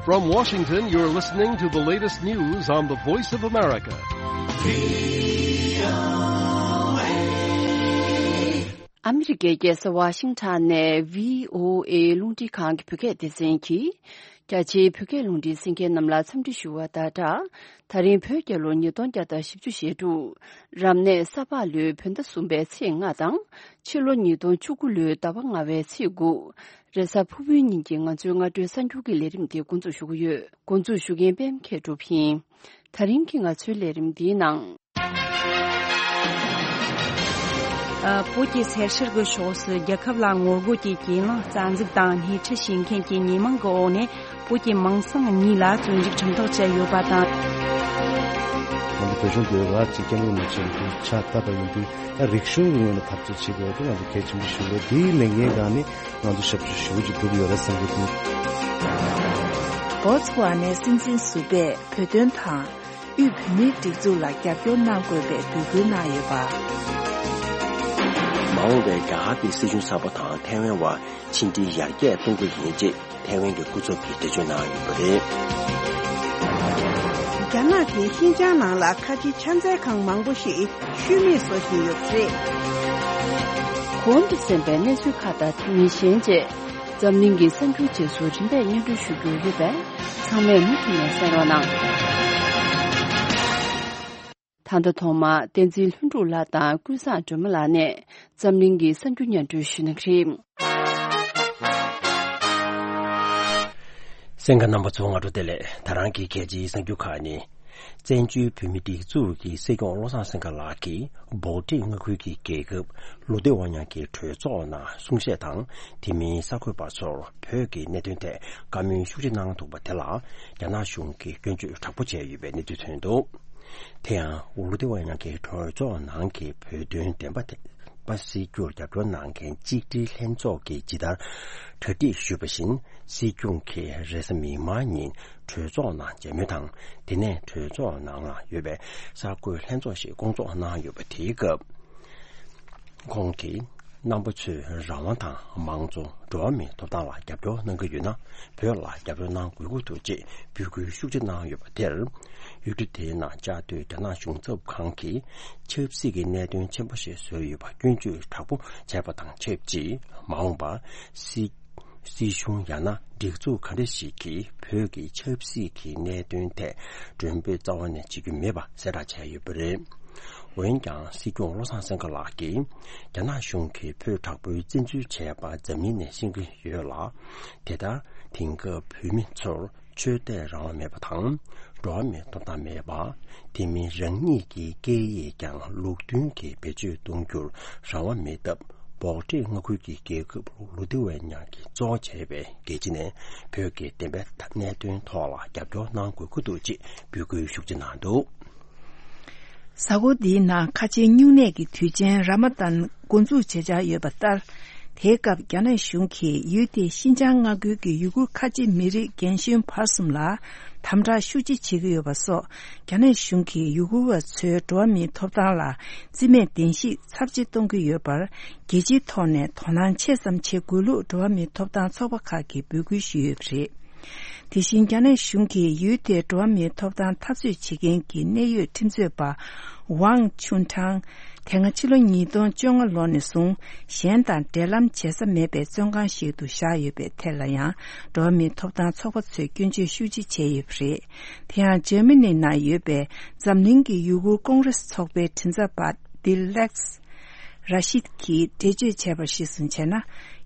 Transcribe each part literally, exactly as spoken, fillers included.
From Washington, you're listening to the latest news on the Voice of America. ཨ་མི་རི་ཀའི་རྒྱལ་ས་ཝ་ཤིང་ཊོན་ནས་བྷི་ཨོ་ཨེ་རླུང་འཕྲིན་ཁང་གི་བོད་སྐད་སྡེ་ཚན་གྱིས། རྒྱ་ཆེའི་བོད་སྐད་རླུང་འཕྲིན་གསན་མཁན་རྣམས་ལ་འཚམས་འདྲི་ཞུ་བ་དང་སྦྲགས། ད་རིང་བོད་རྒྱལ་ལོ་ཉིས་སྟོང་བརྒྱ་དང་བཞི་བཅུ་ཞེ་དྲུག་རབ་གནས་ས་ཕག་ལོའི་བོད་ཟླ་གསུམ་པའི་ཚེས་ལྔ་དང་། ཕྱི་ལོ་ཉིས་སྟོང་བཅུ་དགུ་ལོའི་ཟླ་བ་ལྔ་བའི་ཚེས་དགུ། རེས་གཟའ་ཕུར་བུའི་ཉིན་གྱི་ང་ཚོའི་སྔ་དྲོའི་གསར་འགྱུར་གྱི་ལས་རིམ་འདི་འགོ་འཛུགས་ཞུ་གི་ཡོད། འགོ་འཛུགས་ཞུ་མཁན་པད་མ་མཁས་གྲུབ་ཡིན། ད་རིང་གི་ང་ཚོའི་ལས་རིམ་འདིའི་ནང་། ཨ། བོད་ཀྱི་སེར་བྱེས་ཀྱི་ཕྱོགས་སུ་རྒྱལ་ཁབ་ལ་ངོ་རྒོལ་གྱི་གྱེན་ལངས་རྩ་འཛུགས་དང་སྣེ་ཁྲིད་བྱེད་མཁན་གྱི་ཉེས་མིང་གི་འོག་ནས་བོད་ཀྱི་མིང་སྲིང་གཉིས་ལ་བཙོན་འཇུག་ཁྲིམས་ཐག་བཅད་ཡོད་པ་དང་། ང་ཚོ་བོད་གཞུང་གིས་ར་ཅིག་སྐད་ངོ་མ་བྱེད་པའི་ཕྱག་བཏབ་པ་ཡིན་དུས། ད་རིག་གཞུང་གི་ངོས་ནས་ཐབས་ཇུས་བྱེད་དགོས་པ་དེ་ང་ཚོ་གལ་ཆེན་པོ་ཞིག་རེད། དེའི་ལས་འགན་སྒང་ནས་ང་ཚོ་ཞབས་ཞུ་ཞེ་པོ་ཅིག་སྒྲུབ་ཡོད་རེད་བསམ་གྱི་འདུག་བྷོ་ཙི་ཝ་ནའི་སྲིད་འཛིན་ཟུར་པས་བོད་དོན་དང་། དབུས་བོད་མིའི་སྒྲིག་འཛུགས་ལ་རྒྱབ་སྐྱོར་གནང་དགོས་པའི་འབོད་སྐུལ་གནང་ཡོད་པ། མ་འོངས་པའི་རྒྱ་གར་གྱི་སྲིད་གཞུང་གསར་པ་དང་ཐའེ་ཝན་བར་ཕྱི་འབྲེལ་ཡར་རྒྱས་གཏོང་གི་ཡིན་ཅེས་ཐའེ་ཝན་གྱི་སྐུ་ཚབ་ཀྱིས་འགྲེལ་བརྗོད་གནང་ཡོད་པ་རེད། རྒྱ་ནག་གིས་ཤིན་ཅང་ནང་ལ་ཁ་ཆེའི་ཕྱག་འཚལ་ཁང་མང་པོ་ཞིག་ཤུལ་མེད་བཟོ་བཞིན་ཡོད་པ་རེད། གོང་དུ་གསན་པའི་གནས་ཚུལ་ཁག་དང་དེ་མིན་གཞན་བཅས། འཛམ་གླིང་གི་གསར་འགྱུར་རྗེས་སུ་རིམ་པས་སྙན་སྒྲོན་ཞུ་རྒྱུ་ཡོད་པས། ཚང་མས་མུ་མཐུད་ནས་གསན་རོགས་གནང་། ད་ལྟ་ཐོག་མར་བསྟན་འཛིན་ལྷུན་གྲུབ་ལགས་དང་ཀུན་བཟང་སྒྲོལ་མ་ལགས་ནས་འཛམ་གླིང་གི་གསར་འགྱུར་སྙན་སྒྲོན་ཞུ་གནང་གི་རེད། གསན་མཁན་རྣམ་པ་ཚོ་སྔ་དྲོ་བདེ་ལེགས། ད་རང་གི་གལ་ཆེའི་གསར་འགྱུར་ཁག་ནི། བཙན་བྱོལ་བོད་མིའི་སྒྲིག་འཛུགས་ཀྱི་སྲིད་སྐྱོང་བློ་བཟང་སེང་གེ་ལགས་ཀྱིས་སྦོག་ཊི་མངའ་ཁུལ་གྱི་རྒྱལ་ཁབ་ལུ་ཏེ་ཝ་ཉང་གི་གྲོས་ཚོགས་ནང་གསུང་བཤད་དང་། དེ་མིན་གསར་འགོད་པ་ཚོར་བོད་ཀྱི་གནད་དོན་ཐད་བཀའ་མོལ་ཤུགས་ཆེ་གནང་འདུག་པ་དེ་ལ་རྒྱ་ནག་གཞུང་གིས་སྐྱོན་བརྗོད་དྲག་པོ་བྱས་ཡོད་པའི་གནས་ཚུལ་ཐོན་འདུག་དེ་ཡང་ལུ་ཏེ་ཝ་ཉང་གི་གྲོས་ཚོགས་ནང་གི་བོད་དོན་བདེན་པ་དེ། པ་སྲིད་སྐྱོང་རྒྱབ་སྐྱོར་གནང་མཁན་གཅིག་སྒྲིལ་ལྷན་ཚོགས་ཀྱིས་ཇི་ལྟར་གྲ་སྒྲིག་ཞུས་པ་བཞིན། སྲིད་སྐྱོང་གིས་རེས་གཟའ་མིག་དམར་ཉིན་གྲོས་ཚོགས་ནང་མཇལ་མོལ་དང་། དེ་ནས་གྲོས་ཚོགས་ནང་ལ་ཡོད་པའི་གསར་འགོད་ལྷན་ཚོགས་ཤིག་བསྐོང་ཚོགས་གནང་ཡོད་པ། དེའི་སྐབས་ཁོང་གིས་རྣམ་པ་ཚོས་རང་དབང་དང་མང་གཙོ། འགྲོ་བ་མིའི་ཐོབ་ཐང་ལ་རྒྱབ་སྐྱོར་གནང་གི་ཡོད་ན། བོད་ལ་རྒྱབ་སྐྱོར་གནང་དགོས་ཀྱི་འདུག་ཅེས་འབོད་སྐུལ་ཤུགས་ཆེ་གནང་ཡོད་པ་དེར། ཡུལ་གྲུ་དེའི་ནང་བཅའ་སྡོད་རྒྱ་ནག་གཞུང་ཚབ་ཁང་གིས་ཆབ་སྲིད་ཀྱི་གནད་དོན་ཆེན་པོ་ཞིག་བཟོས་ཡོད་པ་སྐྱོན་བརྗོད་དྲག་པོ་བྱས་པ་དང་ཆབས་ཅིག་མ་འོངས་པར་སྲིད་སྲིད་གཞུང་ཡང་ན་སྒྲིག་འཛུགས་ག་འདྲ་ཞིག་གིས་བོད་ཀྱི་ཆབ་སྲིད་ཀྱི་གནད་དོན་ཐད་མགྲོན་འབོད་རྩ་བ་ནས་བྱེད་རྒྱུ་མེད་པ་གསལ་བསྒྲགས་བྱས་ཡོད་པ་རེད། འོན་ཀྱང་སྲིད་སྐྱོང་བློ་བཟང་སེང་གེ་ལགས་ཀྱིས་རྒྱ་ནག་གཞུང་གིས་བོད་དྲག་པོའི་བཙན་འཛུལ་བྱས་པ་འཛམ་གླིང་ནས་ཤེས་ཀྱི་ཡོད་ལ། དེ་ལྟར་དེང་སྐབས་བོད་མི་ཚོར་ཆོས་དད་རང་དབང་མེད་པ་དང་། འགྲོ་བ་མིའི་ཐོབ་ཐང་མེད་པ། དེ་མིན་རང་ཉིད་ཀྱི་སྐད་ཡིག་ཀྱང་ལུགས་མཐུན་གྱིས་བེད་སྤྱོད་གཏོང་རྒྱུར་རང་དབང་མེད་སྟབས། སྦོག་ཊི་མངའ་ཁུལ་གྱི་རྒྱལ་ཁབ་ལུ་ཏེ་ཝེ་ཉང་གིས་གཙོ་བྱས་པའི་རྒྱལ་སྤྱི་ནས་བོད་ཀྱི་བདེན་པའི་གནད་དོན་ཐོག་ལ་རྒྱབ་སྐྱོར་གནང་དགོས་ཀྱི་འདུག་ཅེས་འབོད་སྐུལ་ཤུགས་ཆེ་གནང་འདུག་གཟའ་འཁོར་འདིའི་ནང་ཁ་ཆེའི་སྨྱུང་གནས་ཀྱི་དུས་ཆེན་ར་མ་དན་འགོ་འཛུགས་བྱེད་འཆར་ཡོད་པ་ལྟར། དེའི་སྐབས་རྒྱ་ནག་གཞུང་གིས་ཡུལ་དེའི་ཤིན་ཅང་མངའ་ཁུལ་གྱི་ཡུ་གུར་ཁ་ཆེ་མི་རིགས་རྒན་གཞོན་བར་གསུམ་ལ་དམ་དྲག་ཤུགས་ཆེ་བྱེད་ཀྱི་ཡོད་པ་སོགས། རྒྱ་ནག་གཞུང་གིས་ཡུ་གུར་བ་ཚོའི་འགྲོ་བ་མིའི་ཐོབ་ཐང་ལ་རྩིས་མེད་བདེན་བཞིའི་ཚབས་ཆེ་གཏོང་གི་ཡོད་པར། རྒྱལ་སྤྱིའི་ཐོག་ནས་དོ་སྣང་ཆེ་ཙམ་བྱེད་དགོས་ལུགས་འགྲོ་བ་མིའི་ཐོབ་ཐང་ཚོགས་པ་ཁག་གིས་འབོད་སྐུལ་ཞུས་ཡོད་པ་རེད། དེ་བཞིན་རྒྱ་ནག་གཞུང་གིས་ཡུལ་དེའི་འགྲོ་བ་མིའི་ཐོབ་ཐང་འཐབ་རྩོད་བྱེད་མཁན་གྱི་གནད་ཡོད་ཁྲིམས་རྩོད་པ་ཝང་ཆུན་ཁྲང་། དེ་སྔ་ཕྱི་ལོ་ཉིས་སྟོང་བཅོ་ལྔ་ལོ་ནས་བཟུང་གཞན་དང་འབྲེལ་ལམ་བྱེད་ས་མེད་པའི་བཙོན་ཁང་ཞིག་ཏུ་བཞག་ཡོད་པའི་ཐད་ལ་ཡང་འགྲོ་བ་མིའི་ཐོབ་ཐང་ཚོགས་པ་ཚོས་སྐྱོན་བརྗོད་ཤུགས་ཆེ་བྱས་ཡོད་པ་རེད། དེ་ཡང་འཇར་མ་ནི་ནང་ཡོད་པའི་འཛམ་གླིང་གི་ཡུ་གུར་ཀོང་རེས་ཚོགས་པའི་མགྲིན་ཚབ་པ་ཏི་ལེགས་ར་ཤིད་ཀྱིས་འགྲེལ་བརྗོད་བྱས་པར་གཞིར་བཟུང་བྱས་ན།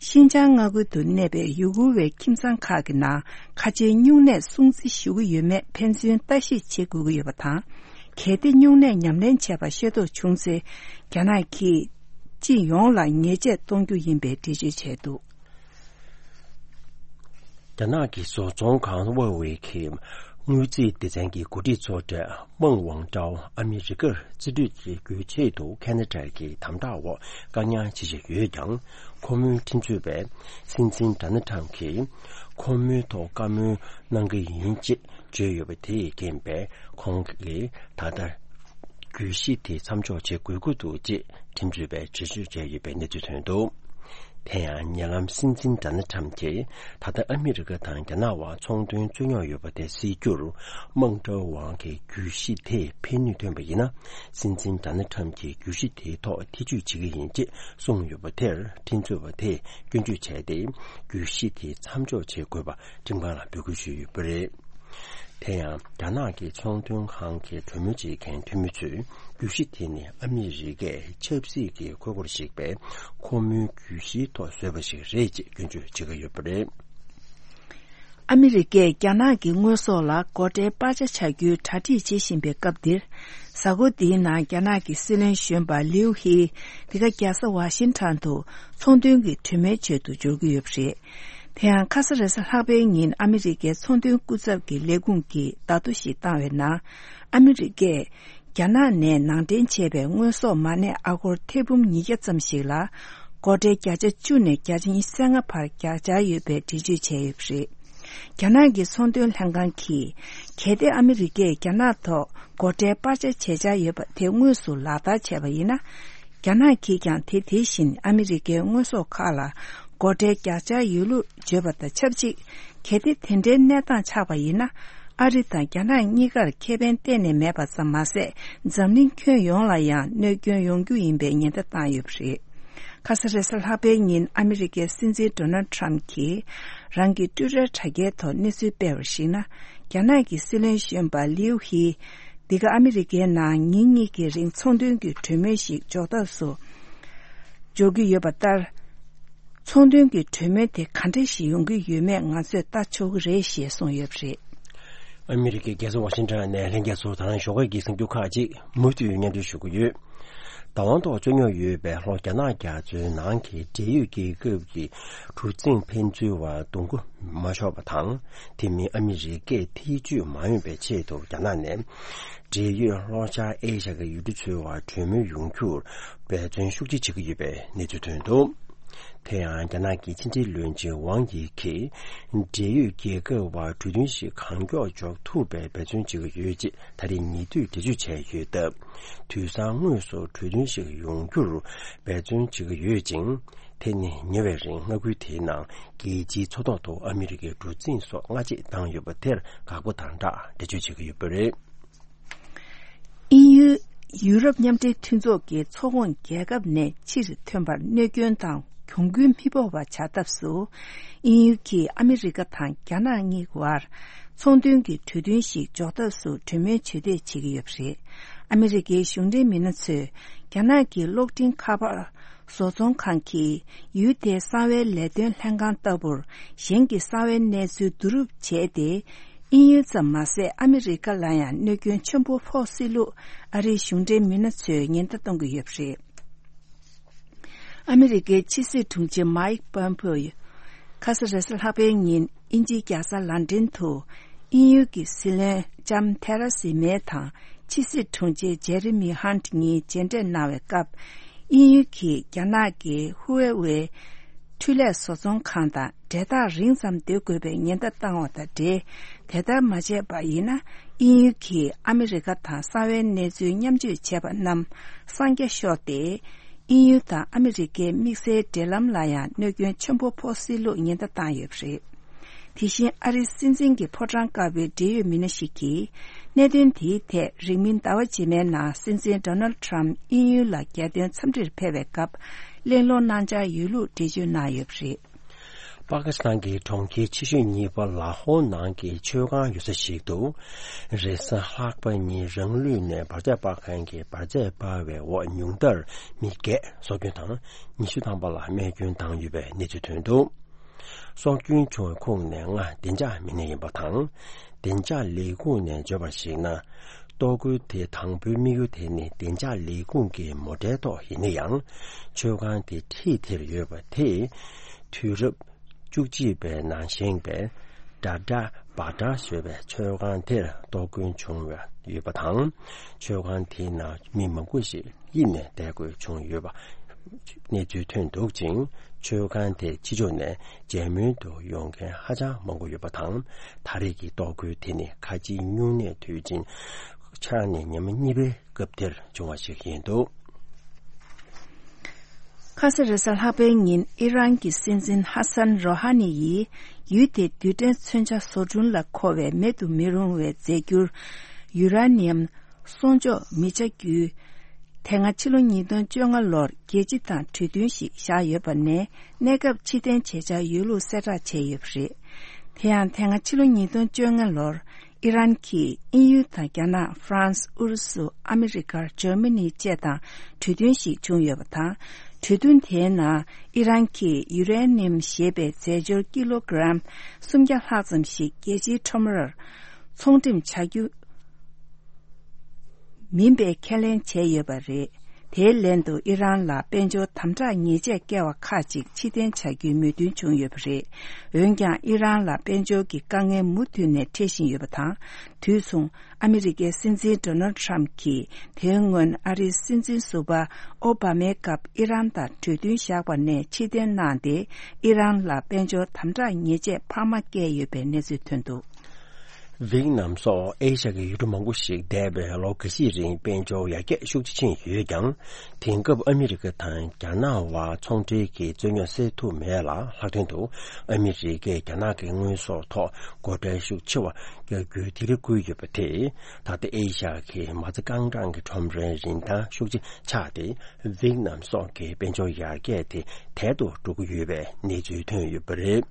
ཤིན་ཅང་མངའ་ཁུལ་དུ་གནས་པའི་ཡུ་གུར་བའི་ཁྱིམ་ཚང་ཁག་གི་ནང་ཁ་ཆེའི་སྨྱུང་གནས་སྲུང་བརྩི་ཞུ་གི་ཡོད་མེད་ཕན་ཚུན་ལྟ་ཞིབ་བྱེད་དགོས་ཀྱི་ཡོད་པ་དང་། གལ་ཏེ་སྨྱུང་གནས་ཉམས་ལེན་བྱས་པ་ཤེས་རྟོགས་བྱུང་ཚེ། རྒྱ་ནག་གིས་སྤྱི་ཡོངས་ལ་ཉེས་ཆད་གཏོང་རྒྱུ་ཡིན་པའི་འགྲེལ་བརྗོད་བྱས་འདུག་རྒྱ་ནག་གི་བཟོ་ཚོང་ཁང་ཧྭ་ཝེ་གི་དངུལ་རྩིས་སྡེ་ཚན་གྱི་འགོ་ཁྲིད་ཚོ་གྲས་མེང་ཝང་ཀྲའོ་ཨ་མི་རི་ཀར་རྩིས་སྤྲོད་བྱེད་རྒྱུའི་ཆེད་དུ་ཁ་ན་ཌ་གི་དམ་དྲག་འོག་བཀག་ཉར་བྱེད་བཞིན་ཡོད་ཀྱང་། ཁོ་མོའི་ཁྲིམས་རྩོད་པས་སྲིད་འཛིན་ཌོ་ནལ་ཊམ་གྱིས་ཁོ་མོའི་ཐོག་བཀའ་མོལ་གནང་གི་ཡིན་ཅེས་བརྗོད་ཡོད་པ་དེས་རྐྱེན་པས། ཁོང་གིས་ད་ལྟ་གྱོད་གཞི་དེ་མཚམས་འཇོག་བྱེད་དགོས་ཀྱི་འདུག་ཅེས་ཁྲིམས་རྩོད་པས་འགྲེལ་བརྗོད་བྱས་ཡོད་པའི་གནས་ཚུལ་ཐོན་འདུག་དེ་ཡང་ཉེ་ལམ་སྲིད་འཛིན་ཌོ་ནལ་ཊམ་གྱིས་ད་ལྟ་ཨ་མི་རི་ཀ་དང་རྒྱ་ནག་དབར་ཚོང་དོན་རྩོད་རྙོག་ཡོད་པ་དེ་སེལ་རྒྱུར་དམག་འཁྲུག་དབང་གིས་གྱོད་གཞི་དེས་ཕན་ནུས་ཐོན་པ་ཡིན་ན། སྲིད་འཛིན་ཌོ་ནལ་ཊམ་གྱིས་གྱོད་གཞི་དེའི་ཐོག་ཐེ་བྱུས་བྱེད་ཀྱི་ཡིན་ཅེས་གསུངས་ཡོད་པ་དེར་ཁྲིམས་རྩོད་པ་དེས་སྐྱོན་བརྗོད་བྱས་ཏེ། གྱོད་གཞི་དེ་མཚམས་འཇོག་བྱེད་དགོས་པ་ཁྲིམས་ཁང་ལ་འབོད་སྐུལ་ཞུས་ཡོད་པ་རེད། དེ་ཡང་རྒྱ་ནག་གི་ཚོང་དོན་ཁང་གི་གྲོས་མོལ་བྱེད་མཁན་འཐུས་མི་ཚོས་གྱོད་གཞི་དེ་ནི་ཨ་མི་རི་ཀས་ཆབ་སྲིད་ཀྱི་ཁུར་པོར་གཞིགས་པའི་ཁོ་མོའི་གྱོད་གཞིའི་ཐོག་བཟོས་པ་ཞིག་རེད་ཅེས་སྐྱོན་བརྗོད་བྱེད་ཀྱི་ཡོད་པ་རེད། ཨ་མི་རི་ཀས་རྒྱ་ནག་གི་དངོས་ཟོག་ལ་སྒོ་ཁྲལ་སྤར་ཆ་བྱ་རྒྱུའི་གྲ་སྒྲིག་བྱེད་བཞིན་པའི་སྐབས་འདིར། གཟའ་འཁོར་འདིའི་ནང་རྒྱ་ནག་གི་སྲིད་བློན་གཞོན་པ་ལིའུ་ཧི་འདི་ག་རྒྱལ་ས་ཝ་ཤིང་ཊོན་དུ་ཚོང་དོན་གྱི་གྲོས་མོལ་ཆེད་དུ་འབྱོར་གྱི་ཡོད་པ་རེད། དེ་ཡང་ཁ་ས་རེས་གཟའ་ལྷག་པའི་ཉིན་ཨ་མི་རི་ཀའི་ཚོང་དོན་སྐུ་ཚབ་ཀྱི་ལས་ཁུངས་ཀྱིས་བརྡ་ཐོ་ཞིག་བཏང་བའི་ནང་། ཨ་མི་རི་ཀས་རྒྱ་ནག་ནས་ནང་འདྲེན་བྱས་པའི་དངོས་ཟོག་མ་གནས་ཨ་སྒོར་ཐེར་འབུམ་ཉིས་བརྒྱ་ཙམ་ཞིག་ལ་སྒོ་ཁྲལ་བརྒྱ་ཆ་བཅུ་ནས་བརྒྱ་ཆ་ཉེར་ལྔ་བར་བརྒྱབ་འཆར་ཡོད་པའི་འགྲེལ་བརྗོད་བྱས་ཡོད་པ་རེད། རྒྱ་ནག་གི་ཚོང་དོན་ལྷན་ཁང་གིས། གལ་ཏེ་ཨ་མི་རི་ཀས་རྒྱ་ནག་ཐོག་སྒོ་ཁྲལ་སྤར་ཆ་བྱེད་འཆར་ཡོད་པ་དེ་དངོས་སུ་ལག་བསྟར་བྱས་པ་ཡིན་ན། རྒྱ་ནག་གིས་ཀྱང་དེ་དེ་བཞིན་ཨ་མི་རི་ཀའི་དངོས་ཟོག་ཁག་ལ་སྒོ་ཁྲལ་བརྒྱབ་འཆར་ཡོད་ལུགས་བརྗོད་པ་དང་ཆབས་ཅིག་གལ་ཏེ་དེ་འདྲའི་གནས་སྟངས་ཆགས་པ་ཡིན་ན། ཨ་རི་དང་རྒྱ་ནག་གཉིས་ཀར་ཁེ་ཕན་གཏན་ནས་མེད་པ་ཙམ་མ་ཟད། འཛམ་གླིང་ཁྱོན་ཡོངས་ལ་ཡང་གནོད་སྐྱོན་ཡོང་རྒྱུ་ཡིན་པའི་ཉེན་བརྡ་བཏང་ཡོད་པ་རེད། ཁ་ས་རེས་གཟའ་ལྷག་པའི་ཉིན་ཨ་མི་རི་ཀའི་སྲིད་འཛིན་ཌོ་ནལ་ཊམ་གྱིས་རང་གི་ཊུ་ཊར་དྲ་རྒྱའི་ཐོག་གནས་ཚུལ་སྤེལ་བར་གཞིགས་ན། རྒྱ་ནག་གི་སྲིད་བློན་གཞོན་པ་ལིའུ་ཧི། འདི་ག་ཨ་མི་རི་ཀའི་ནང་ཉིན་གཉིས་ཀྱི་རིང་ཚོང་དོན་གྱི་གྲོས་མོལ་ཞིག་འཇོག་ཐབས་སུ་འཇོག་གི་ཡོད་པ་ལྟར། ཚོང་དོན་གྱི་གྲོས་མོལ་དེ་ག་འདྲ་ཞིག་ཡོང་གི་ཡོད་མེད་ང་ཚོས་ལྟ་ཆོག་གི་རེད་ཞེས་གསུངས་ཡོད་པ་རེད། ཨ་མི་རི་ཀའི་རྒྱལ་ས་ཝ་ཤིང་ཊོན་ནས་ལྷན་རྒྱས་ཚོ་དང་ཞོགས་ཀས་ཀྱི་གསར་འགྱུར་ཁག་ཅིག་མུ་མཐུད་སྙན་སྒྲོན་ཞུ་གི་ཡོད། བདག་དབང་ཐོག་རྩོད་རྙོག་ཡོད་པའི་ལྷོ་རྒྱ་ནག་རྒྱ་མཚོའི་ནང་གི་འབྲེལ་ཡོད་རྒྱལ་ཁབ་ཀྱི་གྲུ་གཟིངས་ཕན་ཚུན་བར་གདོང་མགོ་མ་ཕྱོགས་པ་དང་། དེ་མིན་ཨ་མི་རི་ཀས་ཐེ་བྱུས་མ་ཡོང་པའི་ཆེད་དུ་རྒྱ་ནག་ནས་འབྲེལ་ཡོད་ལྷོ་ཤར་ཨེ་ཤ་གི་ཡུལ་གྲུ་ཚོའི་བར་གྲོས་མོལ་ཡོང་རྒྱུར་འབད་བརྩོན་ཤུགས་ཆེ་བྱེད་ཀྱི་ཡོད་པའི་གནས་ཚུལ་ཐོན་འདུག་དེ་ཡང་རྒྱ་ནག་གི་ཕྱི་འབྲེལ་བློན་ཆེན་ཝང་ཡི་གིས་འབྲེལ་ཡོད་རྒྱལ་ཁབ་བར་གྲོས་མཐུན་ཞིག་གང་མགྱོགས་འཇོག་ཐུབ་པའི་འབད་བརྩོན་བྱེད་ཀྱི་ཡོད་ཅེས་ད་རེས་ཉེ་དུས་འགྲེལ་བརྗོད་བྱས་ཡོད་སྟབས། དུས་སང་དངོས་སུ་གྲོས་མཐུན་ཞིག་ཡོང་རྒྱུར་འབད་བརྩོན་བྱེད་ཀྱི་ཡོད་ཅིང་། དེ་ནི་ཉེ་བའི་རིང་མངའ་ཁུལ་དེའི་ནང་རྒྱལ་སྤྱིའི་མཚོ་ཐོག་ཏུ་ཨ་མི་རི་ཀའི་གྲུ་གཟིངས་སོགས་སྔ་རྗེས་བཏང་ཡོད་པ་དེར་དགག་པ་དང་སྦྲགས་འགྲེལ་བརྗོད་བྱེད་ཀྱི་ཡོད་པ་རེད། དབྱིན་ཡུལ། ཡུ་རོབ་མཉམ་འབྲེལ་མཐུན་ཚོགས་ཀྱི་ཚོགས་ཁོངས་རྒྱལ་ཁབ་ནས་ཕྱིར་ཐོན་པར་གནོད་སྐྱོན་དང་གྱོང་གུན་མི་ཕོག་པ་བྱ་ཐབས་སུ། དབྱིན་ཡུལ་གྱིས་ཨ་མི་རི་ཀ་དང་རྒྱ་ནག་གཉིས་བར་ཚོང་དོན་གྱི་གྲོས་མཐུན་ཞིག་འཇོག་ཐབས་སུ་གྲོས་མོལ་ཇུས་འདེད་བྱེད་ཀྱི་ཡོད་པ་རེད། ཨ་མི་རི་ཀའི་གཞུང་འབྲེལ་མི་སྣ་ཚོས་རྒྱ་ནག་གི་གློག་འཕྲིན་ཁ་པར་བཟོ་ཚོང་ཁང་གིས་ཡུལ་དེའི་གསང་བའི་ལས་དོན་ལྷན་ཁང་ལྟ་བུར་གཞན་གྱི་གསང་བའི་གནས་ཚུལ་བསྡུ་རུབ་བྱས་ཏེ། དབྱིན་ཡུལ་ཙམ་མ་ཟད་ཨ་མི་རི་ཀ་ལ་ཡང་གནོད་སྐྱོན་ཆེན་པོ་ཕོག་སྲིད་ལུགས་ཨ་རིའི་གཞུང་འབྲེལ་མི་སྣ་ཚོས་ཉེན་བརྡ་གཏོང་གི་ཡོད་པ་རེད། ཨ་མི་རི་ཀའི་ཕྱི་སྲིད་དྲུང་ཆེ་མའིག་པོམ་པེའོ་ཁ་ས་རེས་གཟའ་ལྷག་པའི་ཉིན་དབྱིན་ཇིའི་རྒྱལ་ས་ལན་ཀྲན་དུ་དབྱིན་ཡུལ་གྱི་སྲིད་བློན་ལྕམ་ཐེ་ར་སི་མེ་དང་ཕྱི་སྲིད་དྲུང་ཆེ་ཇེ་རི་མི་ཧན་གཉིས་མཇལ་འཕྲད་གནང་བའི་སྐབས། དབྱིན་ཡུལ་གྱིས་རྒྱ་ནག་གི་ཧུ་ཝེ་ཝེ་འཕྲུལ་ལས་བཟོ་ཚོང་ཁང་དང་འབྲེལ་ཐག་རིང་ཙམ་སྡོད་དགོས་པའི་ཉེན་བརྡ་བཏང་བ་དང་འབྲེལ། དེ་ལྟར་མ་བྱས་པ་ཡིན་ན། དབྱིན་ཡུལ་གྱིས་ཨ་མི་རི་ཀ་དང་གསང་བའི་གནས་ཚུལ་མཉམ་སྤྱོད་བྱས་པ་རྣམས་གསང་རྒྱ་ཤོར་ཏེ། དབྱིན་ཡུལ་དང་ཨ་མི་རི་ཀའི་དམིགས་བསལ་འབྲེལ་ལམ་ལ་ཡང་གནོད་སྐྱོན་ཆེན་པོ་ཕོག་སྲིད་ལུགས་ཉེན་བརྡ་བཏང་ཡོད་པ་རེད། དེ་བཞིན་ཨ་རིའི་སྲིད་འཛིན་གྱི་ཕོ་བྲང་དཀར་པོའི་འབྲེལ་ཡོད་མི་སྣ་ཞིག་གིས། གནད་དོན་དེའི་ཐད་རིང་མིན་ཟླ་བ་རྗེས་མའི་ནང་སྲིད་འཛིན་ཌོ་ནལ་ཊམ་དབྱིན་ཡུལ་ལ་རྒྱལ་དོན་འཚམས་འདྲིར་ཕེབས་པའི་སྐབས་གླེང་སློང་གནང་འཆར་ཡོད་ལུགས་འགྲེལ་བརྗོད་གནང་ཡོད་པ་རེད། པ་ཀི་སི་ཐན་གྱི་གྲོང་ཁྱེར་ཆེ་ཤོས་གཉིས་པ་ལ་ཧོར་ནང་གི་མཆོད་ཁང་ཡོད་ས་ཞིག་ཏུ། རེས་གཟའ་ལྷག་པ་ཉིན་རང་ལུས་ནས་འབར་རྫས་སྤར་མཁན་གྱིས་འབར་རྫས་སྤར་བའི་འོག་ཉུང་མཐར་མི་བརྒྱད་སྲོག་སྐྱོན་དང་། ཉི་ཤུ་ཐམ་པ་ལ་རྨས་སྐྱོན་བཏང་ཡོད་པའི་གནས་ཚུལ་ཐོན་འདུག་སྲོག་སྐྱོན་བྱུང་བའི་ཁོངས་ནས་ལྔ་བདེ་འཇགས་མི་སྣ་ཡིན་པ་དང་། བདེ་འཇགས་ལས་ཁུངས་ནས་བརྗོད་པར་གཞིགས་ན། གཏོར་རྒོལ་དེ་དང་པོའི་དམིགས་ཡུལ་དེ་ནི་བདེ་འཇགས་ལས་ཁུངས་ཀྱི་མོ་ཊའི་ཐོག་ཡིན་ན་ཡང་། མཆོད་ཁང་དེ་འཁྲིས་དེར་ཡོད་པ་དེས། དུས་རབས་བཅུ་གཅིག་པའི་ནང་བཞེངས་པའི་ཌ་ཌ་བྷ་ཌ་ཞེས་པའི་མཆོད་ཁང་དེར་གཏོར་རྒོལ་བྱུང་བ་ཡོད་པ་དང་། མཆོད་ཁང་དེའི་ནང་མི་མང་པོ་ཞིག་གཡུགས་ནས་བསྡད་དགོས་བྱུང་ཡོད་པ་གནས་ཚུལ་ཐོན་འདུག་ཅིང་། མཆོད་ཁང་དེ་ཕྱི་ཕྱོགས་ནས་མཇལ་མོལ་དུ་ཡོང་མཁན་ཧ་ཅང་མང་པོ་ཡོད་པ་དང་། ད་རེས་ཀྱི་གཏོར་རྒོལ་དེ་ནི་ཁ་ཆེའི་སྨྱུང་གནས་དུས་ཆེན་ཆགས་ནས་ཉི་མ་གཉིས་པའི་སྐབས་དེར་བྱུང་བ་ཞིག་ཡིན་འདུག་ཁ་ས་རེས་གཟའ་ལྷག་པའི་ཉིན་ཨི་རན་གྱི་སྲིད་འཛིན་ཧ་སན་རོ་ཧ་ནི་ཡིས་ཡུལ་དེའི་རྡུལ་ཕྲན་མཚོན་ཆ་བཟོ་སྐྲུན་ལ་མཁོ་བའི་མེད་དུ་མི་རུང་བའི་རྫས་འགྱུར་ཡུ་ར་ནི་ཡམ་གསོག་འཇོག་མི་བྱ་རྒྱུའི་དེ་སྔ་ཕྱི་ལོ་ཉིས་སྟོང་བཅོ་ལྔ་ལོར་རྒྱལ་སྤྱི་དང་གྲོས་མཐུན་ཞིག་བཞག་ཡོད་པ་ནས། གནས་སྐབས་ཕྱིར་འཐེན་བྱེད་འཆར་ཡོད་ལུགས་གསལ་བསྒྲགས་བྱས་ཡོད་པ་རེད། དེ་ཡང་དེ་སྔ་ཕྱི་ལོ་ཉིས་སྟོང་བཅོ་ལྔ་ལོར་ཨི་རན་གྱིས་དབྱིན་ཡུལ་དང་རྒྱ་ནག་ཧྥ་རན་སི། ཨུ་རུ་སུ། ཨ་མི་རི་ཀ། འཇར་མ་ནི་བཅས་དང་གྲོས་མཐུན་ཞིག་བྱུང་ཡོད་པ་དང་། གྲོས་མཐུན་དེའི་ནང་ཨི་རན་གྱིས་ཡུ་རེ་ནི་ཡམ་ཞེས་པའི་རྫས་སྦྱོར་ཀི་ལོ་གྲམ་སུམ་བརྒྱ་ལྷག་ཙམ་ཞིག་རྒྱལ་སྤྱིའི་ཁྲོམ་རར་ཚོང་འགྲེམས་བྱ་རྒྱུ། མིན་པའི་ཁས་ལེན་བྱས་ཡོད་པ་རེད། དེའི་ལན་དུ་ཨི་རན་ལ་དཔལ་འབྱོར་དམ་དྲག་ཉེས་ཆད་བཀལ་བ་ཁག་ཅིག་ཕྱིར་འཐེན་བྱ་རྒྱུའི་མོས་མཐུན་བྱུང་ཡོད་པ་རེད། འོན་ཀྱང་ཨི་རན་ལ་དཔལ་འབྱོར་གྱི་དཀའ་ངལ་མུ་མཐུད་ནས་འཕྲད་བཞིན་ཡོད་པ་དང་། དུས་མཚུངས་ཨ་མི་རི་ཀའི་སྲིད་འཛིན་ཌོ་ནལ་ཌི་ཊརམ་གྱིས་དེའི་སྔོན་ཨ་རིའི་སྲིད་འཛིན་ཟུར་པ་ཨོ་བྷ་མའི་སྐབས་ཨི་རན་དང་གྲོས་མཐུན་བཞག་པ་ནས་ཕྱིར་འཐེན་གནང་སྟེ། ཨི་རན་ལ་དཔལ་འབྱོར་དམ་དྲག་ཉེས་ཆད་འཕར་མ་བཀལ་ཡོད་པའི་གནས་ཚུལ་ཐོན་འདུག། ཝེ་ཏི་ནམ་སོགས་ཨེ་ཤ་ཡའི་ཡུལ་གྲུ་མང་པོ་ཞིག་འདས་པའི་ལོ་འགའ་ཤས་རིང་དཔལ་འབྱོར་ཡར་རྒྱས་ཤུགས་ཆེ་ཕྱིན་ཡོད་ཀྱང་། དེང་སྐབས་ཨ་མི་རི་ཀ་དང་རྒྱ་ནག་དབར་ཚོང་འབྲེལ་གྱི་རྩོད་རྙོག་སེལ་ཐུབ་མེད་ལ། ལྷག་དོན་དུ་ཨ་མི་རི་ཀས་རྒྱ་ནག་གི་དངོས་ཟོག་ཐོག་སྒོ་ཁྲལ་ཤུགས་ཆེ་བ་རྒྱག་རྒྱུའི་སྡིགས་ར་བསྐུལ་ཡོད་པ་དེས། ད་ལྟ་ཨེ་ཤ་ཡ་གི་མ་རྩ་རྐང་གྲངས་ཀྱི་ཁྲོམ་རའི་རིན་ཐང་ཤུགས་ཆེ་ཆག་སྟེ། ཝེ་ཏི་ནམ་སོགས་ཀྱི་དཔལ་འབྱོར་ཡར་རྒྱས་དེ་དལ་དུ་འགྲོ་གི་ཡོད་པའི་གནས་ཚུལ་ཐོན་ཡོད་པ་རེད།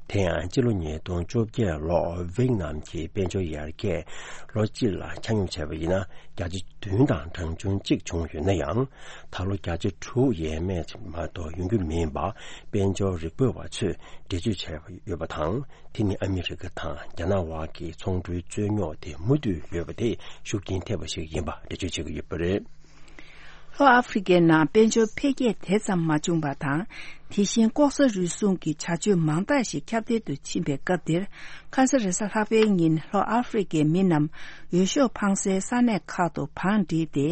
དེ་ཡང་སྤྱི་ལོ་ཉིས་སྟོང་བཅོ་བརྒྱད་ལོར་ཝེ་ཏི་ནམ་གྱི་དཔལ་འབྱོར་ཡར་རྒྱས་ལོ་གཅིག་ལ་ཆ་སྙོམས་བྱས་པ་ཡིན་ན། བརྒྱ་ཆ་བདུན་དང་གྲངས་ཆུང་གཅིག་བྱུང་ཡོད་ན་ཡང་། ད་ལོ་བརྒྱ་ཆ་དྲུག་ཡས་མས་མ་གཏོགས་ཡོང་རྒྱུ་མིན་པ་དཔལ་འབྱོར་རིག་པ་བ་ཚོས་འགྲེལ་བརྗོད་བྱས་ཡོད་པ་དང་། དེ་ནི་ཨ་མི་རི་ཀ་དང་རྒྱ་ནག་དབར་གྱི་ཚོང་འབྲེལ་རྩོད་རྙོག་དེ་མུ་མཐུད་ཡོད་པ་དེ་ཤུགས་རྐྱེན་ཐེབས་པ་ཞིག་ཡིན་པ་འགྲེལ་བརྗོད་བྱེད་ཀྱི་ཡོད་པ་རེད། ལྷོ་ཨ་ཧྥེ་རི་ཀའི་ནང་དཔལ་འབྱོར་འཕེལ་རྒྱས་དེ་ཙམ་མ་བྱུང་བ་དང་། དེ་བཞིན་ལྐོག་ཟ་རུལ་སུངས་ཀྱི་བྱ་སྤྱོད་མང་དག་ཞིག་ཁྱབ་གདལ་དུ་ཕྱིན་པའི་སྐབས་འདིར། ཁ་ས་རེས་གཟའ་ལྷག་པའི་ཉིན་ལྷོ་ཨ་ཧྥེ་རི་ཀའི་མི་རྣམས་འོས་ཤོག་འཕང་སའི་ས་གནས་ཁག་ཏུ་བང་བསྒྲིགས་ཏེ།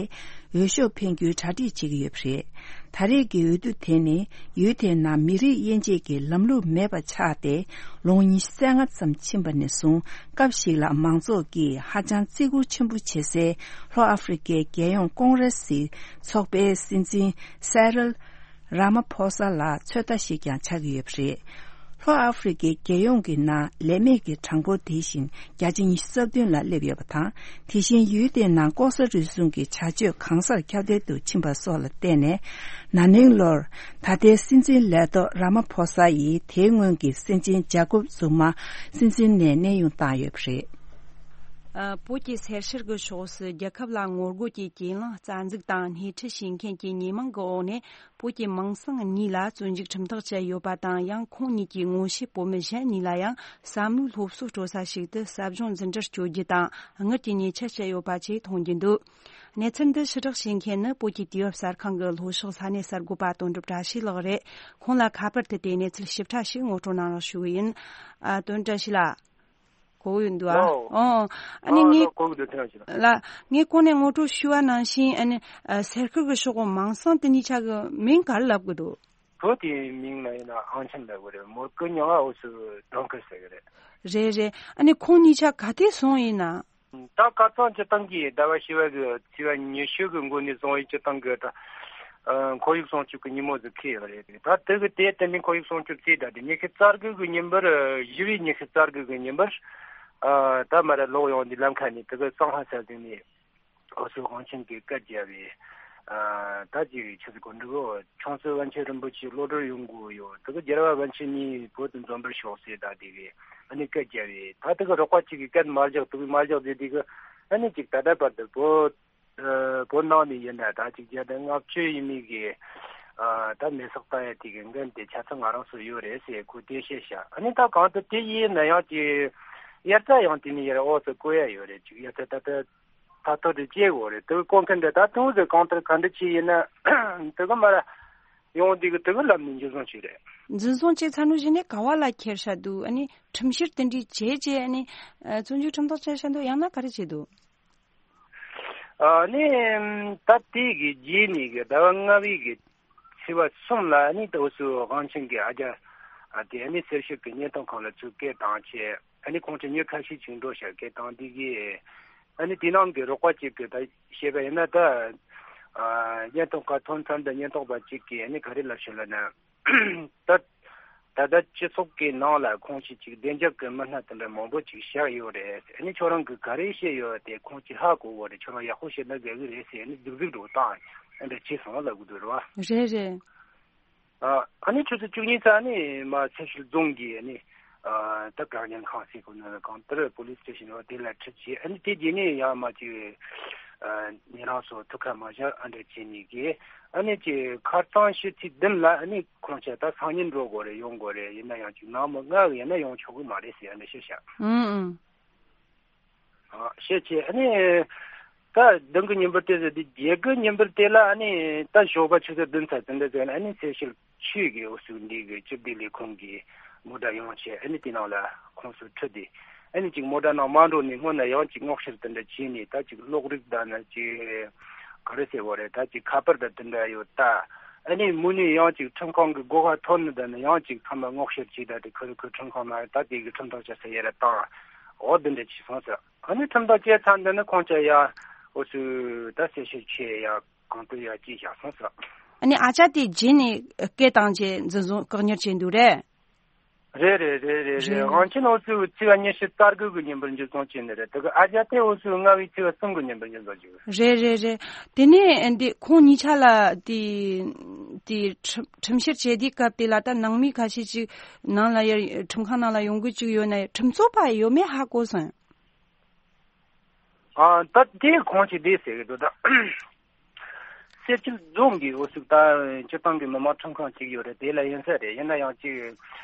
འོས་ཤོག་འཕེན་རྒྱུའི་གྲ་སྒྲིག་བྱེད་ཀྱི་ཡོད་པ་རེད། ད་རེས་ཀྱི་འོས་བསྡུ་དེ་ནི་ཡུལ་དེའི་ནང་མི་རིགས་དབྱེ་འབྱེད་ཀྱི་ལམ་ལུགས་མེད་པ་ཆགས་ཏེ། ལོ་ངོ་ཉི་ཤུ་རྩ་ལྔ་ཙམ་ཕྱིན་པ་ནས་བཟུང་སྐབས་ཤིག་ལ་མང་ཚོགས་ཀྱིས་ཧ་ཅང་བརྩི་བཀུར་ཆེན་པོ་བྱེད་སའི་ལྷོ་ཨ་ཧྥེ་རི་ཀའི་རྒྱལ་ཡོངས་ཀོང་རེ་སི་ཚོགས་པའི་སྲིད་འཛིན་སེ་རིལ་ར་མ་ཕོ་ས་ལ་ཚོད་ལྟ་ཞིག་ཀྱང་ཆགས་ཀྱི་ཡོད་པ་རེད། ལྷོ་ཨ་ཧྥེ་རི་ཀའི་རྒྱལ་ཡོངས་ཀྱི་ནང་ལས་མེད་ཀྱི་གྲངས་འབོར་དེ་བཞིན་བརྒྱ་ཆ་ཉི་ཤུ་རྩ་བདུན་ལ་སླེབས་ཡོད་པ་དང་། དེ་བཞིན་ཡུལ་དེའི་ནང་ལྐོག་ཟ་རུལ་སུངས་ཀྱི་བྱ་སྤྱོད་གང་སར་ཁྱབ་གདལ་དུ་ཕྱིན་པ་སོགས་ལ་བརྟེན་ནས། ན་ནིང་ལོར་ད་ལྟའི་སྲིད་འཛིན་ལས་ཐོག་ར་མ་ཕོ་ས་ཡིས་དེའི་སྔོན་གྱི་སྲིད་འཛིན་ཇ་ཀོབ་ཛུ་མ་སྲིད་འཛིན་ནས་གནས་དབྱུང་བཏང་ཡོད་པ་རེད། ཨ། བོད་ཀྱི་སེར་ཤར་གྱི་ཕྱོགས་སུ་རྒྱལ་ཁབ་ལ་ངོ་རྒོལ་གྱི་གྱེན་ལངས་རྩ་འཛུགས་དང་སྣེ་ཁྲིད་བྱེད་མཁན་གྱི་ཉེས་མིང་གི་འོག་ནས། བོད་ཀྱི་མིང་སྲིང་གཉིས་ལ་བཙོན་འཇུག་ཁྲིམས་ཐག་བཅད་ཡོད་པ་དང་། ཡང་ཁོང་གཉིས་ཀྱི་ངོ་ཤེས་བོད་མི་གཞན་གཉིས་ལ་ཡང་བསམ་བློའི་སློབ་གསོ་སྤྲོད་ས་ཞིག་ཏུ་ཟབ་སྦྱོང་འཛིན་གྲྭར་བསྐྱོད་རྒྱུ་དང་དངུལ་གྱི་ཉེས་ཆད་བཅད་ཡོད་པ་བཅས་མཐོང་རྒྱུ་འདུག། གནས་ཚུལ་འདི་ཕྱི་བསྒྲགས་བྱེད་མཁན་ནི་བོད་ཀྱི་དུས་བབ་གསར་ཁང་གི་ལྷོ་ཕྱོགས་ས་གནས་གསར་འགོད་པ་དོན་གྲུབ་བཀྲ་ཤིས་ལགས་རེད། ཁོང་ལ་ཁ་པར་དུ་དེ་གནས་ཚུལ་ཞིབ་ཕྲ་ཞིག་ངོ་སྤྲོད་གནང་རོགས་ཞུ་གི་ཡིན། ཨ། དོན་བཀྲ་ཤིས་ལགས། གོ་གི་འདུག་ཨ། ལགས། ཨོ། ཨ་ནི། ཨ། ངས། ལགས། གོ་གི་འདུག། ཐེངས་ཤིག་ལ། ལགས། ངས་གོང་ནས་ངོ་སྤྲོད་ཞུས་པ་ནང་བཞིན། ཨ་ནི། ཨ། སེར་ཤར་གྱི་ཕྱོགས་གི་མིང་སྲིང་དེ་གཉིས་ཆ་གི་མིང་ག་རེ་ལབ་གི་འདུག། བོད་དེའི་མིང་ལ་ཡིན་ན་ཨང་ཆེན་ལབ་གི་རེད། མོར་ཀི་མྱིང་ང་འོ་སུ་དོང་ཁུར་ཟེར་གི་རེད། རེད་རེད། ཨ་ནི་ཁོང་གཉིས་ཆ་ག་དུས་སོང་ཡིན་ན། ད་ཁ་སང་སྤྱིར་བཏང་གི་ཟླ་བ་བཞི་པ་གི་ཚེས་པ་ཉི་ཤུ་གི་འགོ་ནས་བཟུང་ཡིན། སྤྱིར་བཏང་གི་ད་ཨ་ཁོར་ཡུག་སྲུང་སྐྱོབ་ཀྱི་ཉིན་མོ་ཟིག་འཁེལ་ཡོད་རེད། ད་དེ་གི་དེ་དེ་ནས་ཁོར་ཡུག་སྲུང་སྐྱོབ་རྩིས་ད་དེ་ཉི་ཤུ་རྩ་དགུ་གི་ཉིན་པར། བཞི་པའི་ཉི་ཤུ་རྩ་དགུ་གི་ཉིན་པར། ཨ། ད་མར་ལོག་ཡོང་དུས་ལམ་ཁ་ནས་དེ་གི་སང་ཧ་ས་ཟིག་ནས་འོ་སུ་དབང་ཆེན་གྱིས་སྐད་རྒྱབ་པས། ཨ། ད་ཅིག་ཆི་ཟིག་གོ་འདུག། ཆུང་སྲིད་པཎ་ཆེན་རིན་པོ་ཆེ་གློད་གྲོལ་ཡོང་དགོས་ཡོད། དེ་གི་རྒྱལ་བ་པཎ་ཆེན་གཉིས་བོད་དུ་འཛོམས་པར་ཤོག་ཟེར་ད་དེ་གི་ཨ་ནི་སྐད་རྒྱབ་པས། ད་དེ་གི་རོགས་པ་གཅིག་གིས་སྐད་མ་རྒྱག། དེ་གི་མ་རྒྱག་ཟེར། དེ་གི་ཨ་ནི་ཅིག་ད་ལྟ་བར་དུ་བོད། ཨ། བོད་ནང་ནས་ཡིན་ན་ད་ཅིག་བརྒྱ་དང་ལྔ་བཅུ་ཡས་མས་གི། ཨ། ད་མེ་སྲེག་བཏང་ཡ་དེ་གི་འགན་དེ་ཆ་ཚང་ང་རང་ཚོ་ཡོད་རེད་ཟེར་ཁོས་གཏམ་བཤད་བྱས། ཨ་ནི་ད་གང་ལྟར་དེ་ཡིན་ན་ཡང་ཅིག་དབྱར་རྩྭ་ཡང་དེ་ནས་ཡར་འོག་ཏུ་བརྐོ་ཡ་ཡོད་རེད། ཅིག་དབྱར་རྩྭ་ད་ལྟ་ཐ་ཐོར་དུ་སྐྱེ་དགོས་རེད། དེ་བརྐོ་མཁན་འདི་ད་དུང་ཟེར་གང་ལྟར་ག་འདྲ་ཅིག་ཡིན་ན་དེ་གི་མར་ཡོང་དེ་གི་དེ་གི་ལམ་ནས་འཇུ་བཟུང་བྱས་རེད། འཛིན་བཟུང་བྱས་ཚར་ནོ་གཞི་ནས་ག་བ་ལ་ཁྱེར་བཞག་འདུག། ཨ་ནི་ཁྲིམས་བཤེར་དེ་འདྲའི་བྱས་རྗེས། ཨ་ནི་བཙོན་འཇུག་ཁྲིམས་ཐག་བཅད་བཞག་འདུག། ཡང་ན་ག་རེ་བྱས་འདུག། ཨ་ནི་ད་དེ་གི་རྗེས་ནས་གི་ཟླ་བ་ལྔ་པའི་གི་ཚེས་པ་གསུམ་ལ་ཨ་ནི་ད་འོ་སུ་དབང་ཆེན་གྱི་ཨ་ཅག་ཨ་དེ་ཨ་ནི་སེར་ཤར་གྱི་བརྙན་ཐུང་ཁང་ལ་ཚུར་སྐད་བཏང་བྱས། ཨ་ནི་ཁོང་ཚོ་མྱི་ཁ་ཤས་ཅིག་འགྲོ་ཤག། སྐད་བཏང་དེ་གི་ཨ་ནི་དེ་ནང་གི་རོགས་པ་གཅིག་གིས་ད་བཤད་པ་ཡིན་ན། ད་ ཨ་ཉེན་རྟོག་ཁ་ཐོན་ཚར་འདི་ཉེན་རྟོག་པ་གཅིག་གིས་ཨ་ནི་ག་རེ་ལབ་ཤོད་ལབ་ན། ད་ད་ལྟ་སྤྱི་ཚོགས་ཀྱི་ནང་ལ་ཁོང་ཆོས་ཅིག་བདེ་འཇགས་ཀྱི་མི་སྣ་དེ་འདྲ་མང་པོ་ཅིག་བཞག་ཡོད་རེད། ཨ་ནི་ཁྱོད་རང་གིས་ག་རེ་བཤད་ཡོད་དེ་ཁོང་ཆོས་ཧ་གོ་གི་རེད། ཁྱོད་རང་ཡག་པོ་བཤད་ན་དགའ་གི་རེད་ཟེར། ཨ་ནི་རྫིག་རྫིག་འགྲོ་སྟངས་ཨ་འདྲ་བྱས་སོང་ལབ་གི་འདུག་རེད་བ། རེད་རེད། ཨ་ཨ་ནི་ཆུ་ཚོད་བཅུ་གཉིས་ཙམ་ནས་མར་ཚེ་ཤུལ་རྫོང་གི་ཨ་ནི་ཨ་ད་བཀག་ཉར་ཁང་ཟེར་གོ་ནི་གང་ལྟར་པོ་ལིས་སི་ཊེ་ཤན་འོ་དེ་ལ་ཁྲིད་བྱས། ཨ་ནི་དེ་རྗེས་ནས་ཡང་མར་ཅིག་ཨ་ཉེ་རང་ཚོ་ཐུག་ཁ་མ་བཞག་ཨ་འདྲ་བྱས་ནས་གི། ཨ་ནི་ཅིག་ཁ་སང་ཕྱི་ཚེས་བདུན་ལ་ཨ་ནི་ཁོང་ཆ་ད་སང་ཉིན་འགྲོ་དགོས་རེད། ཡོང་དགོས་རེད། ཡིན་ན་ཡང་ཅིག་ནངས་མོ་ལྔ་གི་ཡིན་ན་ཡོང་ཆོག་གི་མ་རེད་ཟེར་ཨ་འདྲ་བཤད་ཤག་ཨུང་ཨུང་། ཨ་བཤད་བྱས་ཨ་ནི་ད་བདུན་གི་ཉིན་པར་དེ་ཟེར་དུས་བརྒྱད་གི་ཉིན་པར་དེ་ལ་ཨ་ནི་ད་ཞོགས་པ་ཆུ་ཚོད་བདུན་ཙམ་དེ་འདྲ་ཟེར་ན་ཨ་ནི་ཚེ་ཤུལ་ཆོས་ཀྱི་འོ་ཟུག་འདི་གི་སྤྱི་བདེ་ལས་ཁུངས་ཀྱི་མོ་ཊ་ཡོང་བྱས། ཨ་ནི་དེ་ནང་ལ་ཁོང་ཚོ་ཁྲིད་དེ་ཨ་ནི་ཅིག་མོ་ཊ་ནང་མ་འགྲོ་ནས་སྔོན་ན་ཡང་ཅིག་སྔོག་བཤེར་དེ་འདྲ་བྱས་ནས། ད་ཅིག་གློག་རིགས་དང་ན་ཅིག་ག་རེ་ཟེར་བ་རེད། ད་ཅིག་ཁ་པར་དང་དེ་འདྲ་ཡོད་ད། ཨ་ནི་མུ་ནས་ཡང་ཅིག་ཁྲིམས་ཁང་གི་སྒོ་ཁ་ཐོན་ནས་ད་ནི་ཡང་ཅིག་ཚང་མ་སྔོག་བཤེར་བྱས། ད་དེ་ཁུ་རུ་ཁུ་ཁྲིམས་ཁང་ནང་ད་དེ་གི་ཁྲིམས་ཐག་བཅད་ས་ཡ་ར་བཏང་འོ་དེ་འདྲ་བྱས་སོང་ཟེར། ཨ་ནི་ཁྲིམས་ཐག་བཅད་ཚར་འདི་ནི་ཁོང་ཅག་ཡ་འོ་ཚོས་ད་གསལ་བཤད་ཆེ་ཡ་གང་ལྟར་ཡ་ཅིག་བཞག་སོང་ཟེར། ཨ་ནི་ཨ་ཅག་དེ་རྗེས་ནས་སྐད་བཏང་རྗེས་འཛིན་བཟུང་བཀག་ཉར་བྱས་འདུག་རེད། རེད་རེད་རེད་རེད་རེད། རེད། དབང་ཆེན་འོ་ཚོས་ཚེས་པ་ཉི་ཤུ་རྩ་དགུ་གི་ཉིན་པར་འཇུ་བཟུང་བྱས་ནི་རེད། དེ་གི་ཨ་ཅག་དེ་འོ་ཚོས་ལྔ་བའི་ཚེས་པ་གསུམ་གི་ཉིན་པར་འཇུ་བཟུང་བྱས། རེད་རེད་རེད། དེ་ནས་འདི་ཁོང་གཉིས་ཆ་ལ་དེ་དེ་ཁྲིམས་ཁྲིམས་བཤེར་བྱེད་དུས་སྐབས་དེ་ལ་ད་ནང་མི་ཁ་ཤས་ཅིག་ནང་ལ་ཡར་ཁྲིམས་ཁང་ནང་ལ་ཡོང་གི་ཅིག་ཡོད་ན་ཁྲིམས་རྩོད་པ་ཡོད་མེད་ཧ་གོ་སོང་། ཨ་ད་དེ་ཁོང་ཅིག་བསྡད་ཟེར་གི་འདུག་ད། སེར་སྐྱ་རྫོང་གི་འོ་ཟུག་ད་སྤྱི་བཏང་གི་མི་མང་ཁྲིམས་ཁང་ཅིག་ཡོད་རེད། དེ་ལ་ཡིན་ས་རེད། ཡིན་ན་ཡང་ཅིག་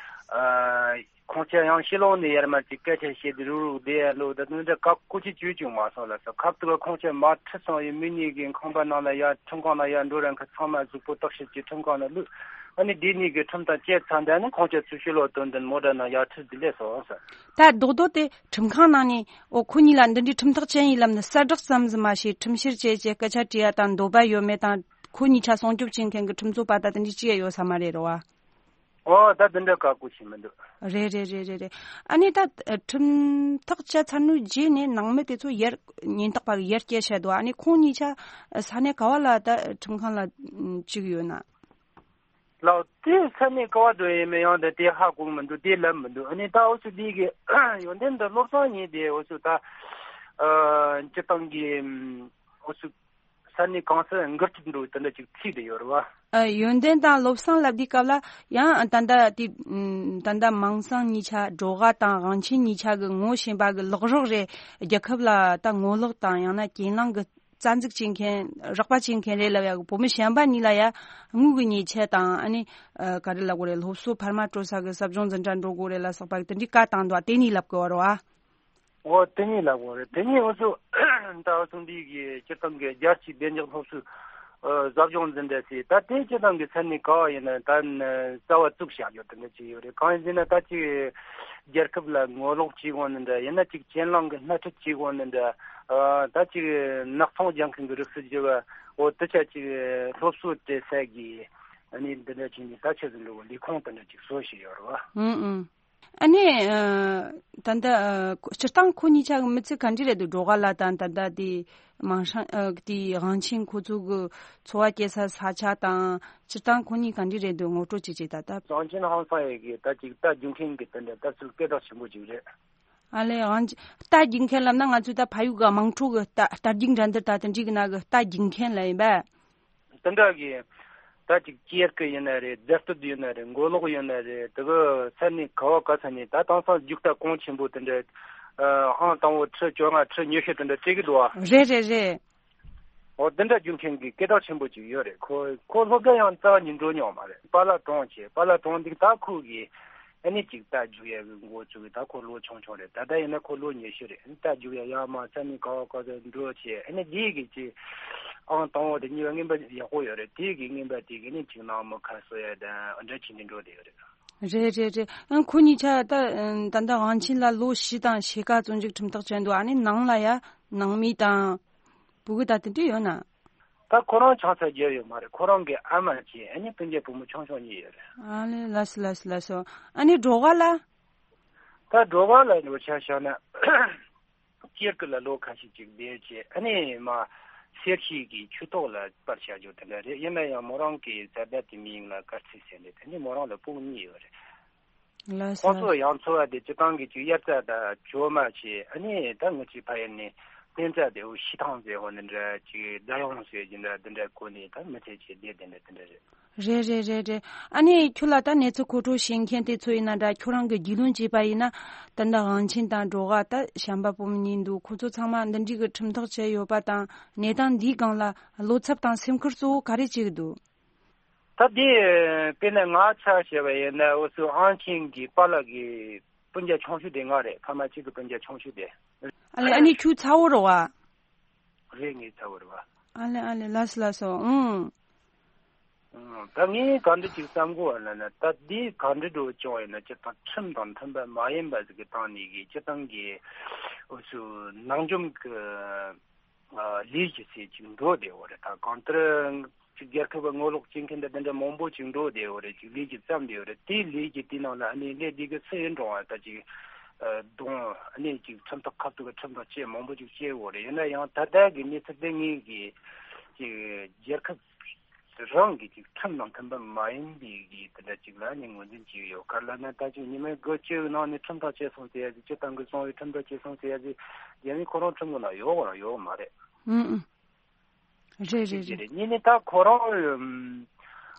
ཨ་ཁོང་ཚོ་ཡང་ཕྱི་ལོགས་ནས་ཡར་མར་ཅིག་སྐད་ཆ་བཤད་དེ་རུག་རུག་བསྡད་ཡ་ལོ་ད་དུང་འདྲ་བཀག་ཁོ་ཅིག་བྱོས་བྱུང་མ་སོང་ལ་ས། ཁབ་ཏུ་ཁོང་ཚོ་མར་ཁྲིད་སོང་ཡོད་མི་གཉིས་ཀྱི་ཁང་པ་ནང་ལ་ཡར་ཁྲིམས་ཁང་ནང་ཡར་འགྲོ་རན་ཁ་ཚང་མ་གཟུགས་པོ་བརྟག་ཞིབ་ཀྱི་ཁྲིམས་ཁང་ནང་བླུགས། ཨ་ནི་དེ་གཉིས་ཀྱི་ཁྲིམས་ཐག་བཅད་ཚར་འདི་ནི་ཁོང་ཚོ་ཚུར་ཕྱི་ལོགས་དོན་དུ་མོ་ཊ་ནང་ཡར་ཁྲིད་དེ་སླེབས་སོང་ཟེར། ད་རྡོག་རྡོག་དེ་ཁྲིམས་ཁང་ནང་ནས་འོ་ཁོ་གཉིས་ལ་འདི་འདྲའི་ཁྲིམས་ཐག་བཅད་ཡིན་ལབ་ནས་གསལ་བསྒྲགས་ཙམ་ཟིག་མ་བྱས་ཁྲིམས་བཤེར་བྱས་བྱས་སྐད་ཆ་དྲིས་ཡ་དང་འདོད་པ་ཡོད་མེད་དང་ཁོ་གཉིས་ཆ་སྲུང་སྐྱོབ་བྱེད་མཁན་གྱི་ཁྲིམས་རྩོད་པ་ད་དེ་འདྲའི་ཅི་ཡ་ཡོད་ས་མ་རེད་རོ་བ། འོ་ད་འདི་འདྲ་བཀག་ཁོ་བྱས་མི་འདུག་རེད་རེད་རེད་རེད་རེད། ཨ་ནི་ད་ཁྲིམས་ཐག་བཅད་ཚར་ནོའི་རྗེས་ནས་ནང་མི་དེ་ཚོ་ཡར་ཉེན་རྟོག་པ་གི་ཡར་སྐྱེལ་བྱས་འདུག་ཨ་ནི་ཁོང་གཉིས་ཆ་ས་གནས་ག་བ་ལ་ད་ཁྲིམས་ཁང་ལ་བཅུག་ཡོད་ན། ལགས་དེ་ས་གནས་ག་བ་འགྲོ་ཡིན་མིན་ཡང་དེ་དེ་ཧ་གོ་མི་འདུག་དེ་ལབ་མི་འདུག་ཨ་ནི་ད་འུ་ཚོ་འདི་གི་ཡོན་ཏན་འདི་བློ་བཟང་ཉིད་དེ་འུ་ཚོ་ད་ཨ་སྤྱི་བཏང་གི་འུ་ཚོ་ས་གནས་གང་སར་འགུལ་སྐྱོད་འགྲོ་དེ་འདྲ་ཅིག་ཚིག་དེ་ཡོད་རེད་བ། ཨ་ཡོན་ཏན་དང་བློ་བཟང་ལབ་དུས་སྐབས་ལ་ཡང་ད་ལྟ་དེ་ད་ལྟ་མིང་སྲིང་གཉིས་ཆ་སྒྲོ་འགའ་དང་དབང་ཆེན་གཉིས་ཆ་གི་ངོ་ཤེས་པ་གི་ལག་རོགས་རེད། རྒྱལ་ཁབ་ལ་ད་ངོ་ལོག་དང་ཡང་ན་གྱེན་ལངས་གི་རྩ་འཛུགས་བྱེད་མཁན་རོགས་པ་བྱེད་མཁན་རེད་ལབ་ཡག་གི་བུ་མོ་གཞན་པ་གཉིས་ལ་ཡ་དངུལ་གི་ཉེས་ཆད་དང་ཨ་ནི་ཨ་ག་རེ་ལབ་དགོས་རེད། སློབ་གསོ་འཕར་མ་སྤྲོད་ས་གི་ཟབ་སྦྱོང་འཛིན་གྲྭ་འགྲོ་དགོས་རེད་ལ་སོགས་པ་དེ་འདྲའི་བཀའ་བཏང་འདུག་དེ་གཉིས་ལབ་དགོས་རེད་བ། འོ་དེ་གཉིས་ལབ་དགོས་རེད། དེ་གཉིས་འུ་ཚོ་ད་འུ་ཚོ་འདི་གི་སྤྱིར་བཏང་གི་རྒྱལ་སྤྱིའི་བདེ་འཇགས་སློབ་གསོའི་ཨ་ཟབ་སྦྱོང་འཛིན་གྲྭ་ཟེར་ད་དེ་སྤྱིར་བཏང་གི་ས་གནས་ག་བ་ཡིན་ན་ད་རྩ་བ་བཙུགས་བཞག་ཡོད་དེ་འདྲ་ཅིག་ཡོད་རེད། གང་ཡིན་ཟེར་ན་ད་ཅིག་རྒྱལ་ཁབ་ལ་ངོ་ལོག་བྱེད་དགོས་ནི་འདྲ་ཡིན་ན་ཅིག་གྱེན་ལངས་གི་སྣེ་ཁྲིད་བྱེད་དགོས་ནི་འདྲ། ཨ་ད་ཅིག་ནག་ཚོང་རྒྱག་མཁན་གྱི་རིགས་སུ་གྱུར་བ་འོ་དེ་ཆ་ཅིག་སློབ་གསོ་སྤྲད་ས་གི་ཨ་ནི་འདི་འདྲ་བྱས་ནས་ད་ཆ་ཟིན་འགྲོ་བ་ལས་ཁུངས་དེ་འདྲ་ཅིག་བཟོ་བཞིན་ཡོད་རེད་བ། ཨུང་ཨུང་། ཨ་ནི་ཨ་ད་ལྟ་ཨ་སྤྱིར་བཏང་ཁོ་གཉིས་ཆ་གི་མི་ཚེ་ག་འདྲ་རེད་འདུག་སྒྲོ་འགའ་ལ་དང་ད་ལྟ་དེ་མིང་སྲིང་ཨ་དེ་དབང་ཆེན་ཁོ་ཚོ་གི་འཚོ་བ་སྐྱེལ་ས་ས་ཆ་དང་སྤྱིར་བཏང་ཁོ་གཉིས་ག་འདྲ་རེད་འདུག་ངོ་སྤྲོད་ཅིག་བྱེད་ད་ལྟ། དབང་ཆེན་ཧང་སང་ཡི་གི་ད་ཅིག་རྟ་རྒྱུག་མཁན་གི་དེ་འདྲ་ལྟ་ཚུལ་སྐད་གྲགས་ཆེན་པོ་ཅིག་རེད། ཨ་ལས་དབང་ཆེན་རྟ་རྒྱུག་མཁན་ལབ་ན་ང་ཚོས་ད་ཕ་ཡུལ་གི་དམངས་ཁྲོད་གི་རྟ་རྟ་རྒྱུག་འགྲན་བསྡུར་ད་དེ་འདྲའི་གི་ནང་གི་རྟ་རྒྱུག་མཁན་ལ་ཡིན་པས། དེ་འདྲ་གི་ད་ཅིག་ཅེར་ཀི་ཡིན་ན་རེད། རྫ་སྟོད་ཡིན་ན་རེད། མགོ་ལོག་ཡིན་ན་རེད། དེ་གི་ས་གནས་ག་བ་ག་ས་ནས་ད་དེང་སང་རྒྱུག་རྟ་གོང་ཆེན་པོ་དེ་འདྲ་ཨ་ཨང་དང་པོ་ཁྲི་བཅོ་ལྔ་ཁྲི་ཉི་ཤུ་དེ་འདྲ་སྤྲད་གི་འདུག་ཨ། རེད་རེད་རེད། འོ་དེ་འདྲ་རྒྱུག་མཁན་གི་སྐད་གྲགས་ཆེན་པོ་ཅིག་ཡོད་རེད། ཁོ་ཁོ་སློབ་གྲྭ་ཡང་རྩ་བ་ནས་འགྲོ་མྱོང་མ་རེད། པཱ་ལགས་གྲོངས་བྱས། པཱ་ལགས་གྲོངས་འདུག་ད་ཁོ་གི་ཨ་ནི་ཅིག་རྟ་རྒྱུག་ཡ་གི་འགོ་བཙུགས་གི་ད་ཁོ་ལོ་ཆུང་ཆུང་རེད། ད་ལྟ་ཡིན་ན་ཁོ་ལོ་ཉི་ཤུ་རེད། རྟ་རྒྱུག་ཡ་ཡར་མར་ས་གནས་ག་བ་ག་ས་འགྲོ་བྱས། ཨ་ནི་འདི་གི་ཅིག་ཨང་དང་པོ་དེ་གཉིས་པ་རྔན་པ་ཡག་པོ་ཡོད་རེད། དེ་གི་རྔན་པ་དེ་གི་ནི་ཅིག་ནང་མི་ཁ་གསོ་ཡ་དང་འདྲ་བྱས་ནས་འགྲོ་བསྡད་ཡོད་རེད། རེད་རེད་རེད། ཨང་ཁོ་གཉིས་ཆ་ད་ད་ལྟ་དབང་ཆེན་ལ་ལོ་བཞི་དང་ཕྱེད་ཀ་བཙོན་འཇུག་ཁྲིམས་ཐག་བཅད་འདུག་ཨ་ནི་ནང་ལ་ཡ་ནང་མི་དང་། བུ་གུ་ད་དེ་འདྲ་ཡོད་ན། ད་ཁོ་རང་ཆང་ས་རྒྱག་ཡོད་མ་རེད། ཁོ་རང་གི་ཨ་མ་བྱས་ཨ་ནི་སྤུན་ཀྱག་བུ་མོ་ཆུང་ཆུང་གཉིས་ཡོད་རེད། ཨ་ལེ་ལགས་སོ་ལགས་སོ་ལགས་སོ། ཨ་ནི་སྒྲོ་ག་ལ། ད་སྒྲོ་ག་ལ་འགྲོ་ཆ་བཞག་ན་སྐྱེར་ཀི་ལ་ལོ་ཁ་ཤས་ཅིག་བསྡད་བྱས་ཨ་ནི་མ་ གསེར་ཞིག་གི་ཆུ་ཐོག་ལ་སྤར་བྱ་རྒྱུ་དེ་འདྲ་རེད། ཡིན་ན་ཡང་མོ་རང་གི་བཟའ་ཟླ་དེ་མིང་ལ་དཀར་ཚིལ་ཟེར་ནས། དེ་ནི་མོ་རང་ལ་སྤུན་གཉིས་ཡོད་རེད། ལགས་སོ། ཁོང་ཚོ་ཡང་འཚོ་བ་དེ་སྤྱི་བཏང་གི་ཅིག་དབྱར་རྩྭ་དང་གྲོ་མ་བྱས། ཨ་ནི་ད་ང་ཚོའི་ཕ་ཡུལ་ནས་སྤུན་ཟླ་དེ་འུ་ཤི་ཐང་ཟེར་བ་འདི་འདྲ་ཅིག་རྫ་ཡོང་ཟེར་གྱི་འདྲ་འདི་འདྲ་གོ་ནས། ད་མི་ཚེ་ཅིག་བསྡད་དེ་འདྲ་དེ་འདྲ་རེད། རེད་རེད་རེད་རེད། ཨ་ནི་ཁྱོད་ལ་ད་གནས་ཚུལ་མཁོ་སྤྲོད་བྱེད་མཁན་དེ་ཚོ་ཡིན་ན་འདྲ། ཁྱོད་རང་གི་རྒྱུས་ལོན་བྱས་པ་ཡིན་ན། ད་འདི་དབང་ཆེན་དང་འབྲོག་པ། ད་བྱམས་པ་བུ་མོ་གཉིས་འདུག་ཁོ་ཚོ་ཚང་མ་འདི་འདྲའི་གི་ཁྲིམས་ཐག་བཅད་ཡོད་པ་དང་། གནས་སྟངས་འདིའི་སྒང་ལ་བློ་འཚབ་དང་སེམས་ཁུར་གཙོ་བོ་ག་རེ་བྱེད་ཀྱི་འདུག་ད་དེ་དཔེར་ན་ང་ཆ་བཞག་པ་ཡིན་ན། འུ་ཚོའི་དབང་ཆེན་གྱི་པཱ་ལགས་ཀྱི་སྤུན་ཀྱག་ཆུང་ཤོས་དེ་ང་རེད། ཕ་མ་གཅིག་གི་སྤུན་ཀྱག་ཆུང་ཤོས་དེ། ཨ་ལེ། ཨ་ནི་ཁྱོད་ཚ་བོ་རེད་བ། རེད། ངའི་ཚ་བོ་རེད་བ། ཨ་ལེ་ཨ་ལེ། ལགས་སོ་ལགས་སོ། ཨང་། ཨང་། ད་ངས་ག་འདྲ་ཅིག་བསམ་གོ་བ་ལབ་ན། ད་འདི་ག་འདྲ་འགྲོ་བྱུང་ཡིན་ན། སྤྱིར་བཏང་ཁྲིམས་དང་མཐུན་པ་མ་ཡིན་པ་ཟིག་གི་སྟེང་ནས་གི་སྤྱིར་བཏང་གི་འུ་ཚོའི་ནང་འཇོམས་ཀྱི་ཨ་ལས་ཀྱི་ཚད་ཅིག་འགྲོ་བསྡད་ཡོད་རེད། ད་གང་ལྟར་ཅིག་རྒྱལ་ཁབ་ལ་ངོ་ལོག་བྱེད་མཁན་དང་དེ་འདྲ་མང་པོ་ཅིག་འགྲོ་བསྡད་ཡོད་རེད། ཅིག་ལས་ཀྱི་བརྩམས་བསྡད་ཡོད་རེད། དེའི་ལས་ཀྱི་དེའི་ནང་ལ་ཨ་ནི་ལས་འདི་གི་སུ་ཡིན་རུང་བ། ད་ཅིག་ཨ་གདོང་ཨ་ནི་ཅིག་ཁྲིམས་ཐག་ཁ་ཐུག་གི་ཁྲིམས་ཐག་བཅད་མང་པོ་ཅིག་བཅད་ཡོད་རེད། ཡིན་ན་ཡང་ད་ལྟ་གི་གནས་ཚུལ་དེ་ངེད་ཀྱི་ཅིག་རྒྱལ་ཁབ་རང་གི་ཅིག་ཁྲིམས་དང་མཐུན་པ་མ་ཡིན་པའི་གི་དེ་འདྲ་ཅིག་ལ་ནི་ངོས་འཛིན་བྱས་ཡོད། ག་རེ་ལབ་ན། ད་ཅིག་ཉི་མའི་དགུ་བཅུའི་ནང་ནས་ཁྲིམས་ཐག་བཅད་སོང་ཟེར་ཡ་ཅིག་སྤྱིར་བཏང་གི་གསང་བའི་ཁྲིམས་ཐག་བཅད་སོང་ཟེར་ཡ་ཅིག་རྒྱ་མིའི་ཁོ་རང་ཁྲིམས་ཀྱི་ནང་ཡོད་རང་ཡོད་མ་རེད། ཨང་ཨང་། རེད་རེད་ཅིག་རེད། རེད། གཉིས་ནི་ད་ཁོ་རང་ཨམ་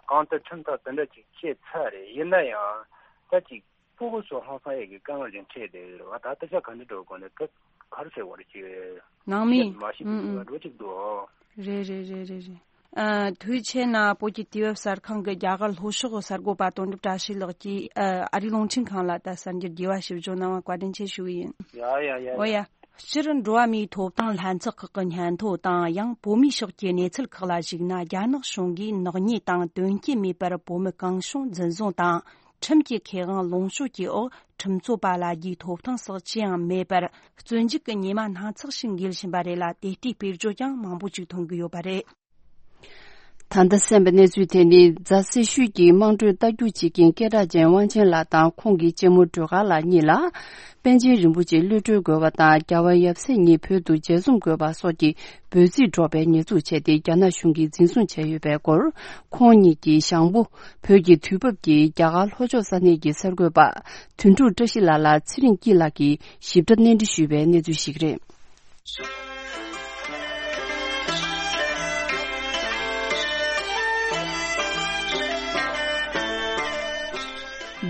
གང་ལྟར་ཁྲིམས་ཐག་དེ་འདྲ་ཅིག་བཅད་ཚར་རེད། ཡིན་ན་ཡང་ད་ཅིག་སྤུ་གུ་ཚོ་ཧང་སང་ཡས་ཀྱི་དཀའ་ངལ་ཅིག་འཕྲད་བསྡད་ཡོད་རེད་བ། ད་ད་ཆ་ག་འདྲ་འགྲོ་དགོས་ནས་ད་ག་རེ་ཟེར་བ་རེད། ཅིག་ནང་མི། མ་ཤེས་ཨུམ་ཀྱི་ཨུམ། འགྲོ་ཅིག་འདུག་རེད་རེད་རེད་རེད་རེད། ཨ། དུས་ཆེན་ནང་བོད་ཀྱི་དུས་བབ་གསར་ཁང་གི་རྒྱ་གར་ལྷོ་ཕྱོགས་གསར་འགོད་པ་དོན་གྲུབ་བཀྲ་ཤིས་ལགས་ཀྱིས། ཨ། ཨ་རིའི་རླུང་འཕྲིན་ཁང་ལ་ད་གསར་འགྱུར་རྒྱས་པ་ཞིབ་འཇུག་གནང་བར་བཀའ་དྲིན་ཆེ་ཞུ་གི་ཡིན། ཡ་ཡ་ཡ། འོ་ཡ། སྤྱིར་འགྲོ་བ་མིའི་ཐོབ་ཐང་ལྷན་ཚོགས་ཁག་གི་སྙན་ཐོ་དང་། ཡང་བོད་མིའི་ཕྱོགས་ཀྱི་གནས་ཚུལ་ཁག་ལ་གཞིགས་ན། རྒྱ་ནག་གཞུང་གིས་ནག་ཉེས་དང་དོན་རྐྱེན་མེད་པར་བོད་མི་གང་བྱུང་འཛིན་བཟུང་དང་། ཁྲིམས་ཀྱི་ཁེ་དབང་ལོངས་སྤྱོད་ཀྱི་འོག་ཁྲིམས་རྩོད་པ་ལ་རྒྱའི་ཐོབ་ཐང་སོགས་ཅི་ཡང་མེད་པར། བཙོན་འཇུག་གི་ཉེས་མ་སྣ་ཚོགས་ཤིག་འགེལ་བཞིན་པ་རེད་ལ། དེ་ལྟའི་དཔེར་བརྗོད་ཀྱང་མང་པོ་ཅིག་ཐོན་གྱི་ཡོད་པ་རེད། ད་ལྟ་གསན་པའི་གནས་ཚུལ་དེ་ནི་རྫ་སེར་ཤུལ་གྱི་དམངས་ཁྲོད་རྟ་རྒྱུག་བྱེད་མཁན་སྐད་གྲགས་ཅན་དབང་ཆེན་ལགས་དང་ཁོང་གི་གཅེན་མོ་སྒྲོལ་དཀར་ལགས་གཉིས་ལ། པཎ་ཆེན་རིན་པོ་ཆེ་གློད་གྲོལ་དགོས་པ་དང་། རྒྱལ་བ་ཡབ་སྲས་གཉིས་བོད་དུ་མཇལ་འཛོམས་དགོས་པ་སོགས་ཀྱི་འབོད་ཚིག་སྒྲོག་པའི་ཉེས་འཛུགས་བྱས་ཏེ། རྒྱ་ནག་གཞུང་གིས་འཛིན་བཟུང་བྱས་ཡོད་པའི་སྐོར། ཁོང་གཉིས་ཀྱི་ཞང་པོ། བོད་ཀྱི་དུས་བབ་ཀྱི་རྒྱ་གར་ལྷོ་ཕྱོགས་ས་གནས་ཀྱི་གསར་འགོད་པ། དོན་གྲུབ་བཀྲ་ཤིས་ལགས་ལ་ཚེ་རིང་སྐྱིད་ལགས་ཀྱིས་ཞིབ་ཕྲ་གནས་འདྲི་ཞུས་པའི་གནས་ཚུལ་ཞིག་རེད།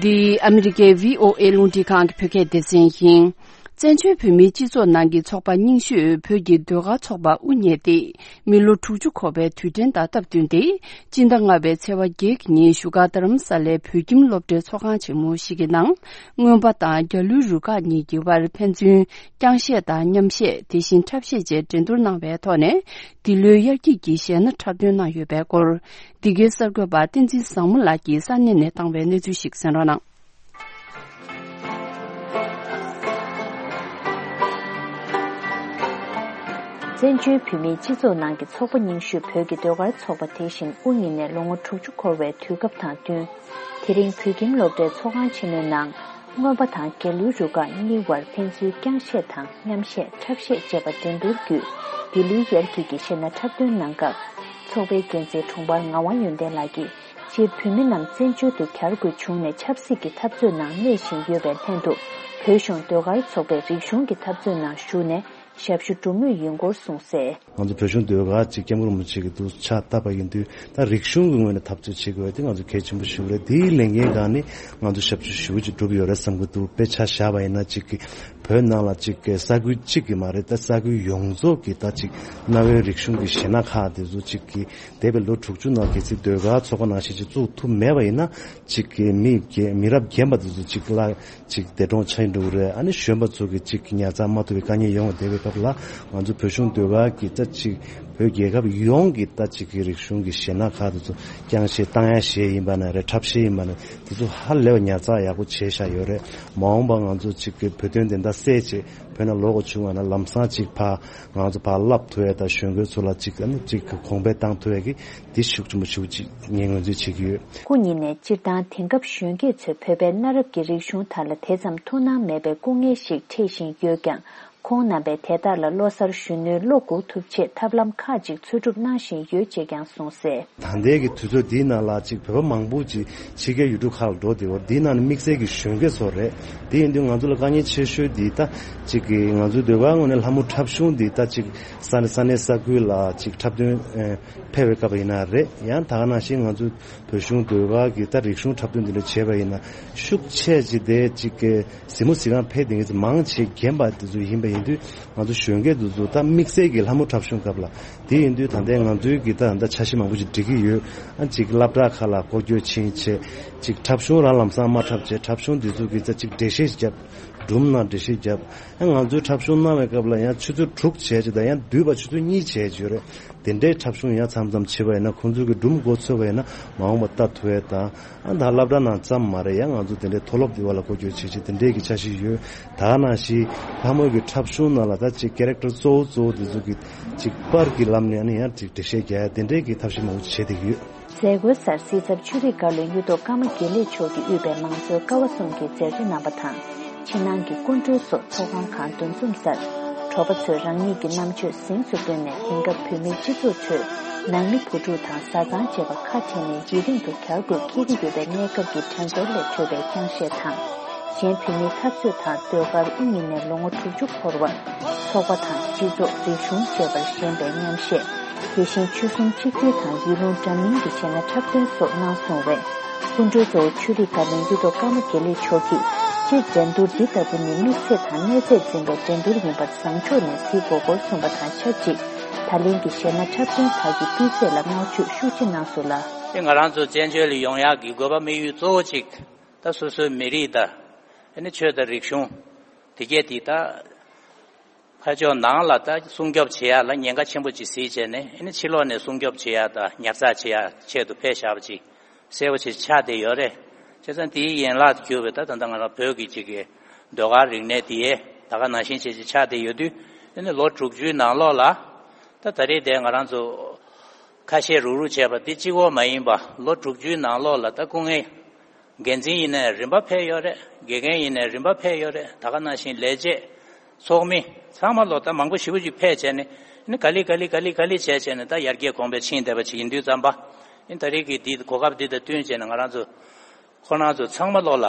འདི་ཨ་མི་རི་ཀའི་བྷི་ཨོ་ཨེ་རླུང་འཕྲིན་ཁང་གི་བོད་སྐད་སྡེ་ཚན་ཡིན། བཙན་བྱོལ་བོད་མིའི་སྤྱི་ཚོགས་ནང་གི་ཚོགས་པ་རྙིང་ཤོས་བོད་ཀྱི་ཟློས་གར་ཚོགས་པ་དབུ་བརྙེས་ཏེ། མི་ལོ་དྲུག་ཅུ་འཁོར་བའི་དུས་དྲན་དང་སྟབས་བསྟུན་ཏེ། སྤྱི་ཟླ་ལྔ་པའི་ཚེས་པ་བརྒྱད་ཀྱི་ཉིན་བཞུགས་སྒར་རྡ་རམ་ས་ལའི་བོད་ཁྱིམ་སློབ་གྲྭའི་ཚོགས་ཁང་ཆེན་མོ་ཞིག་གི་ནང་། རྔོན་པ་དང་རྒྱ་ལོའི་རུ་ཁག་གཉིས་ཀྱི་དབར་ཕན་ཚུན་རྐྱང་བཤད་དང་མཉམ་བཤད། དེ་བཞིན་འཁྲབ་བཤད་བཅས་འགྲན་བསྡུར་གནང་བའི་ཐོག་ནས། འདི་ལོའི་དབྱར་སྐྱིད་ཀྱི་གཞས་སྣ་འཁྲབ་སྟོན་གནང་ཡོད་པའི་སྐོར། འདི་གའི་གསར་འགོད་པ་བསྟན་འཛིན་བཟང་མོ་ལགས་ཀྱིས་ས་གནས་ནས་བཏང་བའི་གནས་ཚུལ་ཞིག་གསན་རོགས་གནང་། བཙན་བྱོལ་བོད་མིའི་སྤྱི་ཚོགས་ནང་གི་ཚོགས་པ་རྙིང་ཤོས་བོད་ཀྱི་ཟློས་གར་ཚོགས་པ་དེ་བཞིན་དབུ་བརྙེས་ནས་ལོ་ངོ་དྲུག་ཅུ་འཁོར་བའི་དུས་སྐབས་དང་བསྟུན། དེ་རིང་བོད་ཁྱིམ་སློབ་གྲྭའི་ཚོགས་ཁང་ཆེན་མོའི་ནང་། རྔོན་པ་དང་རྒྱ་ལོའི་རུ་ཁག་གཉིས་དབར་ཕན་ཚུན་རྐྱང་བཤད་དང་མཉམ་བཤད། འཁྲབ་བཤད་བཅས་པ་འགྲན་བསྡུར་བརྒྱུད། འདི་ལོའི་དབྱར་སྐྱིད་ཀྱི་གཞས་སྣ་འཁྲབ་སྟོན་གནང་སྐབས། ཚོགས་པའི་འགན་འཛིན་དྲུང་འཕར་ངག་དབང་ཡོན་ཏན་ལགས་ཀྱིས། སྤྱིར་བོད་མི་རྣམས་བཙན་བྱོལ་དུ་གྱར་དགོས་བྱུང་ནས་ཆབ་སྲིད་ཀྱི་འཐབ་རྩོད་ནང་གནས་བཞིན་ཡོད་པའི་ལྷན་དུ། བོད་གཞུང་ཟློས་གར་ཚོགས་པས་རིག་གཞུང་གི་འཐབ་རྩོད་ནང་ཞུགས་ནས་ཞབས་ཞུ་སྒྲུབ་མུས་ཡིན་སྐོར་གསུངས་གསལ། ང་ཚོ་བོད་གཞུང་ཟློས་གར་ཅིག་སྐྱབས་མགོན་རིན་པོ་ཆེ་གི་འདུག་ཕྱག་བཏབ་པ་ཡིན་དུས། ད་རིག་གཞུང་གི་ངོས་ནས་འཐབ་རྩོད་བྱེད་དགོས་པ་དེ་ང་ཚོ་གལ་ཆེན་པོ་ཞིག་རེད། དེའི་ལས་འགན་སྒང་ནས་ང་ཚོ་ཞབས་ཞུ་ཞེ་པོ་ཅིག་སྒྲུབ་ཡོད་རེད་བསམ་གྱི་འདུག་དཔེར་ཆ་བཞག་པ་ཡིན་ན། ཅིག་གི་བོད་ནང་ལ་ཅིག་གི་ས་ཁུལ་གཅིག་གི་མ་རེད། ད་ས་ཁུལ་ཡོངས་རྫོགས་ཀྱི་ད་ཅིག་གནའ་བོའི་རིག་གཞུང་གི་གཞས་སྣ་ཁག་དེ་ཚོ་ཅིག་གི་འདས་པའི་ལོ་དྲུག་ཅུ་ནང་གལ་སྲིད་ཟློས་གར་ཚོགས་པ་ནང་བཞིན་ཅིག་བཙུགས་ཐུབ་མེད་པ་ཡིན་ན། ཅིག་གི་མི་རྒན་མི་རབས་རྒན་པ་དེ་ཚོ་ཅིག་ལ་ཅིག་འདས་གྲོངས་ཆགས་འགྲོ་གི་རེད། ཨ་ནི་གཞོན་པ་ཚོ་གི་ཅིག་ཉར་ཚགས་མ་ཐུབ་པའི་དཀའ་ངལ་ཡོང་བ། འདས་པའི་སྐབས་ལ་ང་ཚོ་བོད་གཞུང་ཟློས་གར་གྱི་ད་ཅིག་བོད་རྒྱལ་ཁབ་ཡོངས་ཀྱི་ད་ཅིག་གི་རིག་གཞུང་གི་གཞས་སྣ་ཁག་དེ་ཚོ་རྐྱང་གཞས་བཏང་ཡ་གཞས་ཡིན་པ་ན་རེད། འཁྲབ་གཞས་ཡིན་པ་ན་དེ་ཚོ་ཧ་ལས་པ་ཉར་ཚགས་ཡག་པོ་བྱས་བཞག་ཡོད་རེད། མ་འོངས་པ་ང་ཚོ་ཅིག་གི་བོད་དོན་བདེན་མཐའ་གསལ་བྱས་བོད་ནང་ལོག་དགོས་བྱུང་བ་ན་ལམ་སང་ཅིག་ཕར་ང་ཚོ་ཕར་བསླབ་ཐུབ་ཡ་དང་། གཞོན་སྐྱེས་ཚོ་ལ་ཅིག་ཨ་ནི་ཅིག་གོང་འཕེལ་བཏང་ཐུབ་ཡ་གི་འདི་ཤུགས་ཆེན་པོ་ཞེ་པོ་ཅིག་ངས་ངོས་འཛིན་བྱེད་ཀྱི་ཡོད། སྐུ་ཉིད་ནས་སྤྱིར་བཏང་དེང་སྐབས་གཞོན་སྐྱེས་ཚོས་བོད་པའི་གནའ་རབས་ཀྱི་རིག་གཞུང་དག་ལ་དེ་ཙམ་ཐུགས་སྣང་མེད་པའི་སྐུ་ངལ་ཞིག་འཕྲད་བཞིན་ཡོད་ཀྱང་། ཁོང་རྣམ་པས་དེ་དག་ལ་ལོ་གསར་གཞོན་ནུའི་བློ་འགུག་ཐུབ་ཆེད་ཐབས་ལམ་ཁག་ཅིག་འཚོལ་སྒྲུབ་གནང་བཞིན་ཡོད་ཅེས་ཀྱང་གསུངས་གསལ། ད་ལྟའི་གི་དུས་ཚོད་འདིའི་ནང་ལ་ཅིག་བོད་པ་མང་པོ་ཅིག་ཕྱི་རྒྱལ་ཡུལ་གྲུ་ཁག་ལ་འགྲོ་བསྡད་ཡོད། འདིའི་ནང་ནས་དམིགས་བསལ་གྱི་གཞོན་སྐྱེས་ཚོ་རེད། དེ་ཡིན་དུས་ང་ཚོ་ལ་དཀའ་ངལ་ཆེ་ཤོས་འདི་ད་ཅིག་གི་ང་ཚོའི་ཟློས་གར་ངོས་ནས་ལྷ་མོ་འཁྲབ་གཞུང་འདི་ད་ཅིག་ས་གནས་ས་གནས་ས་ཁུལ་ལ་ཅིག་འཁྲབ་སྟོན་ཨེ་ཕེབས་པའི་སྐབས་ཡིན་ན་རེད། ཡང་ད་ག་ནང་བཞིན་ང་ཚོའི་བོད་གཞུང་ཟློས་གར་གྱི་ད་རིག་གཞུང་འཁྲབ་སྟོན་འདི་འདྲ་བྱས་པ་ཡིན་ན་ཤུགས་ཆེ་ཅིག་དེ་ཅིག་གི་གཟིགས་མོ་གཟིགས་གར་ཕེབས་བསྡད་མཁན་ཚོ་མང་ཆེ་རྒན་པ་དེ་ཚོ་ཡིན་པ་ཡིན་དུས། ང་ཚོ་གཞོན་སྐྱེས་དེ་ཚོ་ད་དམིགས་བསལ་གྱི་ལྷ་མོ་འཁྲབ་གཞུང་སྐབས་ལ་དེ་ཡིན་དུས་ད་ལྟའི་ང་ཚོའི་གི་ད་ད་འཆར་གཞི་མང་པོ་ཞིག་སྒྲིག་གི་ཡོད། ཨ་ཅིག་སློབ་གྲྭ་ཁག་ལ་སྐོར་སྐྱོད་ཕྱིན་བྱས་ཅིག་འཁྲབ་གཞུང་རང་ལམ་སང་མ་འཁྲབ་བྱས་འཁྲབ་གཞུང་དེ་ཚོ་གི་ད་ཅིག་འགྲེལ་བཤད་ཞིག་བརྒྱབ། སྒྲུང་ནང་འགྲེལ་བཤད་བརྒྱབ། ཨ་ང་ཚོའི་འཁྲབ་གཞུང་གནང་བའི་སྐབས་ལ་ཡང་ཆུ་ཚོད་དྲུག་བྱས་ཅིག་ད་ཡང་བསྡུས་པ་ཆུ་ཚོད་གཉིས་བྱས་ཅིག་ཡོད་རེད། དེ་འདྲའི་འཁྲབ་གཞུང་ཡང་མཚམས་མཚམས་བྱེད་པ་ཡིན་ན་ཁོང་ཚོའི་གི་སྒྲུང་མགོ་ཚོས་པ་ཡིན་ན་མ་འོངས་པ་ལྟ་ཐུབ་པ་དང་། ཨ་ད་སློབ་གྲྭ་ནང་ཙམ་མ་རེད། ཡང་ང་ཚོ་དེ་འདྲའི་མཐོ་སློབ་དེ་བ་ལ་སྐོར་སྐྱོད་བྱེད་ཆེད་དེ་འདྲའི་གི་འཆར་གཞི་ཡོད། ད་ག་ནང་བཞིན་ལྷ་མོའི་གི་འཁྲབ་གཞུང་ནང་ལ་ད་ཅིག་ཀེ་རེག་ཊར་གཙོ་བོ་གཙོ་བོ་དེ་ཚོ་གི་ཅིག་པར་གྱི་ལམ་ནས་ཨ་ནི་ཡང་ཅིག་འགྲེལ་བཤད་རྒྱག་ཡ་དེ་འདྲའི་གི་ཐབས་ཤེས་མང་པོ་བྱེད་བསྡད་ཀྱི་ཡོད། མཛད་སྒོའི་སར་སྲིད་ཚབ་ཆོས་རིག་བཀའ་བློན་གཡུ་ཐོག་ཀརྨ་དགེ་ལེགས་མཆོག་གིས་དབུས་པའི་མང་གཙོའི་ཀ་བ་གསུམ་གྱི་མཛད་གཙོ་རྣམ་པ་དང་། ཕྱི་ནང་གི་སྐུ་མགྲོན་སོགས་ཚོགས་ཁང་ཁག་འདུ་འཛོམས་སར། གྲོགས་པོ་ཚོས་རང་ཉིད་ཀྱི་རྣམ་དཔྱོད་གཟེངས་སུ་བཏོན་ནས་དེང་སྐབས་བོད་མིའི་སྤྱི་ཚོགས་ཁྲོད་ནང་མི་བུ་ཕྲུག་དང་བཟའ་ཚང་བཅས་པ་ཁ་བྲལ་ནས་ཡུན་རིང་དུ་གྱར་དགོས་འཁེལ་གྱི་ཡོད་པའི་གནས་སྐབས་ཀྱི་དྲན་འཚོར་ལས་འཕྲོས་པའི་རྐྱང་གཞས་དང་། གཞན་བོད་མིའི་འཐབ་རྩོད་དང་ཟློས་གར་དབུ་བརྙེས་ནས་ལོ་ངོ་དྲུག་ཅུ་འཁོར་བར། ཚོགས་པ་དང་སྤྱི་ཚོགས་རིག་གཞུང་བཅས་པར་ཞེན་པའི་མཉམ་གཞས། དེ་བཞིན་ཆོལ་གསུམ་གཅིག་སྒྲིལ་དང་ཡུལ་ལུང་འདྲ་མིན་གྱི་གཞས་སྣ་འཁྲབ་སྟོན་སོགས་གནང་སོང་བས། སྐུ་མགྲོན་གཙོ་བོ་ཆོས་རིག་བཀའ་བློན་གཡུ་ཐོག་ཀརྨ་དགེ་ལེགས་མཆོག་གིས། སྤྱིར་འགྲན་བསྡུར་འདི་ལྟ་བུ་ནི་དམིགས་བསལ་དང་གནས་ཚད་འཛིན་པའི་འགྲན་བསྡུར་ཡིན་པར་བཟང་ཕྱོགས་ནས་གཟིགས་དགོས་སྐོར་གསུངས་པ་དང་ཆབས་ཅིག་ད་ལན་གྱི་གཞས་སྣ་འཁྲབ་སྟོན་ཁག་གི་སྤུས་ཚད་ལ་བསྔགས་བརྗོད་ཤུགས་ཆེ་གནང་སོང་ལ། དེ་ང་རང་ཚོ་བཙན་བྱོལ་ལ་ཡོང་ཡག་གི་དགོས་པ་དམིགས་ཡུལ་གཙོ་བོ་གཅིག་ད་སོ་སོའི་མི་རིགས་དང་། ཨ་ནི་ཆོས་དང་རིག་གཞུང་། དེ་གས་དེ་ད། ཕར་ཕྱོགས་ནང་ལ་ད་སྲུང་སྐྱོབ་བྱེད་ཡ་ལ་ཉེན་ཁ་ཆེན་པོ་ཅིག་གཟིགས་བྱས་ནས་ཨ་ནི་ཕྱི་ལོགས་ནས་སྲུང་སྐྱོབ་བྱེད་ཡ་དང་ཉར་ཚགས་བྱེད་ཡ་ཆེད་དུ་ཕེབས་བཞག་པ་ཅིག་གསལ་པོ་ཞིག་ཆགས་བསྡད་ཡོད་རེད། བྱས་ཙང་དེའི་ཡན་ལག་ཏུ་གྱུར་པའི་ད་ད་ལྟ་ང་རང་བོད་ཀྱི་ཅིག་གི་ཟློས་གར་རིག་གནས་དེ་ད་ག་ནང་བཞིན་བྱས་ཅིག་ཆགས་བསྡད་ཡོད་དུས། ཨ་ནི་ལོ་དྲུག་ཅུའི་ནང་ལོགས་ལ་ད་ད་རེས་དེ་ང་རང་ཚོ་ཁ་ཤས་རུག་རུག་བྱས་པ་དེ་གཅིག་པོ་མ་ཡིན་པ་ལོ་དྲུག་ཅུའི་ནང་ལོགས་ལ་ད་སྐུ་ངལ། འགན་འཛིན་ཡིན་ནའི་རིམ་པ་ཕེབས་ཡོད་རེད། དགེ་རྒན་ཡིན་ནའི་རིམ་པ་ཕེབས་ཡོད་རེད། ད་ག་ནང་བཞིན་ལས་བྱེད། ཚོགས་མི། ཚང་མ་ལོ་ད་མང་པོ་ཞེ་པོ་ཅིག་ཕེབས་བྱས་ནས་ནི་ག་ལེ་ག་ལེ་ག་ལེ་ག་ལེ་བྱས་བྱས་ནས་ད་ཡར་རྒྱས་གོང་འཕེལ་ཕྱིན་བསྡད་པ་ཅིག་ཡིན་དུས་ཙམ་པ། ཨིན་ད་རེས་ཀྱི་འདི་གོ་སྐབས་འདི་དང་བསྟུན་བྱས་ནས་ང་རང་ཚོ་ཁོ་རང་ཚོ་ཚང་མ་ལོ་ལ་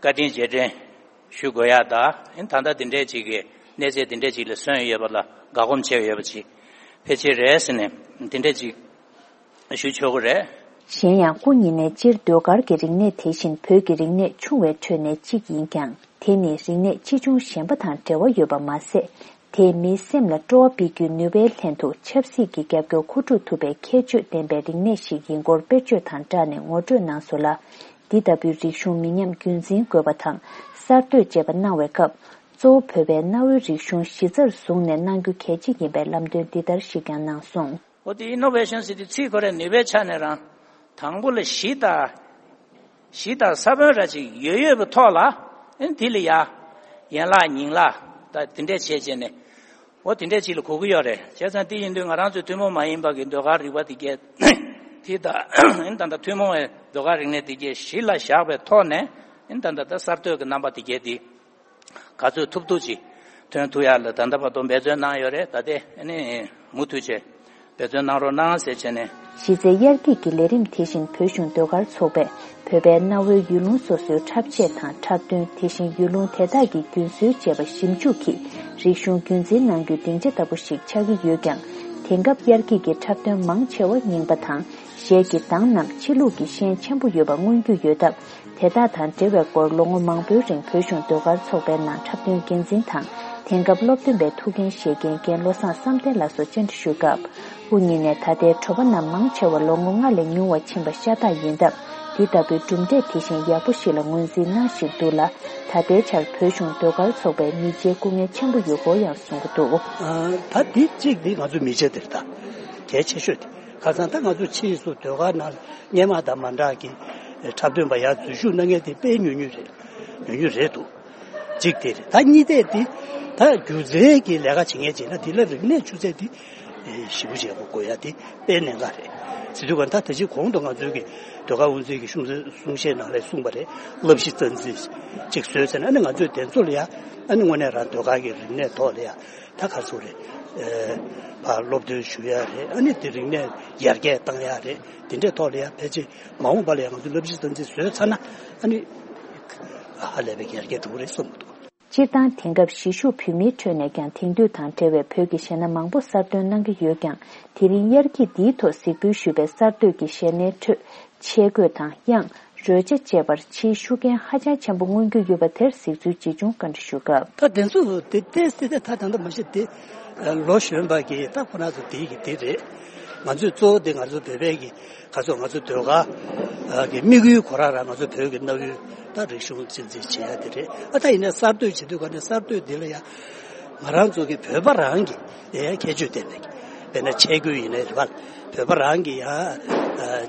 བཀའ་དྲིན་རྗེས་དྲན་ཞུ་དགོས་ཡ་ད། ཨིན་ད་ལྟ་འདི་འདྲས་ཅིག་གི་གནས་ཚད་འདི་འདྲས་ཅིག་ལ་སོན་ཡོད་པ་ལ་དགའ་སྒོམ་བྱས་ཡོད་པ་ཅིག་ཕལ་ཆེར་རེད་ཟེར་ནས་འདི་འདྲས་ཅིག་ཞུ་ཆོག་གི་རེད། གཞན་ཡང་སྐུ་ཉིད་ནས་སྤྱིར་ཟློས་གར་གྱི་རིག་གནས་དེ་བཞིན་བོད་ཀྱི་རིག་གནས་ཆུང་བའི་ཁྲོད་ནས་གཅིག་ཡིན་ཀྱང་། དེ་ནི་རིག་གནས་ཆེ་ཆུང་གཞན་པ་དང་འབྲེལ་བ་ཡོད་པ་མ་ཟད། དེས་མིའི་སེམས་ལ་སྤྲོ་བ་སྤེལ་རྒྱུའི་ནུས་པའི་ལྷན་དུ་ཆབ་སྲིད་ཀྱི་རྒྱབ་སྐྱོར་མཁོ་སྒྲུབ་ཐུབ་པའི་ཁྱད་ཆོས་ལྡན་པའི་རིག་གནས་ཤིག་ཡིན་སྐོར་དཔེར་བརྗོད་དང་སྦྲགས་ནས་ངོ་སྤྲོད་གནང་སོང་ལ། འདི་ལྟ་བུའི་རིག་གཞུང་མི་ཉམས་རྒྱུན་འཛིན་དགོས་པ་དང་གསར་གཏོད་བཅས་པ་གནང་བའི་སྐབས། གཙོ་བོ་བོད་པའི་གནའ་བོའི་རིག་གཞུང་གཞི་རྩར་བཟུང་ནས་གནང་རྒྱུ་གལ་ཆེ་ཡིན་པའི་ལམ་སྟོན་འདི་ལྟར་ཞིག་ཀྱང་གནང་སོང་། འོ་དེ་ཨི་ནོ་ཝེ་ཤན་ཟེར་དུས་ཚིག་ཁོ་རའི་ནུས་པའི་ཆ་ནས་རང་དང་པོ་ལ་གཞི་དང་། གཞི་དང་ས་བོན་ར་ཅིག་ཡོད་ཡོད་པའི་ཐོག་ལ་ཨིན་དེ་ལ་ཡ། ཡན་ལག་ཉིང་ལག་ད་དེ་འདྲས་བྱས་བྱས་ནས། འོ་དེ་འདྲས་ཅིག་ལ་གོ་གི་ཡོད་རེད། བྱས་ཙང་དེ་ཡིན་དུས་ང་རང་ཚོའི་ཐུན་མོང་མ་ཡིན་པ་གི་ཟློས་གར་རིག་པ་དེ་གས། དེ་ད་ཨིན་ད་ད་ཐུན་མོང་བའི་ཟློས་གར་རིག་གནས་དེ་གས་གཞི་ལ་བཞག་པའི་ཐོག་ནས་ཨིན་ད་ད་ད་གསར་གཏོད་ཀྱི་རྣམ་པ་དེ་གས་དེ། ག་ཚོད་ཐུབ་ཐུབ་ཅིག་ཐོན་ཐུབ་ཡག་ལ་ད་ལྟ་བར་དུ་འབད་བརྩོན་གནང་ཡོད་རེད། ད་ལྟའི་ཨ་ནི་མུ་མཐུད་བྱས་འབད་བརྩོན་གནང་རོགས་གནང་ཟེར་བྱས་ནས། གཞི་རྩའི་དབྱར་སྐྱིད་ཀྱི་ལས་རིམ་དེ་བཞིན་བོད་གཞུང་ཟློས་གར་ཚོགས་པས་བོད་པའི་གནའ་བོའི་ཡུལ་ལུང་སོ་སོའི་འཁྲབ་ཆས་དང་འཁྲབ་སྟོན། དེ་བཞིན་ཡུལ་ལུང་དེ་དག་གི་རྒྱུན་སྲོལ་བཅས་པ་ཞིབ་འཇུག་གིས་རིག་གཞུང་རྒྱུན་འཛིན་གནང་རྒྱུའི་སྡིངས་ཆ་ལྟ་བུ་ཞིག་ཆགས་ཀྱི་ཡོད་ཀྱང་། དེང་སྐབས་དབྱར་སྐྱིད་ཀྱི་འཁྲབ་སྟོན་མང་ཆེ་བ་རྙིང་པ་དང་གཞས་ཀྱི་གདངས་རྣམས་ཕྱི་ལུགས་ཀྱི་ཤན་ཆེན་པོ་ཡོད་པ་མངོན་རྒྱུ་ཡོད་སྟབས། དེ་དག་དང་འབྲེལ་བའི་སྐོར་ལོ་ངོ་མང་པོའི་རིང་བོད་གཞུང་ཟློས་གར་ཚོགས་པའི་ནང་འཁྲབ་སྟོན་འགན་འཛིན་དང་། དེང་སྐབས་སློབ་སྟོན་པའི་ཐུགས་འགན་བཞེས་མཁན་རྒན་བློ་བཟང་བསམ་གཏན་ལགས་སོགས་བཅར་འདྲི་ཞུས་སྐབས། དབུ་བརྙེས་ནས་ད་ལྟའི་གྲོགས་པོ་རྣམས་མང་ཆེ་བ་ལོ་ངོ་ལྔ་ལས་ཉུང་བ་ཕྱིན་པ་ཤ་སྟག་ཡིན་སྟབས། འདི་ལྟ་བུའི་གྲུབ་འབྲས་དེ་བཞིན་ཡག་པོ་ཞིག་ལ་ངོས་འཛིན་གནང་བཞིན་འདུག་ལ། ད་ལྟའི་ཆར་བོད་གཞུང་ཟློས་གར་ཚོགས་པའི་མི་རྗེའི་སྐུ་ངལ་ཆེན་པོ་ཡོད་སྐོར་ཡང་གསུང་གི་འདུག་ཨ། ད་འདི་གཅིག་འདི་ང་ཚོའི་མི་རྗེ་དེ་རེད་ད། གལ་ཆེ་ཤོས་དེ། ཁ་སང་ད་ང་ཚོ་ཕྱིས་སུ་ཟློས་གར་ནང་སྔོན་མ་དང་མ་འདྲ་གི་འཁྲབ་སྟོན་པ་ཡར་འཛུལ་ཞུགས་གནང་མཁན་དེ་དཔེ་ཉུང་ཉུང་རེད། ཉུང་ཉུང་རེད་འདུག་གཅིག་དེ་རེད། ད་གཉིས་དེ་དེ་ད་སྒྱུ་རྩལ་གྱི་ལས་ཀ་བྱེད་མཁན་ཅིག་ན་དེ་ལ་རིག་གནས་ཆུ་ཚད་དེ་ ཞེ་པོ་ཅིག་ཡག་པོ་དགོས་ཡ་དེ་དཔེ་གནད་འགག་རེད། ཟེར་དུས་ག་ད་ད་ཅིག་གོང་དུ་ང་ཚོའི་གི་ཟློས་གར་དབུ་འཛིན་གྱི་གསུང་གསུང་བཤད་ནང་ལ་གསུངས་པ་རེད། བསླབ་གཞི་རྩ་འཛིན་ཅིག་བཟོས་ཚར་ན་ཨ་ནི་ང་ཚོས་དེ་ཚོ་ལ་ཡ་ཨ་ནི་དངོས་གནས་རང་ཟློས་གར་གྱི་རིག་གནས་ཐོག་ལ་ཡ་ད་ག་ཚོད་རེད། ཕར་སློབ་སྟོན་ཞུ་ཡ་རེད། ཨ་ནི་དེ་རིག་གནས་ཡར་རྒྱས་བཏང་ཡ་རེད། དེ་འདྲའི་ཐོག་ལ་ཡ་ཕལ་ཆེར་མ་འོངས་པ་ལ་ཡ་ང་ཚོས་བསླབ་གཞི་རྩ་འཛིན་བཟོས་ཚར་ན་ཨ་ནི་ཧ་ལས་པའི་ཡར་རྒྱས་འགྲོ་གི་རེད་བསམ་གྱི་འདུག། སྤྱིར་བཏང་དེང་སྐབས་གཞིས་བཞུགས་བོད་མིའི་ཁྲོད་ནས་ཀྱང་དེང་དུས་དང་འབྲེལ་བའི་བོད་ཀྱི་གཞས་སྣ་མང་པོ་གསར་འདོན་གནང་གི་ཡོད་ཀྱང་། དེ་རིང་དབྱར་སྐྱིད་འདིའི་ཐོག་གཟིགས་འབུལ་ཞུས་པའི་གསར་གཏོད་ཀྱི་གཞས་སྣའི་ཁྲོད་ཆས་གོས་དང་དབྱངས། རོལ་ཆ་བཅས་པར་ཕྱིའི་ཤུགས་རྐྱེན་ཧ་ཅང་ཆེན་པོ་མངོན་གྱི་ཡོད་པ་དེར་གཟིགས་ཚུལ་ཇི་བྱུང་བཀའ་འདྲི་ཞུ་སྐབས། ད་དེ་ཚོ་དེ་ཏོག་ཙམ་དེ་ད་ད་ལྟ་མ་གཞི་དེ་ལོ་གཞོན་པ་གི་ད་ཁོ་རང་ཚོ་དེ་གི་དེ་རེད། ང་ཚོས་གཙོ་བོ་དེ་ང་ཚོ་བོད་པའི་གི་ག་ཚོད་ང་ཚོ་ཟློས་གར་གི་དམིགས་ཡུལ་ཁོ་རང་རང་ང་ཚོ་བོད་ཀྱི་གནའ་བོའི་ད་རིག་གཞུང་རྩིས་འཛིན་བྱེད་ཡ་དེ་རེད། ཨ་ད་ཡིན་ན་གསར་གཏོད་བྱེད་དུས་ག་ནས་གསར་གཏོད་དེ་ལ་ཡ་ང་རང་ཚོ་གི་བོད་པ་རང་གི་ཡ་ཁྱད་ཆོས་ལྡན་པའི་དཔེར་ན་ཆས་གོས་ཡིན་ནའི་རེད་པ། བོད་པ་རང་གི་ཡ་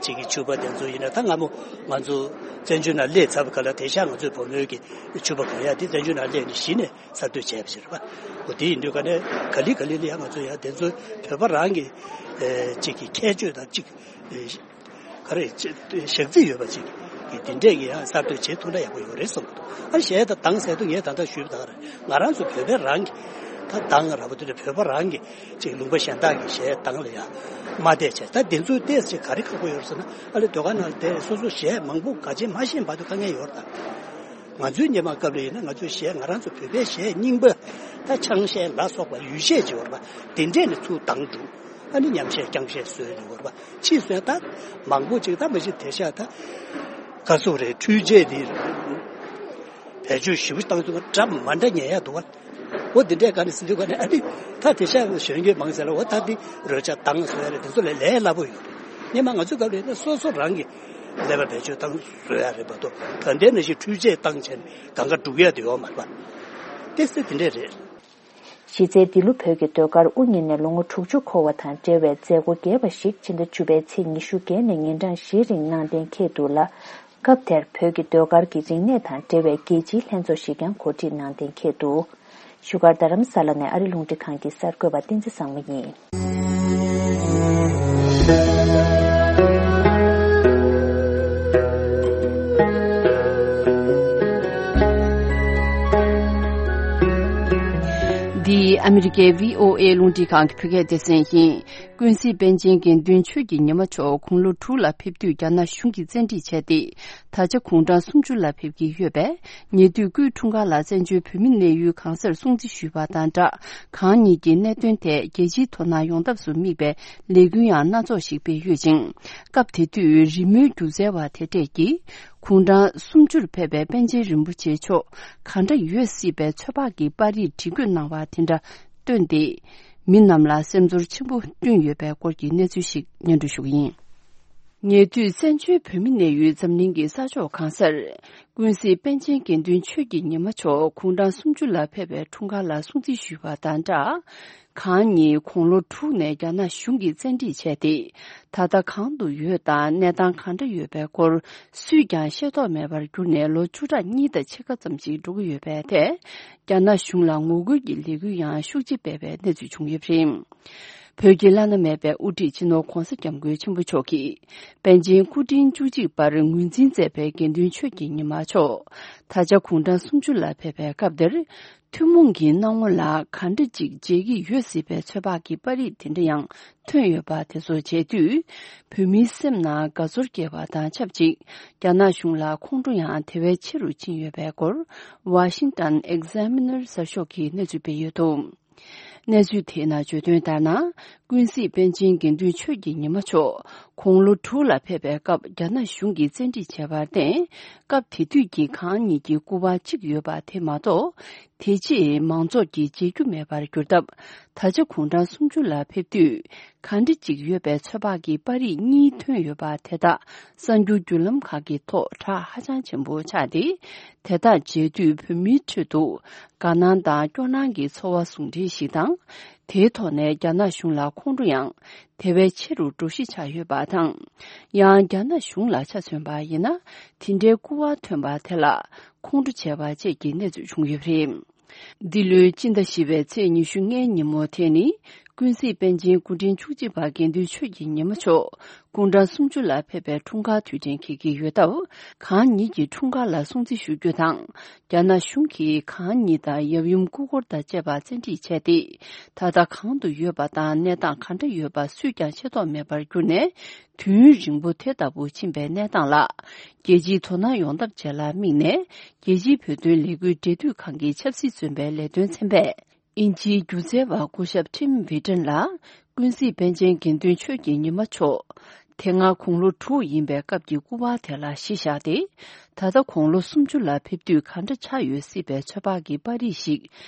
ཅིག་གི་ཕྱུ་པ་དེ་ཚོ་ཡིན་ན་ད་སྔ་མོ་ང་ཚོ་བཙན་བྱོལ་ནང་སླེབས་ཚར་བ་ག་ལ་དེང་སང་ང་ཚོའི་བུ་མོའི་གི་ཕྱུ་པ་གོན་ཡ་དེ་བཙན་བྱོལ་ནང་སླེབས་ནས་གཞི་ནས་གསར་གཏོད་བྱས་པ་ཞིག་རེད་པ། འོ་དེ་ཡིན་དུས་ག་ནས་ག་ལེ་ག་ལེ་ལ་ཡ་ང་ཚོ་ཡ་དེ་ཚོ་བོད་པ་རང་གི་ཅིག་གི་ཁྱད་ཆོས་དང་ཅིག་ག་རེ་ཞག་རྩི་ཡོད་པ་ཅིག་གི་དེ་འདྲས་ཀྱི་ཡང་གསར་གཏོད་བྱེད་ཐུབ་ན་ཡག་པོ་ཡོད་རེད་བསམ་གྱི་འདུག། ཨ་གཞས་དང་གདངས་ཟེར་དུས་ངས་ད་ལྟ་ཞུས་པ་དང་ང་རང་ཚོ་བོད་པའི་རང་གི་ད་གདངས་ར་བ་དེ་འདྲ་བོད་པ་རང་གི་ཅིག་ལུང་པ་གཞན་དག་གི་གཞས་གདངས་ལ་ཡང་མ་བལྟས་བྱས། ད་དེ་ཚོའི་ཏོག་ཙམ་ག་རེ་ཁག་པོ་ཡོད་རེད་ཟེར་ན་ཨ་ལེ་ཟློས་གར་ནང་ལ་བསྡད་སོ་སོ་གཞས་མང་པོ་ག་ཅན་མ་ཤེས་བར་དུ་དཀའ་ངལ་ཡོད་རེད་ད། ང་ཚོའི་སྔོན་མ་སྐབས་ལ་ཡིན་ན་ང་ཚོའི་གཞས་ང་རང་ཚོ་བོད་པའི་གཞས་རྙིང་པ་ད་ཆང་གཞས་ལ་སོགས་པ་ཡུལ་གཞས་ཅིག་ཡོད་རེད་པ། དེ་འདྲས་ནས་ཚུར་གདངས་འགྲོ། ཨ་ནི་ཉམས་གཞས་རྐྱང་གཞས་བཟོས་ཡོད་རེད་པ། ཕྱིས་སུ་ད་མང་པོ་ཅིག་ད་མ་གཞི་དེང་སང་ད་ག་ཚོད་རེད། འཕྲུལ་ཆས་དེ་བེད་སྤྱོད་ཞིབ་པོ་བཏང་དུས་འདྲ་མ་འདྲ་ཉན་ཡ་འདུག་བ། འོ་དེ་འདྲས་ག་ནས་ཟེར་དུས་ག་ནས་ཨ་ནི་ད་དེང་སང་གཞོན་སྐྱེས་མང་ཆེ་ལ་འོ་ད་འདི་རོལ་ཆ་གདངས་བཟོ་ཡ་རེད། དེ་ཚོ་ལས་ལས་སླ་པོ་ཡོད་རེད། སྔོན་མ་ང་ཚོའི་སྐབས་ལ་ཡིན་ན་སོ་སོ་རང་གི་ཀླད་པ་བེད་སྤྱོད་བཏང་བཟོ་ཡ་རེད་མ་གཏོགས་ད་ལྟའི་ནང་བཞིན་འཕྲུལ་ཆས་བཏང་བྱས་ནས་གང་ག་སྒྲུག་ཡ་དེ་ཡོད་མ་རེད་པ། ཏོག་ཙམ་དེ་འདྲས་རེད། གཞི་རྩའི་འདི་ལོ་བོད་ཀྱི་ཟློས་གར་དབུ་བརྙེས་ནས་ལོ་ངོ་དྲུག་ཅུ་འཁོར་བ་དང་འབྲེལ་བའི་མཛད་སྒོ་རྒྱས་པ་ཞིག་ཕྱི་ཟླ་བཅུ་པའི་ཚེས་ཉི་ཤུ་བརྒྱད་ནས་ཉིན་གྲངས་བཞིའི་རིང་གནང་གཏན་འཁེལ་འདུག་ལ། སྐབས་དེར་བོད་ཀྱི་ཟློས་གར་གྱི་རིག་གནས་དང་འབྲེལ་བའི་རྒྱལ་སྤྱིའི་ལྷན་ཚོགས་ཤིག་ཀྱང་གོ་སྒྲིག་གནང་གཏན་འཁེལ་འདུག། བཞུགས་སྒར་རྡ་རམ་ས་ལ་ནས་ཨ་རི་རླུང་འཕྲིན་ཁང་གི་གསར་འགོད་པ་བསྟན་འཛིན་བཟང་མོ་ཡིན། འདི་ཨ་མི་རི་ཀའི་བྷི་ཨོ་ཨེ་རླུང་འཕྲིན་ཁང་གི་བོད་སྐད་སྡེ་ཚན་ཡིན། ཀུན་གཟིགས་པཎ་ཆེན་དགེ་འདུན་ཆོས་ཀྱི་ཉི་མ་མཆོག་དགུང་ལོ་དྲུག་ལ་ཕེབས་དུས་རྒྱ་ནག་གཞུང་གིས་བཙན་ཁྲིད་བྱས་ཏེ། ད་ཆ་དགུང་གྲངས་སུམ་ཅུ་ལ་ཕེབས་ཀྱི་ཡོད་པས། ཉེ་དུས་སྐུའི་འཁྲུངས་སྐར་ལ་བཙན་བྱོལ་བོད་མི་གནས་ཡུལ་གང་སར་སྲུང་བརྩི་ཞུས་པ་དང་སྦྲགས། གང་ཉིད་ཀྱི་གནད་དོན་ཐད་རྒྱལ་སྤྱིའི་དོ་སྣང་ཡོང་ཐབས་སུ་དམིགས་པའི་ལས་འགུལ་ཡང་སྣ་ཚོགས་ཤིག་སྤེལ་ཡོད་ཅིང་། སྐབས་དེ་དུས་རི་མོའི་སྒྱུ་རྩལ་བ་དེ་གྲས་ཀྱིས། དགུང་གྲངས་སུམ་ཅུར་ཕེབས་པའི་པཎ་ཆེན་རིན་པོ་ཆེ་མཆོག་གང་འདྲ་ཡོད་སྲིད་པའི་ཚོད་དཔག་གི་པར་རིས་བྲིས་བཀོད་གནང་བ་དེ་འདྲ་བཏོན་ཏེ། མི་རྣམས་ལ་སེམས་ཚོར་ཆེན་པོ་བསྐྲུན་ཡོད་པའི་སྐོར་གྱི་གནས་ཚུལ་ཞིག་སྙན་སྒྲོན་ཞུ་གི་ཡིན། ཉེ་དུས་བཙན་བྱོལ་བོད་མི་གནས་ཡུལ་འཛམ་གླིང་གི་ས་ཕྱོགས་གང་སར། ཀུན་གཟིགས་པཎ་ཆེན་དགེ་འདུན་ཆོས་ཀྱི་ཉི་མ་མཆོག་དགུང་གྲངས་སུམ་ཅུ་ལ་ཕེབས་པའི་འཁྲུངས་སྐར་ལ་སྲུང་བརྩི་ཞུས་པ་དང་སྦྲགས། གང་ཉིད་དགུང་ལོ་དྲུག་ནས་རྒྱ་ནག་གཞུང་གིས་བཙན་ཁྲིད་བྱས་ཏེ། ད་ལྟ་གང་དུ་ཡོད་དང་གནས་སྟངས་གང་འདྲ་ཡོད་པའི་སྐོར་སུས་ཀྱང་ཤེས་རྟོགས་མེད་པར་གྱུར་ནས་ལོ་བཅུ་ཕྲག་གཉིས་དང་ཕྱེད་ཀ་ཙམ་ཞིག་འགྲོ་གི་ཡོད་པའི་ཐད། རྒྱ་ནག་གཞུང་ལ་ངོ་རྒོལ་གྱི་ལས་འགུལ་ཡང་ཤུགས་ཆེ་སྤེལ་བའི་གནས་ཚུལ་བྱུང་ཡོད་པ་རེད། བོད་ཀྱི་བླ་ན་མེད་པའི་དབུ་ཁྲིད་སྤྱི་ནོར་༧གོང་ས་༧སྐྱབས་མགོན་ཆེན་པོ་མཆོག་གིས། པཎ་ཆེན་སྐུ་ཕྲེང་བཅུ་གཅིག་པར་ངོས་འཛིན་མཛད་པའི་དགེ་འདུན་ཆོས་ཀྱི་ཉི་མ་མཆོག་ད་ཆ་དགུང་གྲངས་སུམ་ཅུ་ལ་ཕེབས་པའི་སྐབས་འདིར། ཐུན་མོང་གི་སྣང་ངོ་ལ་ག་འདྲ་ཅིག་མཇལ་གྱི་ཡོད་སྲིད་པའི་ཚོད་དཔག་གི་པར་རིས་དེ་འདྲ་ཡང་ཐོན་ཡོད་པ་དེ་ཚོ་མཇལ་དུས། བོད་མིའི་སེམས་ནང་དགའ་ཚོར་སྐྱེ་བ་དང་ཆབས་ཅིག་རྒྱ་ནག་གཞུང་ལ་ཁོང་ཁྲོ་ཡང་དེ་བས་ཆེ་རུ་ཕྱིན་ཡོད་པའི་སྐོར། Washington Examiner་གསར་ཤོག་གིས་གནས་ཚུལ་སྤེལ་ཡོད་འདུག། གནས་ཚུལ་དེའི་ནང་བརྗོད་དོན་ལྟར་ན། ཀུན་གཟིགས་པཎ་ཆེན་དགེ་འདུན་ཆོས་ཀྱི་ཉི་མ་མཆོག་དགུང་ལོ་དྲུག་ལ་ཕེབས་པའི་སྐབས་རྒྱ་ནག་གཞུང་གིས་བཙན་ཁྲིད་བྱས་པར་བརྟེན། སྐབས་དེ་དུས་ཀྱི་གང་ཉིད་ཀྱི་སྐུ་པར་གཅིག་ཡོད་པ་དེ་མ་གཏོགས། དེ་རྗེས་མང་ཚོགས་ཀྱིས་མཇལ་རྒྱུ་མེད་པར་གྱུར་སྟབས། ད་ཆ་དགུང་གྲངས་སུམ་ཅུ་ལ་ཕེབས་དུས། ག་འདྲ་ཅིག་ཡོད་པའི་ཚོད་དཔག་གི་པར་རིས་གཉིས་ཐོན་ཡོད་པ་དེ་དག་གསར་འགྱུར་བརྒྱུད་ལམ་ཁག་གི་ཐོག་གྲགས་ཧ་ཅང་ཆེན་པོ་ཆགས་ཏེ། དེ་དག་མཇལ་དུས་བོད་མིའི་ཁྲོད་དུ་དགའ་སྣང་དང་སྐྱོ་སྣང་གི་ཚོར་བ་ཟུང་འབྲེལ་ཞིག་དང་། དེའི་ཐོག་ནས་རྒྱ་ནག་གཞུང་ལ་ཁོང་ཁྲོ་ཡང་དེ་བས་ཆེ་རུ་འགྲོ་གཞི་ཆགས་ཡོད་པ་དང་། ཡང་རྒྱ་ནག་གཞུང་ལ་ཆ་མཚོན་པ་ཡིན་ན། དེ་འདྲའི་སྐུ་པར་ཐོན་པ་དེ་ལ་ཁོང་ཁྲོ་བྱས་པ་བཅས་ཀྱི་གནས་ཚུལ་བྱུང་ཡོད་པ་རེད། འདི་ལོའི་སྤྱི་ཟླ་བཞི་པའི་ཚེས་ཉི་ཤུ་ལྔའི་ཉིན་མོ་དེ་ནི། ཀུན་གཟིགས་པཎ་ཆེན་སྐུ་ཕྲེང་བཅུ་གཅིག་པ་དགེ་འདུན་ཆོས་ཀྱི་ཉི་མ་མཆོག་སྐུ་ཕྲེང་སུམ་ཅུ་ལ་ཕེབས་པའི་འཁྲུངས་སྐར་དུས་དྲན་འཁེལ་གྱི་ཡོད་སྟབས། གང་ཉིད་ཀྱི་འཁྲུངས་སྐར་ལ་སྲུང་བརྩི་ཞུ་རྒྱུ་དང་། རྒྱ་ནག་གཞུང་གིས་གང་ཉིད་དང་ཡབ་ཡུམ་སྐུ་འཁོར་དང་བཅས་པ་བཙན་ཁྲིད་བྱས་ཏེ། ད་ལྟ་གང་དུ་ཡོད་པ་དང་གནས་སྟངས་ག་འདྲ་ཡོད་པ་སུས་ཀྱང་ཤེས་རྟོགས་མེད་པར་གྱུར་ནས། དུས་ཡུན་རིང་པོ་དེ་ལྟ་བུ་ཕྱིན་པའི་གནས་སྟངས་ལ། རྒྱལ་སྤྱིའི་དོ་སྣང་ཡོང་ཐབས་བཅས་ལ་དམིགས་ནས། རྒྱལ་སྤྱིའི་བོད་དོན་ལས་འགུལ་འབྲེལ་མཐུད་ཁང་གི་ཆབ་སྲིད་བཙོན་པའི་ལས་དོན་ཚན་པས། དབྱིན་ཇིའི་སྒྱུ་རྩལ་བ་སྐུ་ཞབས་ཊིམ་ཝི་ཊན་ལ། ཀུན་གཟིགས་པཎ་ཆེན་དགེ་འདུན་ཆོས་ཀྱི་ཉི་མ་མཆོག་དེ་སྔ་དགུང་ལོ་དྲུག་ཡིན་པའི་སྐབས་ཀྱི་སྐུ་པར་དེ་ལ་གཞི་བཞག་སྟེ། ད་ལྟ་དགུང་ལོ་སུམ་ཅུ་ལ་ཕེབས་དུས་ག་འདྲ་ཆགས་ཡོད་སྲིད་པའི་ཚོད་དཔག་གི་པར་རིས་ཤིག་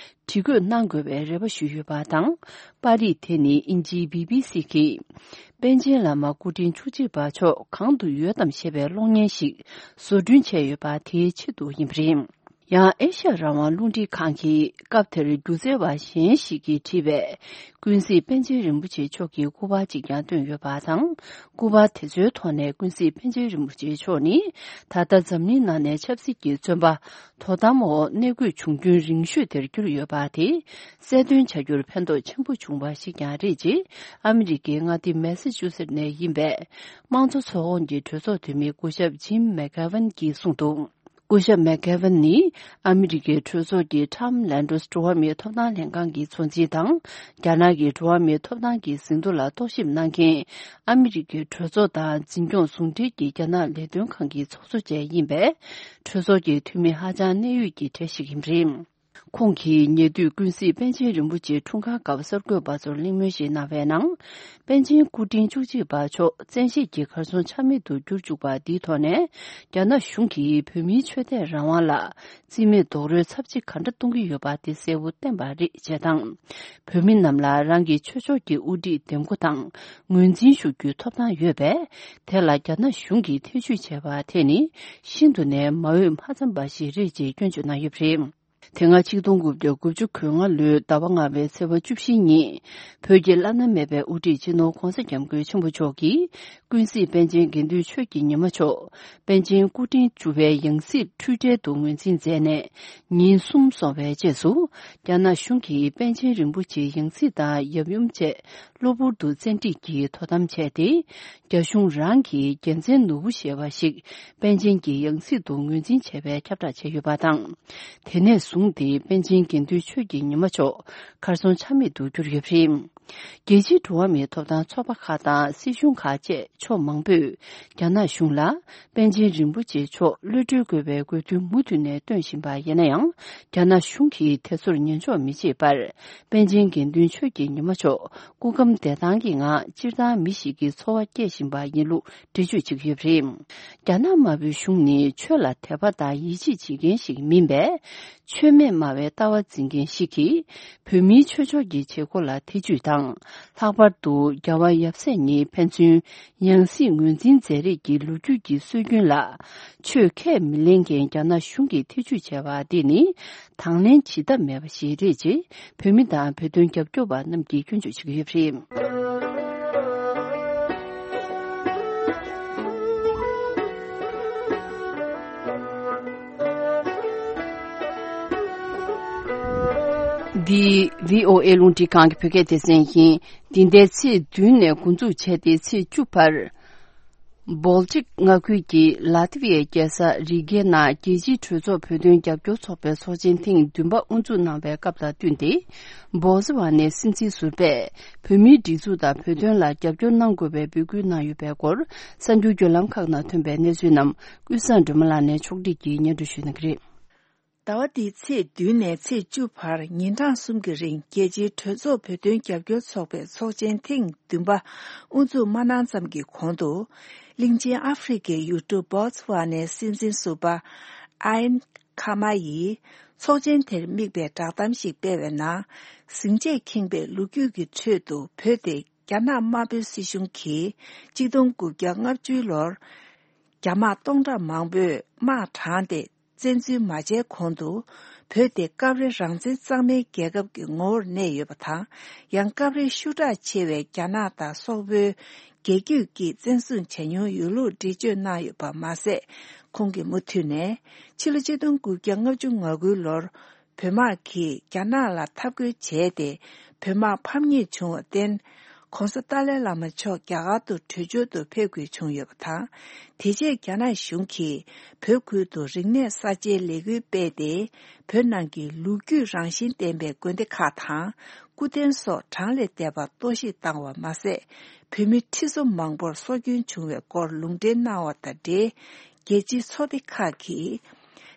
བྲིས་བཀོད་གནང་དགོས་པའི་རེ་བ་ཞུས་ཡོད་པ་དང་། པར་རིས་དེ་ནི་དབྱིན་ཇིའི་བི་བི་སི་གིས། པཎ་ཆེན་བླ་མ་སྐུ་ཕྲེང་བཅུ་གཅིག་པ་མཆོག་གང་དུ་ཡོད་དམ་ཞེས་པའི་གློག་བརྙན་ཞིག་བཟོ་སྐྲུན་བྱས་ཡོད་པ་དེའི་ཆེད་དུ་ཡིན་པ་རེད། ཡང་ཨེ་ཤ་ཡ་རང་དབང་རླུང་འཕྲིན་ཁང་གིས་སྐབས་དེར་སྒྱུ་རྩལ་བ་གཞན་ཞིག་གིས་བྲིས་པའི་ཀུན་གཟིགས་པཎ་ཆེན་རིན་པོ་ཆེ་མཆོག་གི་སྐུ་པར་ཅིག་ཀྱང་བཏོན་ཡོད་པ་དང་། སྐུ་པར་དེ་ཚོའི་ཐོག་ནས་ཀུན་གཟིགས་པཎ་ཆེན་རིན་པོ་ཆེ་མཆོག་ནི་ད་ལྟ་འཛམ་གླིང་ནང་ནས་ཆབ་སྲིད་ཀྱི་བཙོན་པ། དོ་དམ་འོག་གནས་དགོས་བྱུང་རྒྱུན་རིང་ཤོས་དེར་གྱུར་ཡོད་པ་དེ་གསལ་སྟོན་བྱ་རྒྱུར་ཕན་ཐོགས་ཆེན་པོ་བྱུང་བ་ཞིག་ཀྱང་རེད་ཅེས། ཨ་མི་རི་ཀའི་མངའ་སྡེ་མེ་སི་ཅུ་སེད་ནས་ཡིན་པའི་དམངས་གཙོ་ཚོགས་ཁོངས་ཀྱི་གྲོས་ཚོགས་འཐུས་མི་སྐུ་ཞབས་ཇིམ་མེག་གྷེ་ཝན་གྱིས་གསུངས་འདུག་སྐུ་ཞབས་མེག་གྷེ་ཝན་ནི་ཨ་མི་རི་ཀའི་གྲོས་ཚོགས་ཀྱི་ཊམ་ལན་ཌོས་འགྲོ་བ་མིའི་ཐོབ་ཐང་ལྷན་ཁང་གི་གཙོ་འཛིན་དང་། རྒྱ་ནག་གི་འགྲོ་བ་མིའི་ཐོབ་ཐང་གི་ཟིན་ཐོ་ལ་རྟོག་ཞིབ་གནང་མཁན། ཨ་མི་རི་ཀའི་གྲོས་ཚོགས་དང་འཛིན་སྐྱོང་ཟུང་འབྲེལ་གྱི་རྒྱ་ནག་ལས་དོན་ཁང་གི་ཚོགས་གཙོ་བཅས་ཡིན་པས། གྲོས་ཚོགས་ཀྱི་འཐུས་མི་ཧ་ཅང་གནད་ཡོད་ཀྱི་གྲས་ཤིག་ཡིན་པ་རེད། ཁོང་གིས་ཉེ་དུས་ཀུན་གཟིགས་པཎ་ཆེན་རིན་པོ་ཆེའི་འཁྲུངས་སྐར་སྐབས་གསར་འགོད་པ་ཚོར་གླེང་མོལ་ཞིག་གནང་བའི་ནང་། པཎ་ཆེན་སྐུ་ཕྲེང་བཅུ་གཅིག་པ་མཆོག་བཙན་ཤེད་ཀྱིས་གར་སོང་ཆ་མེད་དུ་གྱུར་བཅུག་པ་འདིའི་ཐོག་ནས། རྒྱ་ནག་གཞུང་གིས་བོད་མིའི་ཆོས་དད་རང་དབང་ལ་རྩིས་མེད་རྡོག་རོལ་ཚབས་ཆེ་ག་འདྲ་གཏོང་གི་ཡོད་པ་དེ་གསལ་བོ་བསྟན་པ་རེད་ཅེས་དང་། བོད་མི་རྣམས་ལ་རང་གི་ཆོས་ཕྱོགས་ཀྱི་དབུ་ཁྲིད་འདེམས་བསྐོ་དང་ངོས་འཛིན་ཞུ་རྒྱུའི་ཐོབ་ཐང་ཡོད་པས། དེ་ལ་རྒྱ་ནག་གཞུང་གིས་ཐེ་བྱུས་བྱས་པ་དེ་ནི་ཤིན་ཏུ་ནས་མ་འོས་མ་འཚམས་པ་ཞིག་རེད་ཅེས་སྐྱོན་བརྗོད་གནང་ཡོད་པ་རེད། དེ་སྔ་ཆིག་སྟོང་དགུ་བརྒྱ་དགུ་བཅུ་གོ་ལྔ་ལོའི་ཟླ་བ་ལྔ་པའི་ཚེས་པ་བཅུ་བཞི་ཉིན། བོད་ཀྱི་བླ་ན་མེད་པའི་དབུ་ཁྲིད་སྤྱི་ནོར་༧གོང་ས་༧སྐྱབས་མགོན་ཆེན་པོ་མཆོག་གིས། ཀུན་གཟིགས་པཎ་ཆེན་དགེ་འདུན་ཆོས་ཀྱི་ཉི་མ་མཆོག་པཎ་ཆེན་སྐུ་ཕྲེང་བཅུ་པའི་ཡང་སྲིད་འཁྲུལ་བྲལ་དུ་ངོས་འཛིན་མཛད་ནས། ཉིན་གསུམ་སོང་བའི་རྗེས་སུ། རྒྱ་ནག་གཞུང་གིས་པཎ་ཆེན་རིན་པོ་ཆེའི་ཡང་སྲིད་དང་ཡབ་ཡུམ་བཅས། གློ་བུར་དུ་བཙན་ཁྲིད་ཀྱིས་དོ་དམ་བྱས་ཏེ། རྒྱ་གཞུང་རང་གི་རྒྱལ་མཚན་ནོར་བུ་ཞེས་པ་ཞིག་པཎ་ཆེན་གྱི་ཡང་སྲིད་དུ་ངོས་འཛིན་བྱས་པའི་ཁྱབ་བསྒྲགས་བྱས་ཡོད་པ་དང་། དེ་ནས་བཟུང་སྟེ་པཎ་ཆེན་དགེ་འདུན་ཆོས་ཀྱི་ཉི་མ་མཆོག་གར་སོང་ཆ་མེད་དུ་གྱུར་ཡོད་པ་རེད། རྒྱལ་སྤྱིའི་འགྲོ་བ་མིའི་ཐོབ་ཐང་ཚོགས་པ་ཁག་དང་སྲིད་གཞུང་ཁག་བཅས་ཕྱོགས་མང་པོས་རྒྱ་ནག་གཞུང་ལ་པཎ་ཆེན་རིན་པོ་ཆེ་མཆོག་གློད་གྲོལ་དགོས་པའི་དགོས་འདུན་མུ་མཐུད་ནས་བཏོན་བཞིན་པ་ཡིན་ན་ཡང་། རྒྱ་ནག་གཞུང་གིས་དེ་ཚོར་ཉན་འཇོག་མི་བྱེད་པར། པཎ་ཆེན་དགེ་འདུན་ཆོས་ཀྱི་ཉི་མ་མཆོག་སྐུ་ཁམས་བདེ་ཐང་གི་ངང་སྤྱིར་བཏང་མི་ཞིག་གི་འཚོ་བ་སྐྱེལ་བཞིན་པ་ཡིན་ལུགས་འགྲེལ་བརྗོད་བྱེད་ཀྱི་ཡོད་པ་རེད། རྒྱ་ནག་དམར་པོའི་གཞུང་ནི་ཆོས་ལ་དད་པ་དང་ཡིད་ཆེས་བྱེད་མཁན་ཞིག་མིན་པས། ཆོས་མེད་སྨྲ་བའི་ལྟ་བ་འཛིན་མཁན་ཞིག་གིས། བོད་མིའི་ཆོས་ཕྱོགས་ཀྱི་བྱེད་སྒོ་ལ་ཐེ་ཇུས་དང་། ལྷག་པར་དུ་རྒྱལ་བ་ཡབ་སྲས་ཉིད་ཕན་ཚུན་ཡང་སྲིད་ངོས་འཛིན་མཛད་རེས་ཀྱི་ལོ་རྒྱུས་ཀྱི་སྲོལ་རྒྱུན་ལ། ཆོས་ཁས་མི་ལེན་མཁན་རྒྱ་ནག་གཞུང་གིས་ཐེ་ཇུས་བྱས་པ་འདི་ནི། དང་ལེན་བྱེད་ཐབས་མེད་པ་ཞིག་རེད་ཅེས། བོད་མི་དང་བོད་དོན་རྒྱབ་སྐྱོར་བ་རྣམས་ཀྱིས་སྐྱོན་བརྗོད་བྱེད་ཀྱི་ཡོད་པ་རེད། འདི་བྷི་ཨོ་ཨེ་རླུང་འཕྲིན་ཁང་གི་བོད་སྐད་སྡེ་ཚན་ཡིན། འདི་ཟླའི་ཚེས་བདུན་ནས་འགོ་འཛུགས་བྱས་ཏེ་ཚེས་བཅུ་བར། བོལ་ཊིག་མངའ་ཁུལ་གྱི་ལ་ཏི་ཝི་ཡའི་རྒྱལ་ས་རི་གའི་ནང་རྒྱལ་སྤྱིའི་གྲོས་ཚོགས་བོད་དོན་རྒྱབ་སྐྱོར་ཚོགས་པའི་ཚོགས་ཆེན་ཐེངས་བདུན་པ་དབུ་འཛུགས་གནང་བའི་སྐབས་དང་བསྟུན་ཏེ། བོ་ཙི་ཝ་ནའི་སྲིད་འཛིན་ཟུར་པས་བོད་མིའི་སྒྲིག་འཛུགས་དང་བོད་དོན་ལ་རྒྱབ་སྐྱོར་གནང་དགོས་པའི་འབོད་སྐུལ་གནང་ཡོད་པའི་སྐོར། གསར་འགྱུར་བརྒྱུད་ལམ་ཁག་ནང་ཐོན་པའི་གནས་ཚུལ་རྣམས་ཀུན་བཟང་སྒྲོལ་མ་ལགས་ནས་ཕྱོགས་སྒྲིག་གིས་སྙན་སྒྲོན་ཞུ་གནང་གི་རེད། ཟླ་བ་འདིའི་ཚེས་བདུན་ནས་ཚེས་བཅུ་བར་ཉིན་གྲངས་གསུམ་གྱི་རིང་རྒྱལ་སྤྱིའི་གྲོས་ཚོགས་བོད་དོན་རྒྱབ་སྐྱོར་ཚོགས་པའི་ཚོགས་ཆེན་ཐེངས་བདུན་པ་དབུ་འཛུགས་མ་གནང་ཙམ་གྱི་གོང་དུ། གླིང་ཆེན་ཨ་ཧྥེ་རི་ཁའི་ཡུལ་གྲུ་བོ་ཙི་ཝ་ནའི་སྲིད་འཛིན་ཟུར་པ་ཨན་ཁ་མ་ཡིས་ཚོགས་ཆེན་དེར་དམིགས་པའི་བསྒྲགས་གཏམ་ཞིག་སྤེལ་བའི་ནང་། ཟིང་ཆས་ཁེངས་པའི་ལོ་རྒྱུས་ཀྱི་ཁྲོད་དུ་བོད་དེ་རྒྱ་ནག་དམར་པོའི་སྲིད་གཞུང་གིས་གཅིག་སྟོང་དགུ་བརྒྱ་ལྔ་བཅུའི་ལོར། རྒྱ་དམག་སྟོང་ཕྲག་མང་པོས་དམག་དྲངས་ཏེ། བཙན་འཛུལ་མ་བྱས་གོང་དུ། བོད་དེ་སྐབས་རེ་རང་བཙན་གཙང་མའི་རྒྱལ་ཁབ་ཀྱི་ངོ་བོར་གནས་ཡོད་པ་དང་། ཡང་སྐབས་རེ་ཤུགས་དྲག་ཆེ་བའི་རྒྱ་ནག་དང་སོག་པོའི་རྒྱལ་རྒྱུད་ཀྱིས་བཙན་བཟུང་བྱས་མྱོང་ཡོད་ལུགས་འགྲེལ་བརྗོད་གནང་ཡོད་པ་མ་ཟད། ཁོང་གིས་མུ་མཐུད་ནས། ཕྱི་ལོ་ཆིག་སྟོང་དགུ་བརྒྱ་ལྔ་བཅུ་ང་དགུའི་ལོར། བོད་དམག་གིས་རྒྱ་ནག་ལ་འཐབ་རྒོལ་བྱས་ཏེ། བོད་དམག་ཕམ་ཉེས་བྱུང་བར་བརྟེན། ྋགོང་ས་ཏཱ་ལའི་བླ་མ་མཆོག་རྒྱ་གར་དུ་བྲོས་བྱོལ་དུ་ཕེབས་དགོས་བྱུང་ཡོད་པ་དང་། དེ་རྗེས་རྒྱ་ནག་གཞུང་གིས་བོད་ཁུལ་དུ་རིག་གནས་གསར་བརྗེའི་ལས་འགུལ་སྤེལ་ཏེ། བོད་ནང་གི་ལོ་རྒྱུས་རང་བཞིན་ལྡན་པའི་དགོན་སྡེ་ཁག་དང་། སྐུ་རྟེན་སོགས་གྲངས་ལས་འདས་པ་གཏོར་བཤིག་བཏང་བ་མ་ཟད། བོད་མི་ཁྲི་ཚོ་མང་པོར་སྲོག་སྐྱོན་བྱུང་བའི་སྐོར་ལུང་འདྲེན་གནང་བ་དང་འབྲེལ། རྒྱལ་སྤྱིའི་ཚོགས་སྡེ་ཁག་གིས།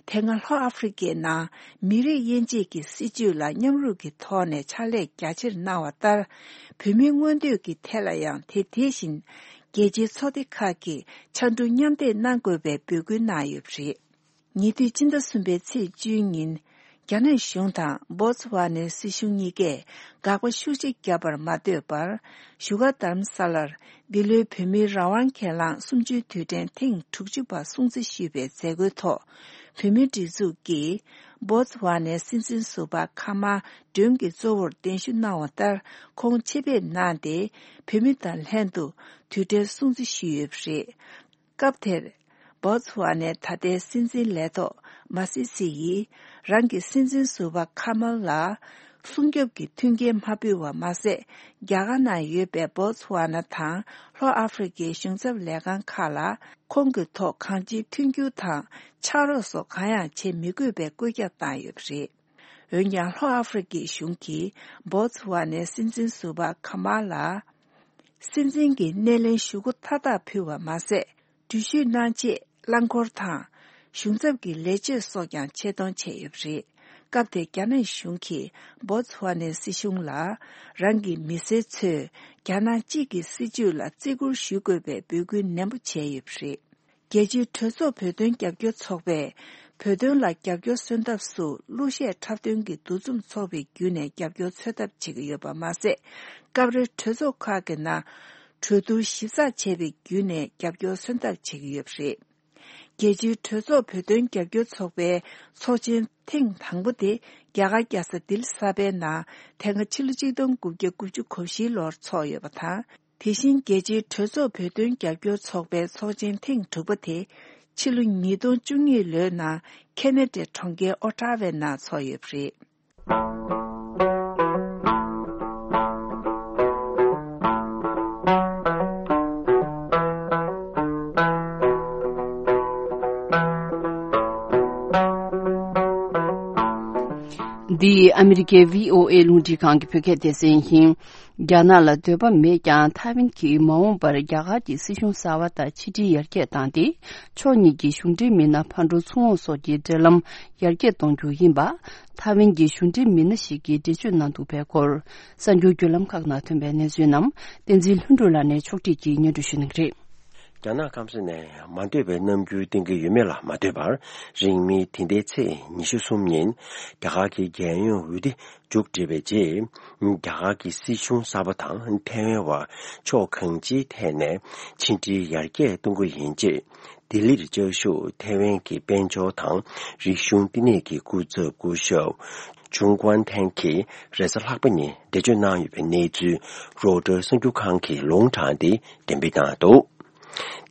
དེ་སྔ་ལྷོ་ཨ་ཧྥེ་རི་ཁའི་ནང་མི་རིགས་དབྱེ་འབྱེད་ཀྱི་སྲིད་བྱུས་ལ་མཉམ་རུབ་ཀྱི་ཐོག་ནས་ཕྱག་ལས་རྒྱ་ཆེར་གནང་བ་ལྟར། བོད་མིའི་མངོན་འདོད་ཀྱི་ཐད་ལ་ཡང་དེ་དེ་བཞིན་རྒྱལ་སྤྱིའི་ཚོགས་སྡེ་ཁག་གིས་ཕྱར་གྲུ་མཉམ་འདེགས་གནང་དགོས་པའི་འབོད་སྐུལ་གནང་ཡོད་པ་རེད། ཉེ་དུས་ཕྱི་ཟླ་གསུམ་པའི་ཚེས་བཅུའི་ཉིན། རྒྱ་ནག་གཞུང་དང་སྦོ་ཚ་ཝ་ནའི་སྲིད་གཞུང་གཉིས་ཀས་དགག་པ་ཤུགས་ཆེ་བརྒྱབ་པར་མ་ལྟོས་པར། བཞུགས་སྒར་རྡ་རམ་ས་ལར་འདི་ལོའི་བོད་མིའི་རང་དབང་གྱེན་ལངས་གསུམ་བཅུའི་དུས་དྲན་ཐེངས་དྲུག་ཅུ་པ་སྲུང་བརྩི་ཞུས་པའི་མཛད་སྒོའི་ཐོག། བོད་མིའི་སྒྲིག་འཛུགས་ཀྱིས་སྦོ་ཚ་ཝ་ནའི་སྲིད་འཛིན་ཟུར་པ་ཁ་མ་སྒྲོན་གྱི་གཙོ་བོར་གདན་ཞུ་གནང་བ་ལྟར། ཁོང་ཆེད་ཕེབས་གནང་སྟེ། བོད་མི་དང་ལྷན་དུ་དུས་དྲན་སྲུང་བརྩི་ཞུས་ཡོད་པ་རེད། སྐབས་དེར། སྦོ་ཚ་ཝ་ནའི་ད་ལྟའི་སྲིད་འཛིན་ལས་ཐོག་མ་སི་སི་ཡིས། རང་གི་སྲིད་འཛིན་ཟུར་པ་ཁ་མལ་ལ། སྲུང་སྐྱོབ་ཀྱི་མཐུན་རྐྱེན་མ་ཕུལ་བ་མ་ཟད། རྒྱ་གར་ནང་ཡོད་པའི་སྦོ་ཚ་ཝ་ན་དང་ལྷོ་ཨ་ཧྥེ་རི་ཁའི་གཞུང་ཚབ་ལས་ཁང་ཁག་ལ། ཁོང་གི་ཐོག་གང་ཅིའི་མཐུན་འགྱུར་དང་ཕྱག་རོགས་སོགས་གང་ཡང་བྱེད་མི་དགོས་པའི་བཀོད་ཁྱབ་བཏང་ཡོད་པ་རེད། འོན་ཀྱང་། ལྷོ་ཨ་ཧྥེ་རི་ཁའི་གཞུང་གིས་སྦོ་ཚ་ཝ་ནའི་སྲིད་འཛིན་ཟུར་པ་ཁ་མལ་ལ། སྲིད་འཛིན་གྱི་སྣེ་ལེན་ཞུ་སྒོ་མཐའ་དག་ཕུལ་བ་མ་ཟད། འགྲུལ་བཞུད་གནང་ཆེད་རླངས་འཁོར་དང་། གཞུང་ཚབ་ཀྱི་ལས་བྱེད་སོགས་ཀྱང་ཆེད་གཏོང་བྱས་ཡོད་པ་རེད། སྐབས་དེར་རྒྱ་ནག་གཞུང་གིས་སྦོ་ཚ་ཝ་ནའི་སྲིད་གཞུང་ལ། རང་གི་མི་སེར་ཚོས་རྒྱ་ནག་གཅིག་གི་སྲིད་བྱུས་ལ་བརྩི་བཀུར་ཞུ་དགོས་པའི་འབོད་སྐུལ་ནན་པོ་བྱས་ཡོད་པ་རེད། རྒྱལ་སྤྱིའི་གྲོས་ཚོགས་བོད་དོན་རྒྱབ་སྐྱོར་ཚོགས་པས། བོད་དོན་ལ་རྒྱབ་སྐྱོར་སོན་ཐབས་སུ་གླུ་གཞས་འཁྲབ་སྟོན་གྱི་འདུ་འཛོམས་ཚོགས་པའི་བརྒྱུད་ནས་རྒྱབ་སྐྱོར་འཚོལ་ཐབས་བྱེད་ཀྱི་ཡོད་པ་མ་ཟད། སྐབས་རེ་གྲོས་ཚོགས་ཁག་གི་ནང་གྲོས་བསྡུར་ཞིབ་ཚགས་བྱས་པའི་བརྒྱུད་ནས་རྒྱབ་སྐྱོར་སོན་ཐབས་བྱེད་ཀྱི་ཡོད་པ་རེད། རྒྱལ་སྤྱིའི་གྲོས་ཚོགས་བོད་དོན་རྒྱབ་སྐྱོར་ཚོགས་པའི་ཚོགས་ཆེན་ཐེངས་དང་པོ་དེ་རྒྱ་གར་རྒྱལ་ས་ལྡི་ལི་གསར་པའི་ནང་དེ་སྔ་ཕྱི་ལོ་ཆིག་སྟོང་དགུ་བརྒྱ་དགུ་བཅུ་གོ་བཞིའི་ལོར་ཚོགས་ཡོད་པ་དང་། དེ་བཞིན་རྒྱལ་སྤྱིའི་གྲོས་ཚོགས་བོད་དོན་རྒྱབ་སྐྱོར་ཚོགས་པའི་ཚོགས་ཆེན་ཐེངས་དྲུག་པ་དེ་ཕྱི་ལོ་ཉིས་སྟོང་བཅུ་གཉིས་ལོའི་ནང་ཁེ་ན་ཌའི་གྲོང་ཁྱེར་ཨོ་ཊ་ཝའི་ནང་ཚོགས་ཡོད་པ་རེད། འདི་ཨ་མི་རི་ཀའི་བྷི་ཨོ་ཨེ་རླུང་འཕྲིན་ཁང་གི་བོད་སྐད་སྡེ་ཚན་ཡིན། རྒྱ་ནག་ལ་འདོད་པ་མེད་ཀྱང་། ཐའེ་ཝན་གྱིས་མ་འོངས་པར་རྒྱ་གར་གྱི་སྲིད་གཞུང་གསར་པ་དང་ཕྱི་འབྲེལ་ཡར་རྒྱས་བཏང་སྟེ། ཕྱོགས་གཉིས་ཀྱི་གཞུང་འབྲེལ་མི་སྣ་ཕར་འགྲོ་ཚུར་འོང་སོགས་ཀྱི་འབྲེལ་ལམ་ཡར་རྒྱས་གཏོང་རྒྱུ་ཡིན་པ། ཐའེ་ཝན་གྱི་གཞུང་འབྲེལ་མི་སྣ་ཞིག་གིས་འགྲེལ་བརྗོད་གནང་འདུག་པའི་སྐོར། གསར་འགྱུར་བརྒྱུད་ལམ་ཁག་ནང་ཐོན་པའི་གནས་ཚུལ་རྣམས་བསྟན་འཛིན་ལྷུན་གྲུབ་ལགས་ནས་ཕྱོགས་སྒྲིག་གིས་སྙན་སྒྲོན་ཞུ་གནང་གི་རེད། རྒྱ་ནག་སྐམ་ས་ནས་མ་འདོད་པའི་རྣམ་འགྱུར་བསྟན་གྱི་ཡོད་མེད་ལ་མ་ལྟོས་པར། རིང་མིན་འདི་ཟླའི་ཚེས་ཉི་ཤུ་གསུམ་ཉིན་རྒྱ་གར་གྱི་རྒྱལ་ཡོངས་འོས་བསྡུ་མཇུག་བསྒྲིལ་བའི་རྗེས། རྒྱ་གར་གྱི་སྲིད་གཞུང་གསར་པ་དང་ཐའེ་ཝན་བར་ཕྱོགས་གང་ཅིའི་ཐད་ནས་ཕྱི་འབྲེལ་ཡར་རྒྱས་གཏོང་གི་ཡིན་ཅེས། ལྡི་ལིར་བཅའ་བཞུགས་ཐའེ་ཝན་གྱི་དཔལ་འབྱོར་དང་རིག་གཞུང་བསྟི་གནས་ཀྱི་སྐུ་ཚབ་སྐུ་ཞབས་ཇུང་ཀུན་ཐན་གྱིས་རེས་གཟའ་ལྷག་པ་ཉིན་འགྲེལ་བརྗོད་གནང་ཡོད་པའི་གནས་ཚུལ་རོའི་ཊར་གསར་འགྱུར་ཁང་གིས་ལུང་དྲངས་ཏེ་འགྲེམས་སྤེལ་གནང་འདུག་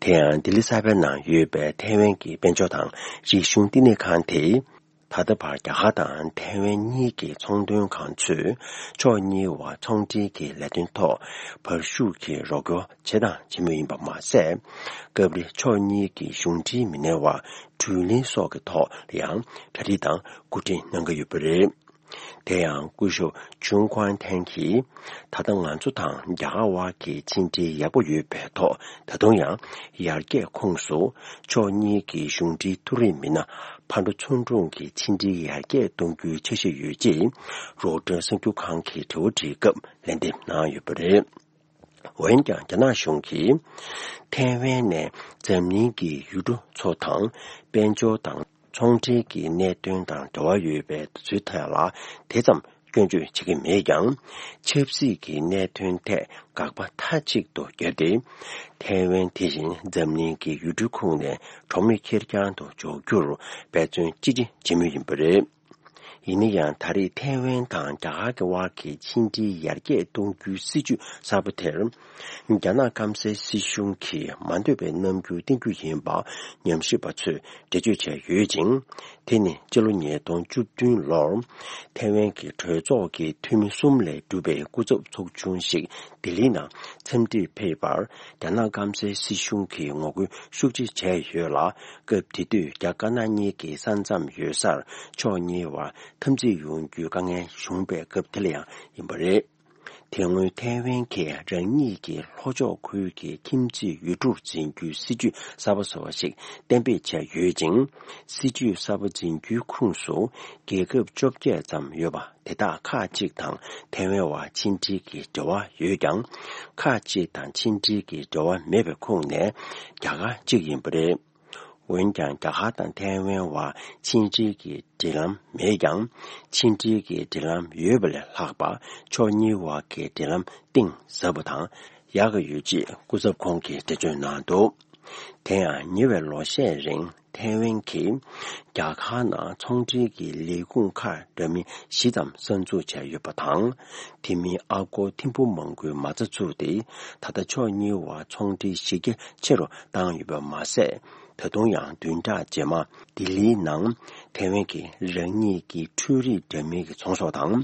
དེ་ཡང་ལྡི་ལི་གསར་པའི་ནང་ཡོད་པའི་ཐའེ་ཝན་གྱི་དཔལ་འབྱོར་དང་རིག་གཞུང་བསྟི་གནས་ཁང་དེས། ད་ལྟ་བར་རྒྱ་གར་དང་ཐའེ་ཝན་གཉིས་ཀྱི་ཚོང་དོན་ཁང་ཚོས་ཕྱོགས་གཉིས་བར་ཚོང་འབྲེལ་གྱི་ལས་དོན་ཐོག་བར་ཞུགས་ཀྱིས་རོགས་སྐྱོར་བྱས་དང་བྱེད་མུས་ཡིན་པ་མ་ཟད། སྐབས་རེ་ཕྱོགས་གཉིས་ཀྱི་གཞུང་འབྲེལ་མི་སྣའི་བར་དྲུག་ལན་སོགས་ཀྱི་ཐོག་ལ་ཡང་གྲ་སྒྲིག་དང་སྐུ་དྲིན་གནང་གི་ཡོད་པ་རེད། དེ་ཡང་སྐུ་ཞབས་ཇུང་ཀུན་ཐན་གྱིས། ད་ལྟ་ང་ཚོ་དང་རྒྱ་གར་དབར་གྱི་ཕྱི་འབྲེལ་ཡག་པོ་ཡོད་པའི་ཐོག་ད་དུང་ཡང་ཡར་རྒྱས་ཁོངས་སུ་ཕྱོགས་གཉིས་ཀྱི་གཞུང་འབྲེལ་མཐོ་རིམ་མི་སྣ་ཕར་འགྲོ་ཚུར་འགྲོ་གི་ཕྱི་འབྲེལ་ཡར་རྒྱས་གཏོང་རྒྱུའི་འཆར་གཞི་ཡོད་ཅེས་རོའི་ཊར་གསར་འགྱུར་ཁང་གི་དྲི་བ་དྲིས་སྐབས་ལན་འདེབས་གནང་ཡོད་པ་རེད། འོན་ཀྱང་རྒྱ་ནག་གཞུང་གིས་ཐའེ་ཝན་ནས་འཛམ་གླིང་གི་ཡུལ་གྲུ་ཚོ་དང་དཔལ་འབྱོར་དང་ཚོང་འབྲེལ་གྱི་གནད་དོན་དང་འབྲེལ་བ་ཡོད་པའི་དུས་ཚོད་ཐད་ལ་དེ་ཙམ་སྐྱོན་བརྗོད་བྱེད་ཀྱི་མེད་ཀྱང་། ཆབ་སྲིད་ཀྱི་གནད་དོན་ཐད་དགག་པ་མཐའ་གཅིག་ཏུ་བརྒྱབ་སྟེ། ཐའེ་ཝན་དེ་བཞིན་འཛམ་གླིང་གི་ཡུལ་གྲུའི་ཁོངས་ནས་གྲོགས་མེད་ཁེར་རྐྱང་དུ་འཇོག་རྒྱུར་འབད་བརྩོན་ཅི་ཆེ་བྱེད་མུས་ཡིན་པ་རེད། ཡིན་ན་ཡང་། ད་རེས་ཐའེ་ཝན་དང་རྒྱ་གར་གྱི་དབར་གྱི་ཕྱི་འབྲེལ་ཡར་རྒྱས་གཏོང་རྒྱུའི་སྲིད་བྱུས་གསར་པ་དེར། རྒྱ་ནག་སྐམ་སའི་སྲིད་གཞུང་གིས་མ་འདོད་པའི་རྣམ་འགྱུར་བསྟན་རྒྱུ་ཡིན་པ་ཉམས་ཞིབ་པ་ཚོས་འགྲེལ་བརྗོད་བྱས་ཡོད་ཅིང་། དེ་ནི་སྤྱི་ལོ་ཉིས་སྟོང་བཅུ་བདུན་ལོར་ཐའེ་ཝན་གྱི་གྲོས་ཚོགས་ཀྱི་འཐུས་མི་གསུམ་ལས་གྲུབ་པའི་སྐུ་ཚབ་ཚོགས་ཆུང་ཞིག་ལྡི་ལིའི་ནང་འཚམས་འདྲིར་ཕེབས་པར། རྒྱ་ནག་སྐམ་སའི་སྲིད་གཞུང་གིས་ངོ་རྒོལ་ཤུགས་ཆེ་བྱས་ཡོད་ལ། སྐབས་དེ་དུས་རྒྱ་དཀར་ནག་གཉིས་ཀྱི་ས་མཚམས་ཡོད་སར་ཕྱོགས་གཉིས་བར་འཐབ་འཛིང་ཡོང་རྒྱུའི་དཀའ་ངལ་བྱུང་བའི་སྐབས་དེ་ལ་ཡང་ཡིན་པ་རེད། དེ་སྔོན་ཐའེ་ཝན་གྱིས་རང་ཉིད་ཀྱི་ལྷོ་ཕྱོགས་ཁུལ་གྱི་ཁྱིམ་མཚེས་ཡུལ་གྲུར་འཛིན་རྒྱུའི་སྲིད་ཇུས་གསར་པ་བཟོ་བ་ཞིག་གཏན་འབེབས་བྱས་ཡོད་ཅིང་། སྲིད་ཇུས་གསར་པ་འཛིན་རྒྱུའི་ཁོངས་སུ་རྒྱལ་ཁབ་བཅོ་བརྒྱད་ཙམ་ཡོད་པ་དེ་དག་ཁག་ཅིག་དང་ཐའེ་ཝན་བར་ཕྱི་འབྲེལ་གྱི་འབྲེལ་བ་ཡོད་ཀྱང་། ཁག་ཅིག་དང་ཕྱི་འབྲེལ་གྱི་འབྲེལ་བ་མེད་པའི་ཁོངས་ནས་རྒྱ་གར་གཅིག་ཡིན་པ་རེད། འོན་ཀྱང་། རྒྱ་གར་དང་ཐའེ་ཝན་བར་ཕྱི་འབྲེལ་གྱི་འབྲེལ་ལམ་མེད་ཀྱང་། ཕྱི་འབྲེལ་གྱི་འབྲེལ་ལམ་ཡོད་པ་ལས་ལྷག་པ་ཕྱོགས་གཉིས་བར་གྱི་འབྲེལ་ལམ་གཏིང་ཟབ་པ་དང་ཡག་གི་ཡོད་ཅེས་སྐུ་ཚབ་ཁོང་གིས་འགྲེལ་བརྗོད་གནང་འདུག་དེ་ཡང་ཉེ་བའི་ལོ་ཤས་རིང་ཐའེ་ཝན་གྱིས་རྒྱ་གར་ནང་ཚོང་འབྲེལ་གྱི་ལས་ཁུངས་ཁག་འདྲ་མིན་བཞི་ཙམ་གསར་འཛུགས་བྱས་ཡོད་པ་དང་། དེ་མིན་ཨ་སྒོར་ཐེར་འབུམ་མང་པོའི་མ་རྩ་བཙུགས་ཏེ། ད་ལྟ་ཕྱོགས་གཉིས་བར་ཚོང་འབྲེལ་གཞི་རྒྱ་ཆེ་རུ་བཏང་ཡོད་པ་མ་ཟད། ད་དུང་ཡང་བདུན་ཕྲག་རྗེས་མ་ལྡི་ལིའི་ནང་ཐའེ་ཝན་གྱིས་རང་ཉིད་ཀྱི་འཕྲུལ་རིག་འདྲ་མིན་གྱི་ཚོང་ཟོག་དང་།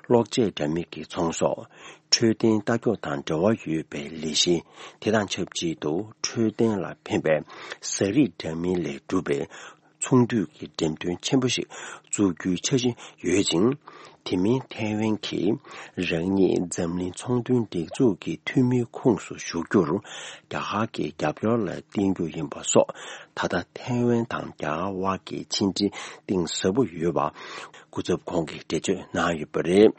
གློག་ཆས་འདྲ་མིན་གྱི་ཚོང་ཟོག་འཕྲོད་བསྟེན་ལྟ་སྐྱོང་དང་འབྲེལ་བ་ཡོད་པའི་ལས་གཞི། དེ་དང་ཆབས་ཅིག་ཏུ་འཕྲོད་བསྟེན་ལ་ཕན་པའི་ཟ་རིགས་འདྲ་མིན་ལས་གྲུབ་པའི་ཚོང་འདུས་ཀྱི་འགྲེམས་སྟོན་ཆེན་པོ་ཞིག་འཛུགས་རྒྱུའི་འཆར་གཞི་ཡོད་ཅིང་། དེ་མིན་ཐའེ་ཝན་གྱིས་རང་ཉིད་འཛམ་གླིང་ཚོང་དོན་སྒྲིག་འཛུགས་ཀྱི་འཐུས་མིའི་ཁོངས་སུ་ཞུགས་རྒྱུར་རྒྱ་གར་གྱི་རྒྱབ་སྐྱོར་ལ་བརྟེན་རྒྱུ་ཡིན་པ་སོགས། ད་ལྟ་ཐའེ་ཝན་དང་རྒྱ་གར་དབར་གྱི་ཕྱི་འབྲེལ་གཏིང་ཟབ་པོ་ཡོད་པ་སྐུ་ཚབ་ཁོང་གིས་འགྲེལ་བརྗོད་གནང་ཡོད་པ་རེད།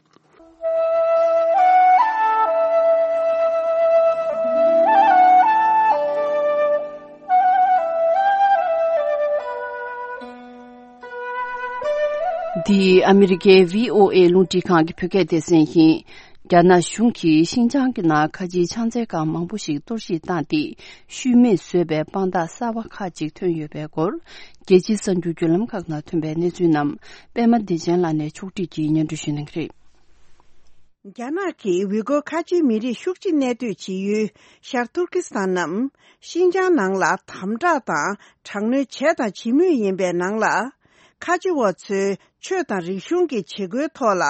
འདི་ཨ་མི་རི་ཀའི་བྷི་ཨོ་ཨེ་རླུང་འཕྲིན་ཁང་གི་བོད་སྐད་སྡེ་ཚན་ཡིན། རྒྱ་ནག་གཞུང་གིས་ཤིན་ཅང་གི་ནང་ཁ་ཆེའི་ཕྱག་འཚལ་ཁང་མང་པོ་ཞིག་གཏོར་བཤིག་བཏང་སྟེ། ཤུལ་མེད་བཟོས་པའི་དཔང་རྟགས་གསར་པ་ཁག་ཅིག་ཐོན་ཡོད་པའི་སྐོར། རྒྱལ་སྤྱིའི་གསར་འགྱུར་བརྒྱུད་ལམ་ཁག་ནང་ཐོན་པའི་གནས་ཚུལ་རྣམས་པད་མ་བདེ་ཆེན་ལགས་ནས་ཕྱོགས་སྒྲིག་གིས་སྙན་སྒྲོན་ཞུ་གནང་གི་རེད། རྒྱ་ནག་གིས་ཝི་གོ་ཁ་ཆེའི་མི་རིགས་ཤུགས་ཆེ་གནས་སྡོད་བྱེད་ཡུལ་ཤར་ཏུར་ཀི་སི་ཐན་ནམ། ཤིན་ཅང་ནང་ལ་དམ་དྲག་དང་དྲག་གནོན་བྱས་དང་བྱེད་མུས་ཡིན་པའི་ནང་ལ། ཁ་ཆེ་བ་ཚོའི་ཆོས་དང་རིག་གཞུང་གི་བྱེད་སྒོའི་ཐོག་ལ་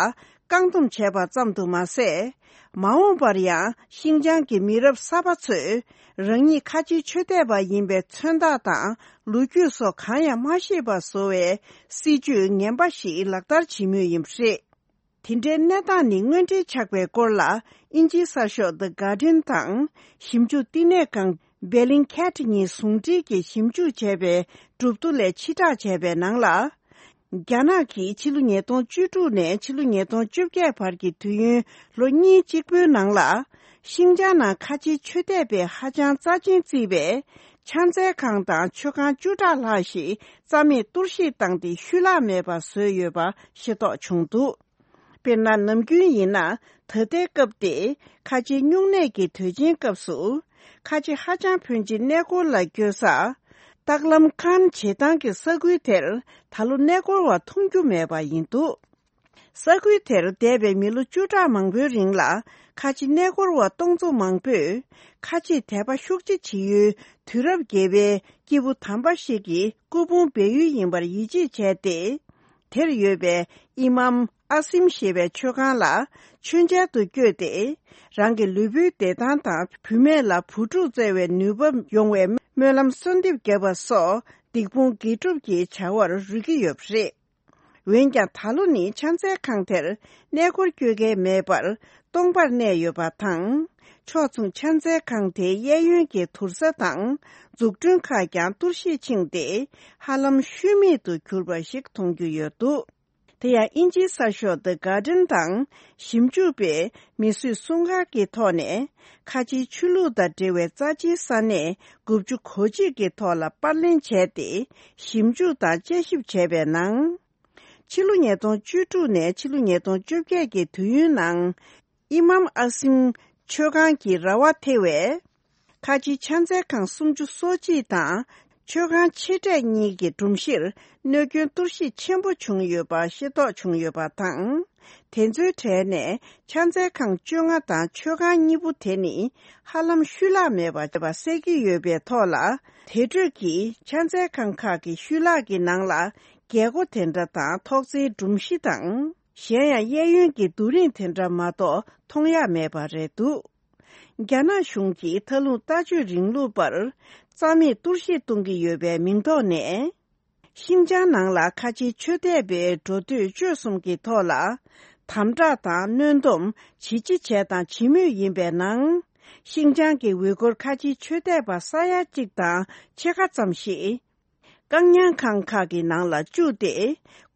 བཀག་སྡོམ་བྱས་པ་ཙམ་དུ་མ་ཟད། མ་འོངས་པར་ཡང་ཤིན་ཅང་གི་མི་རབས་གསར་པ་ཚོས་རང་ཉིད་ཁ་ཆེའི་ཆོས་དད་པ་ཡིན་པའི་མཚོན་རྟགས་དང་ལོ་རྒྱུས་སོགས་གང་ཡང་མ་ཤེས་པ་བཟོ་བའི་སྲིད་ཇུས་ངན་པ་ཞིག་ལག་བསྟར་བྱེད་མུས་ཡིན་པ་རེད། དེ་འདྲའི་གནས་སྟངས་ནི་དངོས་འབྲེལ་ཆགས་པའི་སྐོར་ལ། དབྱིན་ཇིའི་གསར་ཤོག་The Guardian་དང་ཞིབ་འཇུག་བསྟི་གནས་ཁང་Bellingcat་གཉིས་ཟུང་འབྲེལ་གྱིས་ཞིབ་འཇུག་བྱས་པའི་གྲུབ་ཐོ་ལས་ཕྱིར་བསྒྲགས་བྱས་པའི་ནང་ལ། རྒྱ་ནག་གིས་ཕྱི་ལོ་ཉིས་སྟོང་བཅུ་དྲུག་ནས་ཕྱི་ལོ་ཉིས་སྟོང་བཅོ་བརྒྱད་བར་གྱི་དུས་ཡུན་ལོ་གཉིས་གཅིག་པོའི་ནང་ལ། ཤིན་ཅང་ནང་ཁ་ཆེའི་ཆོས་དད་པས་ཧ་ཅང་རྩ་ཆེན་བརྩིས་པའི་ཕྱག་འཚལ་ཁང་དང་མཆོད་ཁང་བཅུ་ཕྲག་ལྷག་ཞིག་རྩ་མེད་གཏོར་བཤིག་བཏང་སྟེ་ཤུལ་ལྷག་མེད་པར་བཟོས་ཡོད་པ་ཤེས་རྟོགས་བྱུང་འདུག་དཔེར་ན། ནམ་རྒྱུན་ཡིན་ན་ད་ལྟའི་སྐབས་ཏེ་ཁ་ཆེའི་སྨྱུང་གནས་ཀྱི་དུས་ཆེན་སྐབས་སུ། ཁ་ཆེ་ཧ་ཅང་ཕོན་ཆེ་གནས་སྐོར་ལ་སྐྱོད་ས། སྟག་ལམ་ཁཱན་བྱེ་ཐང་གི་ས་ཁུལ་དེར་ད་ལོ་གནས་སྐོར་བ་མཐོང་རྒྱུ་མེད་པ་ཡིན་འདུག་ས་ཁུལ་དེར་འདས་པའི་མི་ལོ་བཅུ་ཕྲག་མང་པོའི་རིང་ལ་ཁ་ཆེ་གནས་སྐོར་བ་སྟོང་ཚོ་མང་པོས་ཁ་ཆེ་དད་པ་ཤུགས་ཆེ་བྱེད་ཡུལ་དུས་རབས་བརྒྱད་པའི་སྐྱེས་བུ་དམ་པ་ཞིག་གི་སྐུ་ཕུང་སྦས་ཡུལ་ཡིན་པར་ཡིད་ཆེས་བྱས་ཏེ། དེར་ཡོད་པའི་ཨི་མམ་ཨ་སིམ་ཞེས་པའི་མཆོད་ཁང་ལ་མཆོད་མཇལ་དུ་བསྐྱོད་དེ། རང་གི་ལུས་པོའི་བདེ་ཐང་དང་བུད་མེད་ལ་བུ་ཕྲུག་བཙའ་བའི་ནུས་པ་ཡོང་བའི་སྨོན་ལམ་གསོལ་འདེབས་བརྒྱབ་པ་སོགས་སྡིག་སྤོང་དགེ་སྒྲུབ་ཀྱི་བྱ་བར་རོལ་གྱི་ཡོད་པ་རེད། འོན་ཀྱང་ད་ལོ་ནི་ཕྱག་འཚལ་ཁང་དེར་གནས་སྐོར་སྐྱོད་མཁན་མེད་པར་སྟོང་པར་གནས་ཡོད་པ་དང་། ཕྱོགས་མཚུངས་ཕྱག་འཚལ་ཁང་དེའི་གཡས་གཡོན་གྱི་དུར་ས་དང་འཛུགས་སྐྲུན་ཁག་ཀྱང་གཏོར་བཤིག་ཕྱིན་ཏེ་ཧ་ལམ་ཤུལ་མེད་དུ་གྱུར་པ་ཞིག་མཐོང་རྒྱུ་ཡོད་འདུག་དེ་ཡང་དབྱིན་ཇིའི་གསར་ཤོག་The Guardian་དང་ཞིབ་འཇུག་པས་མིས་བཟོས་སྲུང་སྐར་གྱི་ཐོག་ནས་ཁ་ཆེའི་ཆོས་ལུགས་དང་འབྲེལ་བའི་རྩ་ཆེའི་ས་གནས་དགུ་བཅུ་གོ་གཅིག་གི་ཐོག་ལ་པར་ལེན་བྱས་ཏེ་ཞིབ་འཇུག་དང་དཔྱད་ཞིབ་བྱས་པའི་ནང་། ཕྱི་ལོ་ཉིས་སྟོང་བཅུ་དྲུག་ནས་ཕྱི་ལོ་ཉིས་སྟོང་བཅོ་བརྒྱད་ཀྱི་དུས་ཡུན་ནང་། ཨི་མམ་ཨ་སིམ་མཆོད་ཁང་གི་ར་བ་ཐེ་བའི་ཁ་ཆེའི་ཕྱག་འཚལ་ཁང་སུམ་ཅུ་སོ་གཅིག་དང་མཆོད་ཁང་ཆེ་གྲས་གཉིས་ཀྱི་སྒྲོམ་གཞིར་གནོད་སྐྱོན་གཏོར་བཤིག་ཆེན་པོ་བྱུང་ཡོད་པ་ཤེས་རྟོགས་བྱུང་ཡོད་པ་དང་། དེ་ཚོའི་གྲས་ནས་ཕྱག་འཚལ་ཁང་བཅོ་ལྔ་དང་མཆོད་ཁང་གཉིས་པོ་དེ་ནི་ཧ་ལམ་ཤུལ་ལྷག་མེད་པ་གསལ་གྱི་ཡོད་པའི་ཐོག་ལ། དེ་འཕྲོས་ཀྱི་ཕྱག་འཚལ་ཁང་ཁག་གི་ཤུལ་ལྷག་གི་ནང་ལ་ རྒྱལ་སྒོ་དེ་འདྲ་དང་ཐོག་བརྩེགས་སྒྲོམ་གཞི་དང་། གཞན་ཡང་གཡས་གཡོན་གྱི་རྡོ་རིང་དེ་འདྲ་མ་གཏོགས་མཐོང་ཡ་མེད་པ་རེད་འདུག་རྒྱ་ནག་གཞུང་གིས་མཐའ་ལྷུང་ལྟ་སྤྱོད་རིང་ལུགས་པར་རྩ་མེད་གཏོར་བཤིག་གཏོང་གི་ཡོད་པའི་མིང་ཐོག་ནས། ཤིན་ཅང་ནང་ལ་ཁ་ཆེའི་ཆོས་དད་པའི་འགྲོ་སྡོད་སྤྱོད་གསུམ་གྱི་ཐོག་ལ་དམ་དྲག་དང་གནོན་སྡོམ་ཇི་ཆེ་བྱས་དང་བྱེད་མུས་ཡིན་པའི་ནང་། ཤིན་ཅང་གི་ཝི་གུར་ཁ་ཆེའི་ཆོས་དད་པ་ས་ཡ་གཅིག་དང་ཕྱེད་ཀ་ཙམ་ཞིག་བཀག་ཉར་ཁང་ཁག་གི་ནང་ལ་བཅུག་སྟེ།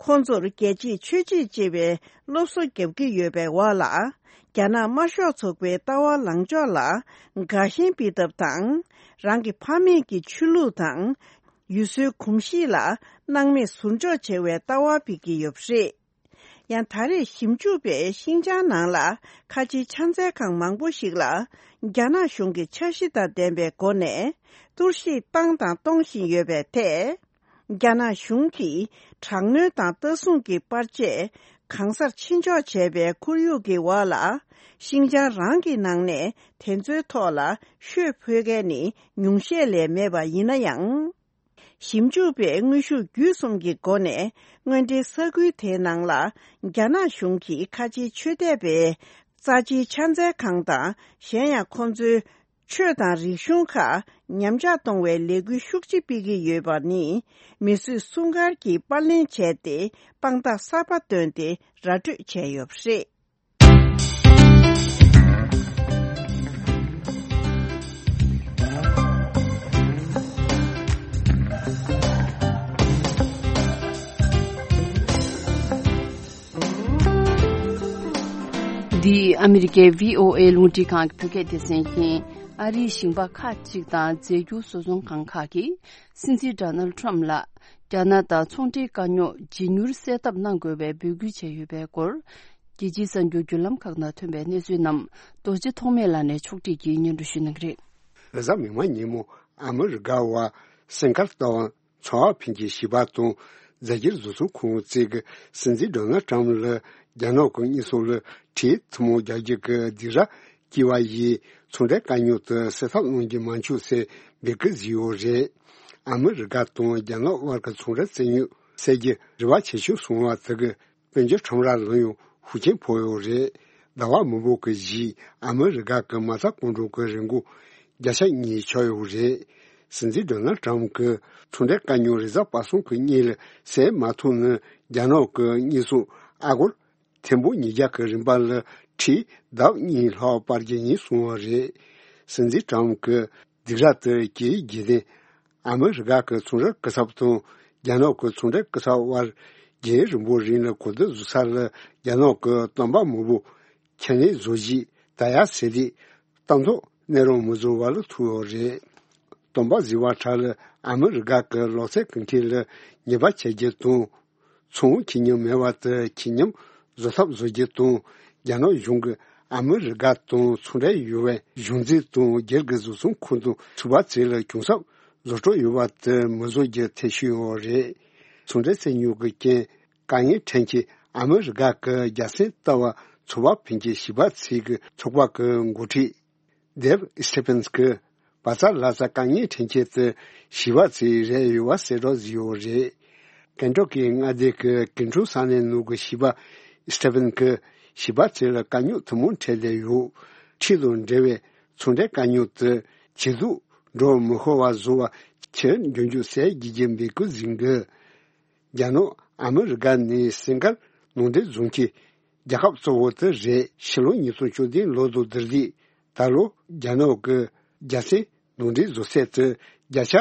ཁོང་ཚོར་རྒྱལ་གཅེས་ཆོས་གཅེས་ཅེས་པའི་སློབ་གསོ་བརྒྱབ་ཀྱི་ཡོད་པའི་འོག་ལ། རྒྱ་ནག་དམར་ཤོག་ཚོགས་པའི་ལྟ་བ་ལངས་ཕྱོགས་ལ་དགའ་ཞེན་སྤེལ་ཐབས་དང་། རང་གི་ཕ་མེས་ཀྱི་ཆོས་ལུགས་དང་། ཡུལ་སྲོལ་གོམས་གཤིས་ལ་སྣང་མེད་ཟུར་འཇོག་བྱེད་པའི་ལྟ་བ་སྤེལ་གྱི་ཡོད་པ་རེད། ཡང་ད་རེས་ཞིབ་འཇུག་པས་ཤིན་ཅང་ནང་ལ་ཁ་ཆེའི་ཕྱག་འཚལ་ཁང་མང་པོ་ཞིག་ལ་རྒྱ་ནག་གཞུང་གི་འཆར་གཞི་དང་ལྡན་པའི་སྒོ་ནས་གཏོར་བཤིག་བཏང་དང་གཏོང་བཞིན་ཡོད་པའི་ཐད། རྒྱ་ནག་གཞུང་གིས་དྲག་གནོན་དང་ལྟ་སྲུང་གི་པར་ཆས་གང་སར་ཕྱིན་འཇོག་བྱས་པའི་ཁོར་ཡུག་གི་འོག་ལ། ཤིན་ཅང་རང་གི་ནང་ནས་དེ་ཚོའི་ཐོག་ལ་ཤོད་ཕོད་མཁན་ནི་ཉུང་ཤས་ལས་མེད་པ་ཡིན་ན་ཡང་། ཞིབ་འཇུག་པས་དངོས་ཤུགས་བརྒྱུད་གསུམ་གྱི་སྒོ་ནས་དངོས་འབྲེལ་ས་ཁུལ་དེའི་ནང་ལ་རྒྱ་ནག་གཞུང་གིས་ཁ་ཆེའི་ཆོས་དད་པའི་རྩ་ཆེའི་ཕྱག་འཚལ་ཁང་དང་། གཞན་ཡང་ཁོང་ཚོའི་ཆོས་དང་རིག་གཞུང་ཁག་ཉམས་ཆག་གཏོང་བའི་ལས་འགུལ་ཤུགས་ཆེ་སྤེལ་གྱི་ཡོད་པ་ནི། མི་གསོད་སྲུང་སྐར་གྱིས་པར་ལེན་བྱས་ཏེ། དཔང་རྟགས་གསར་པ་བཏོན་ཏེ་ར་སྤྲོད་བྱས་ཡོད་པ་རེད། འདི་ཨ་མི་རི་ཀའི་བྷི་ཨོ་ཨེ་རླུང་འཕྲིན་ཁང་གི་བོད་སྐད་སྡེ་ཚན་ཡིན། ཨ་རིའི་ཞིང་པ་ཁག་ཅིག་དང་རྫས་འགྱུར་བཟོ་ཚོང་ཁང་ཁག་གིས། སྲིད་འཛིན་ཌོ་ནལ་ཊམ་ལ་རྒྱ་ནག་དང་ཚོང་འབྲེལ་དཀའ་རྙོག་ཇི་མྱུར་སེལ་ཐབས་གནང་དགོས་པའི་འབོད་སྐུལ་བྱས་ཡོད་པའི་སྐོར། རྒྱལ་སྤྱིའི་གསར་འགྱུར་བརྒྱུད་ལམ་ཁག་ནང་ཐོན་པའི་གནས་ཚུལ་རྣམས་རྡོ་རྗེ་ཐོགས་མེད་ལགས་ནས་ཕྱོགས་སྒྲིག་གིས་སྙན་སྒྲོན་ཞུ་གནང་གི་རེད། རེས་གཟའ་མིག་དམར་ཉིན་མོ་ཨ་མི་རི་ཀ་བ་སེང་དཀར་རྟ་དབང་ཚོང་པ་ཕན་ཆད་ཞི་བ་དང་རྫས་འགྱུར་བཟོ་ཚོང་ཁང་བཅས་ཀྱི་སྲིད་འཛིན་ཌོ་ནལ་ཊམ་ལ་རྒྱ་ནག་གི་དངོས་ཟོག་ལ་ཁྲལ་ཐུན་མོང་རྒྱག་རྒྱུ་གི་སྡིགས་ར་བསྐྱིལ་བ་ཡིས་ཚོང་འབྲེལ་དཀའ་རྙོག་དེ་སེལ་ཐབས་གནང་རྒྱུ་མ་བྱུང་ཟེར་འབོད་སྐུལ་བཟོས་ཡོད་རེད། ཨ་མི་རི་ཀ་དང་རྒྱ་ནག་དབར་གྱི་ཚོང་འབྲེལ་རྩིས་རྙོག་སེལ་རྒྱུ་རེ་བ་ཇེ་ཆུང་སོང་བ་དེ་གིས་དཔལ་འབྱོར་ཁྲོམ་ར་ལ་ཡང་ཤུགས་རྐྱེན་ཕོག་ཡོད་རེད། ཟླ་བ་མང་པོ་གི་རྗེས་ཨ་མི་རི་ཀ་གི་མ་རྩ་གང་དྲག་གི་རིན་གོང་བརྒྱ་ཆ་གཉིས་ཆག་ཡོད་རེད། སྲིད་འཛིན་ཌོ་ནལ་ཊམ་གྱིས་ཚོང་འབྲེལ་དཀའ་རྙོག་རེས་གཟའ་པ་སངས་ཀྱི་སྔོན་ལ་སེལ་མ་ཐུབ་ན། རྒྱ་ནག་གི་དངོས་ཟོག་ཨ་སྒོར་ཐེར་འབུམ་ཉིས་བརྒྱ་གི་རིན་པ་ལ་ཁྲལ་ལྡབ་གཉིས་ལྷག་སྤར་རྒྱུ་ཡིན་གསུངས་པ་རེད། སྲིད་འཛིན་ཊམ་གྱི་སྡིགས་ར་དེ་གྱིས་རྗེས་དེ་ཨ་མི་རི་ཀ་གི་ཚོང་རའི་སྐུ་ཚབ་དང་རྒྱ་ནག་གི་ཚོང་འབྲེལ་སྐུ་ཚབ་དབར་རྒྱུན་རིང་པོའི་རིང་ལ་གོ་བསྡུར་བཟོ་ས་ལ་རྒྱ་ནག་གི་བསྟན་པ་མང་པོ་ཁྱད་ནས་བཟོ་བཞིན་ད་ཡ་ཟེར་དུས་ལྟ་མདོག་གནས་རང་མི་བཟོ་བ་ལ་ཐུག་ཡོད་རེད། སྟོན་པ་ཟེར་བ་ཁྲ་ལ་ཨ་མི་རི་ཀ་གི་ལོ་ཚད་ཀུན་མཁྱེན་ལ་ཉེས་པ་ཆད་རྒྱུ་དང་། ཚོང་ཁེ་ཉམས་མེད་པ་དེ་ཁེ་ཉམས་བཟོ་ཐབས་བཟོ་རྒྱུ་དང་། རྒྱ་ནག་གཞུང་གིས་ཨ་མི་རི་ཀ་དང་ཚོང་འབྲེལ་ཡོད་པའི་གཞུང་འཛིན་དང་སྒེར་གྱི་བཟོ་ཚོང་ཁང་དང་ཚོང་པ་ཚོ་ལ་གྱོང་གསབ་བཟོ་སྤྲོད་ཡོད་པ་དེ་མི་བཟོ་རྒྱུ་ཐེ་ཤུལ་ཡོད་རེད། ཚོང་འབྲེལ་རྩིས་རྙོག་གི་རྐྱེན་དཀའ་ངལ་འཕྲད་མཁན་ཨ་མི་རི་ཀ་གི་རྒྱལ་སའི་ལྟ་བ་ཚོང་པ་ཕན་ཆད་ཞི་བ་འཚོ་གི་ཚོགས་པ་གི་འགོ་ཁྲིད་ཌེབ་སི་ཊི་ཕན་གྱིས་བར་ཚ་ལྷ་ས་དཀའ་ངལ་འཕྲད་མཁན་དེ་ཞི་བ་འཚོ་རེད་ཡོད་པ་གསལ་བསྒྲགས་བཟོས་ཡོད་རེད། ཀེན་ཊོ་ཀི་མངའ་སྡེ་གི་ཀིན་ཀྲུའུ་ས་གནས་ནང་གི་ཞི་བ་སི་ཊི་ཕན་གྱིས་ཞི་བ་འཚོ་ལ་དཀའ་རྙོག་ཐུན་མོང་འཕྲད་བསྡད་ཡོད། ཁྲལ་དང་འབྲེལ་བའི་ཚོང་འབྲེལ་དཀའ་རྙོག་དེ་ཇེ་སྡུག་འགྲོ་མི་ཤོར་བ་བཟོ་བར་ཁྱོན་མགྱོགས་མགྱོགས་སེལ་དགོས་རྒྱུ་འབོད་སྐུལ་ཟིན་གི། རྒྱ་ནག་ཨ་མི་རི་ཀ་ནས་སེང་དཀར་ནང་འདྲེན་བཟོ་མཁན་རྒྱལ་ཁབ་གཙོ་བོ་དེ་རེད། ཕྱི་ལོ་ཉིས་སྟོང་བཅུ་བདུན་ལོ་དང་བསྡུར་དུས་ད་ལོ་རྒྱ་ནག་གི་རྒྱལ་སའི་ནང་འདྲེན་བཟོ་ཚད་དེ་བརྒྱ་ཆ་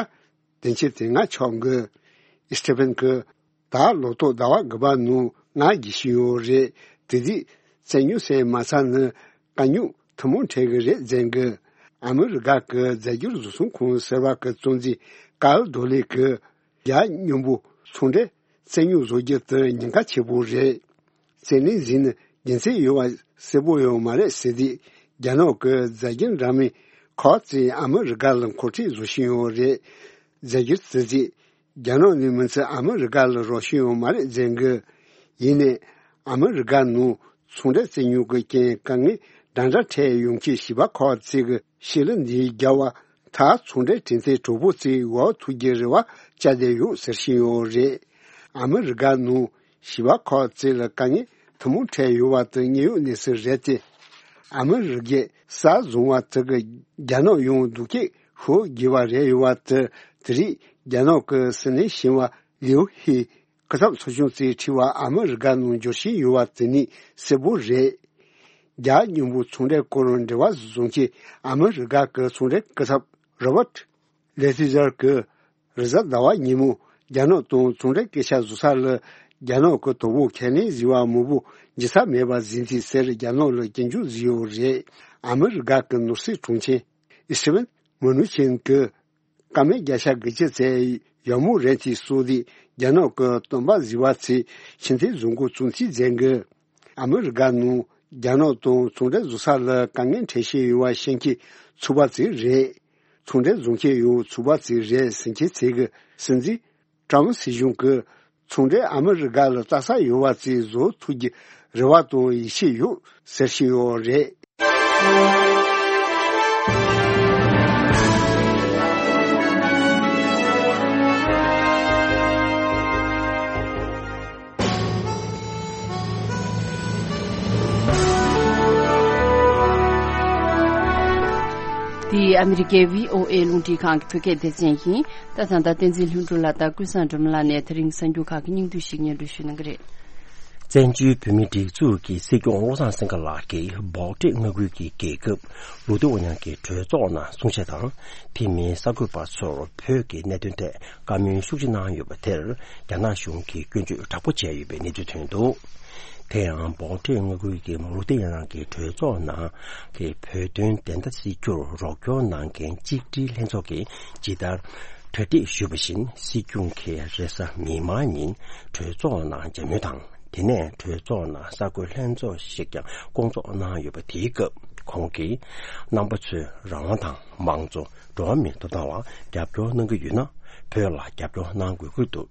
བདུན་ཅུ་དོན་ལྔ་ཆག་གི། སི་ཊི་ཕན་གྱིས་ད་ལོ་ཐོག་ཟླ་བ་དགུ་པ་ནང་ང་རྒྱས་བཞིན་ཡོད་རེད། དེ་དུས་རྩིས་རྙོག་སེལ་མ་ཚར་ན་དཀའ་རྙོག་ཐུན་མོང་འཕྲད་གི་རེད་ཟེར་གི། ཨ་མི་རི་ཀ་གི་རྫས་འགྱུར་བཟོ་ཚོང་ཁང་ཟེར་བ་གི་གཙོ་འཛིན་ཀའོ་རྡོ་ལི་གིས་རྒྱ་མཉམ་པོ་ཚོང་འབྲེལ་རྩིས་རྙོག་བཟོ་རྒྱུ་དེ་ཉེན་ཁ་ཆེ་པོ་རེད། རྩིས་ལེན་ཟིན་ན་རྒྱུ་མཚན་ཡོད་པ་གསལ་པོ་ཡོད་མ་རེད་ཟེར་དུས། རྒྱ་ནག་གི་རྫས་འགྱུར་འདྲ་མིན་ཁག་ཅིག་ཨ་མི་རི་ཀ་ལ་མཁོ་སྤྲོད་བཟོ་བཞིན་ཡོད་རེད། རྫས་འགྱུར་དེ་ཚོས་རྒྱ་ནག་ནས་མི་ཚད་ཨ་མི་རི་ཀ་ལ་རག་བཞིན་ཡོད་མ་རེད་ཟེར་གི། ཡིན་ནའི་ཨ་མི་རི་ཀ་ནང་ཚོང་འབྲེལ་རྩིས་རྙོག་གི་རྐྱེན་དཀའ་ངལ་འདྲ་འདྲ་འཕྲད་ཡོང་མཁན་ཞི་བ་ཁག་ཅིག་གིས་ཕྱི་ལ་འདི་རྒྱ་བ་ད་ཚོང་འབྲེལ་གྲོས་མཐུན་གྲོགས་པོ་བརྩི་འོག་ཐུག་རྒྱུའི་རེ་བ་བཅའ་བསྡད་ཡོད་ཟེར་བཞིན་ཡོད་རེད། ཨ་མི་རི་ཀ་ནང་བྱིས་པ་ཁག་ཅིག་ལ་དཀའ་ངལ་ཐུན་མོང་འཕྲད་ཡོད་པ་དེ་དངོས་ཡོད་གནས་ཚུལ་རེད་དེ། ཨ་མི་རི་ཀས་ས་བཟུང་བ་དེ་གིས་རྒྱ་ནག་ཡང་སྡུག་སྐད་ཤོར་དགོས་པ་རེད་ཡོད་པ་དེ། དེ་རིང་རྒྱ་ནག་གི་སྲིད་བློན་གཞོན་པ་ལིའུ་ཧེ་སྐུ་ཚབ་ཚོགས་ཆུང་ཅིག་ཁྲིད་པ་ཨ་མི་རི་ཀ་ནང་འབྱོར་བཞིན་ཡོད་པ་དེ་ནི་གསལ་པོ་རེད། རྒྱ་མཉམ་པོ་ཚོང་འབྲེལ་སྐོར་འབྲེལ་བ་བཟུང་ཆེད་ཨ་མི་རི་ཀ་གི་ཚོང་འབྲེལ་སྐུ་ཚབ་རོ་བར་ལེ་ཐི་ཛར་གྱིས་རེས་གཟའ་ཟླ་བ་ཉིན་མོ་རྒྱ་ནག་དང་ཚོང་འབྲེལ་སྐད་ཆ་བཟོ་ས་ལ་རྒྱ་ནག་གི་དོ་ཕོག་ཁས་ལེན་བཟོས་པ་མང་པོ་འཇུ་ས་མེད་པ་བཟོས་འདུག་ཟེར་རྒྱ་ནག་ལ་སྐྱོན་བརྗོད་བཟོས་ཡོད་རེད། ཨ་མི་རི་ཀ་གི་ནོར་སྲིད་དྲུང་ཆེ་ཨི་སི་ཏི་ཝན་མུ་ནུ་ཆིན་གྱིས་བཀའ་མོལ་བརྒྱ་ཆ་དགུ་བཅུ་ཙམ་ཡག་མོ་རེད་ཅེས་གསུངས་ཏེ། རྒྱ་ནག་གི་སྟོན་པ་བཟོས་པ་ཚོས་ཕྱིར་འཐེན་བཟོ་འགོ་བཙུགས་ཚུལ་མཛད་འགོ། ཨ་མི་རི་ཀ་ནང་རྒྱ་ནག་དང་ཚོང་འབྲེལ་བཟོ་ས་ལ་དཀའ་ངལ་འཕྲད་བཞིན་ཡོད་པ་ཤེས་མཁན་ཚོགས་པ་ཅིག་རེད། ཚོང་འབྲེལ་བཟོ་མཁན་ཡང་ཚོགས་པ་ཅིག་རེད་ཟེར་མཁན་ཚོས་གི་སྲིད་འཛིན་ཀྲམ་སྲིད་གཞུང་གིས་ཚོང་འབྲེལ་ཨ་མི་རི་ཀ་ལ་ལྟ་ས་ཡོད་པ་ཅིག་བཟོ་ཐུབ་རྒྱུ་རེ་བ་དང་ཡིད་ཆེས་ཡོད་ཟེར་བཞིན་ཡོད་རེད། འདི་ཨ་མི་རི་ཀའི་བྷི་ཨོ་ཨེ་རླུང་འཕྲིན་ཁང་གི་བོད་སྐད་སྡེ་ཚན་ཡིན། ད་ད་ལྟ་བསྟན་འཛིན་ལྷུན་གྲུབ་ལགས་དང་ཀུན་བཟང་སྒྲོལ་མ་ལགས་ནས་དེ་རིང་གསར་འགྱུར་ཁག་གི་སྙིང་བསྡུས་ཤིག་སྙན་སྒྲོན་ཞུ་གནང་གི་རེད། བཙན་བྱོལ་བོད་མིའི་སྒྲིག་འཛུགས་ཀྱི་སྲིད་སྐྱོང་བློ་བཟང་སེང་གེ་ལགས་ཀྱིས་འབོག་ཁྲེས་མངའ་ཁུལ་གྱི་རྒྱལ་ཁབ་ལུ་ཏེ་ཝ་ཉང་གི་གྲོས་ཚོགས་ནང་གསུང་བཤད་དང་། དེ་མིན་གསར་འགོད་པ་ཚོར་བོད་ཀྱི་གནད་དོན་ཐད་བཀའ་མོལ་ཤུགས་ཆེ་གནང་ཡོད་པ་དེར་རྒྱ་ནག་གཞུང་གིས་སྐྱོན་བརྗོད་དྲག་པོ་བྱས་ཡོད་པའི་གནས་ཚུལ་ཐོན་འདུག་དེ་ཡང་འབོག་ཁྲེས་མངའ་ཁུལ་གྱི་ལུ་ཏེ་ཝ་ཉང་གི་གྲོས་ཚོགས་ནང་གི་བོད་དོན་བདེན་མཐའ་སེལ་རྒྱུར་རོགས་སྐྱོར་གནང་མཁན་གཅིག་སྒྲིལ་ལྷན་ཚོགས་ཀྱིས་ཇི་ལྟར་གྲ་སྒྲིག་ཞུས་པ་བཞིན། སྲིད་སྐྱོང་གིས་རེས་གཟའ་མིག་དམར་ཉིན་གྲོས་ཚོགས་ནང་མཇལ་མོལ་དང་། དེ་ནས་གྲོས་ཚོགས་ནང་གསར་འགོད་ལྷན་ཚོགས་ཤིག་ཀྱང་སྐོང་ཚོགས་གནང་ཡོད་པ། དེའི་སྐབས་ཁོང་གིས་རྣམ་པ་ཚོས་རང་དབང་དང་། མང་གཙོ། འགྲོ་བ་མིའི་ཐོབ་ཐང་ལ་རྒྱབ་སྐྱོར་གནང་གི་ཡོད་ན། བོད་ལ་རྒྱབ་སྐྱོར་གནང་དགོས་ཀྱི་འདུག་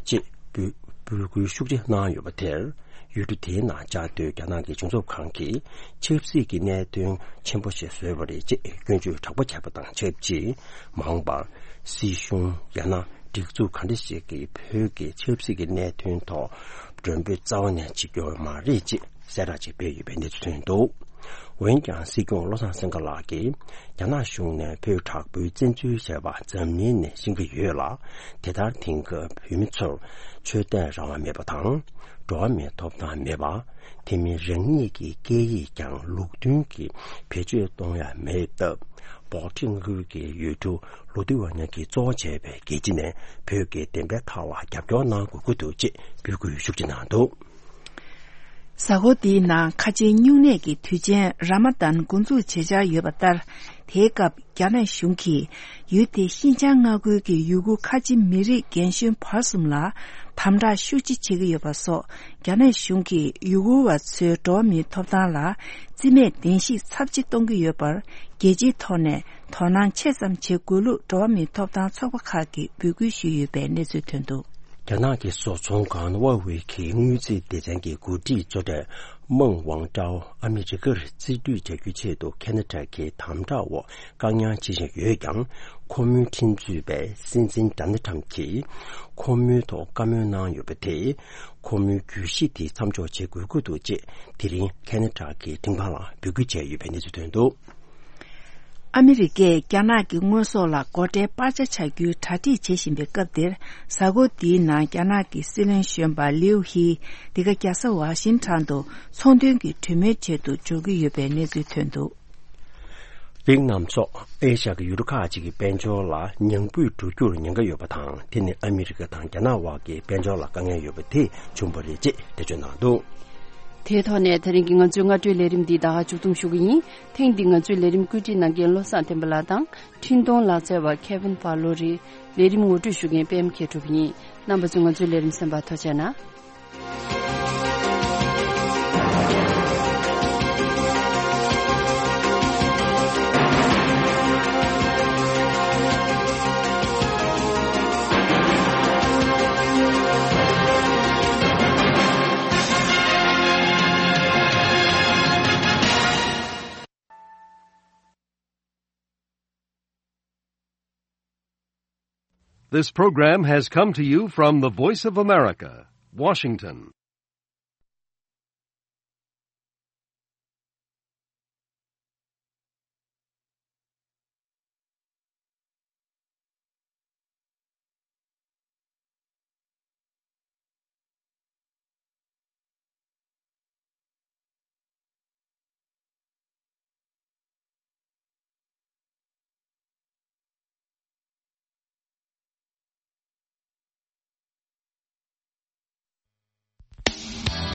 ཅེས་འབོད་འབོད་སྐུལ་ཤུགས་ཆེ་གནང་ཡོད་པ་དེར། ཡུལ་གྲུ་དེའི་ནང་བཅའ་སྡོད་རྒྱ་ནག་གི་གཞུང་ཚབ་ཁང་གིས་ཆབ་སྲིད་ཀྱི་གནད་དོན་ཆེན་པོ་ཞིག་བཟོས་པ་རེད་ཅེས་སྐྱོན་བརྗོད་དྲག་པོ་བྱས་པ་དང་ཆབས་ཅིག་མང་པར་སྲིད་གཞུང་ཡང་ན་སྒྲིག་འཛུགས་ག་འདྲ་ཞིག་གིས་བོད་ཀྱི་ཆབ་སྲིད་ཀྱི་གནད་དོན་ཐོག་མགྲོན་འབོད་རྩ་བ་ནས་བྱེད་ཀྱི་ཡོད་མ་རེད་ཅེས་གསལ་བསྒྲགས་ཅིག་སྤེལ་ཡོད་པའི་གནས་ཚུལ་ཐོན་འདུག་འོན་ཀྱང་སྲིད་སྐྱོང་བློ་བཟང་སེང་གེ་ལགས་ཀྱིས་རྒྱ་ནག་གཞུང་ནས་བོད་དྲག་པོའི་བཙན་འཛུལ་བྱས་པ་འཛམ་གླིང་ནས་ཤེས་ཀྱི་ཡོད་ལ། དེ་ལྟར་དེང་སྐབས་བོད་མི་ཚོར་ཆོས་དད་རང་དབང་མེད་པ་དང་། འགྲོ་བ་མིའི་ཐོབ་ཐང་མེད་པ། དེ་མིན་རང་ཉིད་ཀྱི་སྐད་ཡིག་ཀྱང་ལུགས་མཐུན་གྱིས་བེད་སྤྱོད་གཏོང་ཡ་མེད་སྟབས། འབོག་ཁྲེས་མངའ་ཁུལ་གྱི་ཡུལ་གྲུ་ལུ་ཏེ་ཝ་ཉང་གིས་གཙོ་བོ་བྱས་པའི་རྒྱལ་སྤྱི་ནས་བོད་ཀྱི་བདེན་པའི་ཐག་ལ་རྒྱབ་སྐྱོར་གནང་དགོས་ཀྱི་འདུག་ཅེས་འབོད་སྐུལ་ཤུགས་ཆེ་གནང་འདུག་གཟའ་འཁོར་འདིའི་ནང་ཁ་ཆེའི་སྨྱུང་གནས་ཀྱི་དུས་ཆེན་ར་མ་དཱན་འགོ་འཛུགས་བྱེད་འཆར་ཡོད་པ་ལྟར། དེའི་སྐབས་རྒྱ་ནག་གཞུང་གིས་ཡུལ་དེའི་ཤིན་ཅང་མངའ་ཁུལ་གྱི་ཡུ་གུར་ཁ་ཆེ་མི་རིགས་རྒན་གཞོན་བར་གསུམ་ལ་དམ་དྲག་ཤུགས་ཆེ་བྱེད་ཀྱི་ཡོད་པ་སོགས། རྒྱ་ནག་གཞུང་གིས་ཡུ་གུར་བ་ཚོའི་འགྲོ་བ་མིའི་ཐོབ་ཐང་ལ་རྩིས་མེད་བདེན་བཞི་ཚབས་ཆེ་གཏོང་གི་ཡོད་པར། རྒྱལ་སྤྱིའི་ཐོག་ནས་དོ་སྣང་ཆེ་ཙམ་བྱེད་དགོས་ལུགས་འགྲོ་བ་མིའི་ཐོབ་ཐང་ཚོགས་པ་ཁག་གིས་འབོད་སྐུལ་ཞུས་ཡོད་པའི་གནས་ཚུལ་ཐོན་འདུག་རྒྱ་ནག་གི་བཟོ་ཚོང་ཁང་ཧྭ་ཝེ་གི་དངུལ་རྩིས་སྡེ་ཚན་གྱི་འགོ་ཁྲིད་གཙོ་གྲས་མེང་ཝང་ཀྲའོ་ཨ་མི་རི་ཀར་རྩིས་སྤྲོད་བྱ་རྒྱུའི་ཆེད་དུ་ཁེ་ན་ཌ་གི་དམ་དྲག་འོག་བཀག་ཉར་བྱེད་བཞིན་ཡོད་ཀྱང་། ཁོ་མོའི་ཁྲིམས་རྩོད་པས་སྲིད་འཛིན་ཌོ་ནལ་ཊམ་གྱིས་ཁོ་མོའི་ཐོག་བཀའ་མོལ་གནང་ཡོད་པ་དེས། ཁོ་མོའི་གྱོད་གཞི་དེ་མཚམས་འཇོག་བྱེད་དགོས་ཀྱི་འདུག་ཅེས་དེ་རིང་ཁེ་ན་ཌ་གི་ཁྲིམས་ཁང་ལ་འབོད་སྐུལ་བྱས་ཡོད་པའི་གནས་ཚུལ་ཐོན་འདུག་ཨ་མི་རི་ཀས་རྒྱ་ནག་གི་དངོས་ཟོག་ལ་སྒོ་ཁྲལ་སྤར་ཆ་བྱ་རྒྱུའི་གྲ་སྒྲིག་བྱེད་བཞིན་པའི་སྐབས་འདིར། གཟའ་འཁོར་འདིའི་ནང་རྒྱ་ནག་གི་སྲིད་བློན་གཞོན་པ་ལིའུ་ཧི་འདི་ག་རྒྱལ་ས་ཝ་ཤིང་ཊོན་དུ་ཚོང་དོན་གྱི་གྲོས་མོལ་ཆེད་དུ་འབྱོར་གྱི་ཡོད་པའི་གནས་ཚུལ་ཐོན་འདུག་དེ་རྣམས་སོགས་ཨེ་ཤ་ཡའི་ཡུལ་གྲུ་ཁག་ཅིག་གི་དཔལ་འབྱོར་ལ་ཉམས་རྒུད་འགྲོ་རྒྱུར་ཉེན་ཁ་ཡོད་པ་དང་། དེ་ནི་ཨ་མི་རི་ཀ་དང་རྒྱ་ནག་དབར་གྱི་དཔལ་འབྱོར་ལ་དཀའ་ངལ་ཡོད་པ་དེས་བྱུང་བ་རེད་ཅེས་འགྲེལ་བརྗོད་གནང་འདུག་དེའི་ཐོག་ནས་དེ་རིང་གི་ང་ཚོའི་སྔ་དྲོའི་ལས་རིམ་འདི་ད་ག་མཇུག་བསྡོམས་ཞུ་གི་ཡིན། ཐེངས་འདིའི་ང་ཚོའི་ལས་རིམ་བཀོད་སྒྲིག་གནང་མཁན་བློ་བཟང་བསྟན་པ་ལགས་དང་། འཕྲིན་གཏོང་ལག་རྩལ་བ་ཁེ་ཝིན་ཕ་ལོ་རེད། ལས་རིམ་ངོ་སྤྲོད་ཞུ་མཁན་པད་མ་མཁས་གྲུབ་ཡིན། རྣམ་པ་ཚོས་ང་ཚོའི་ལས་རིམ་གསན་པར་ཐུགས་རྗེ་གནང་། This program has come to you from the Voice of America, Washington.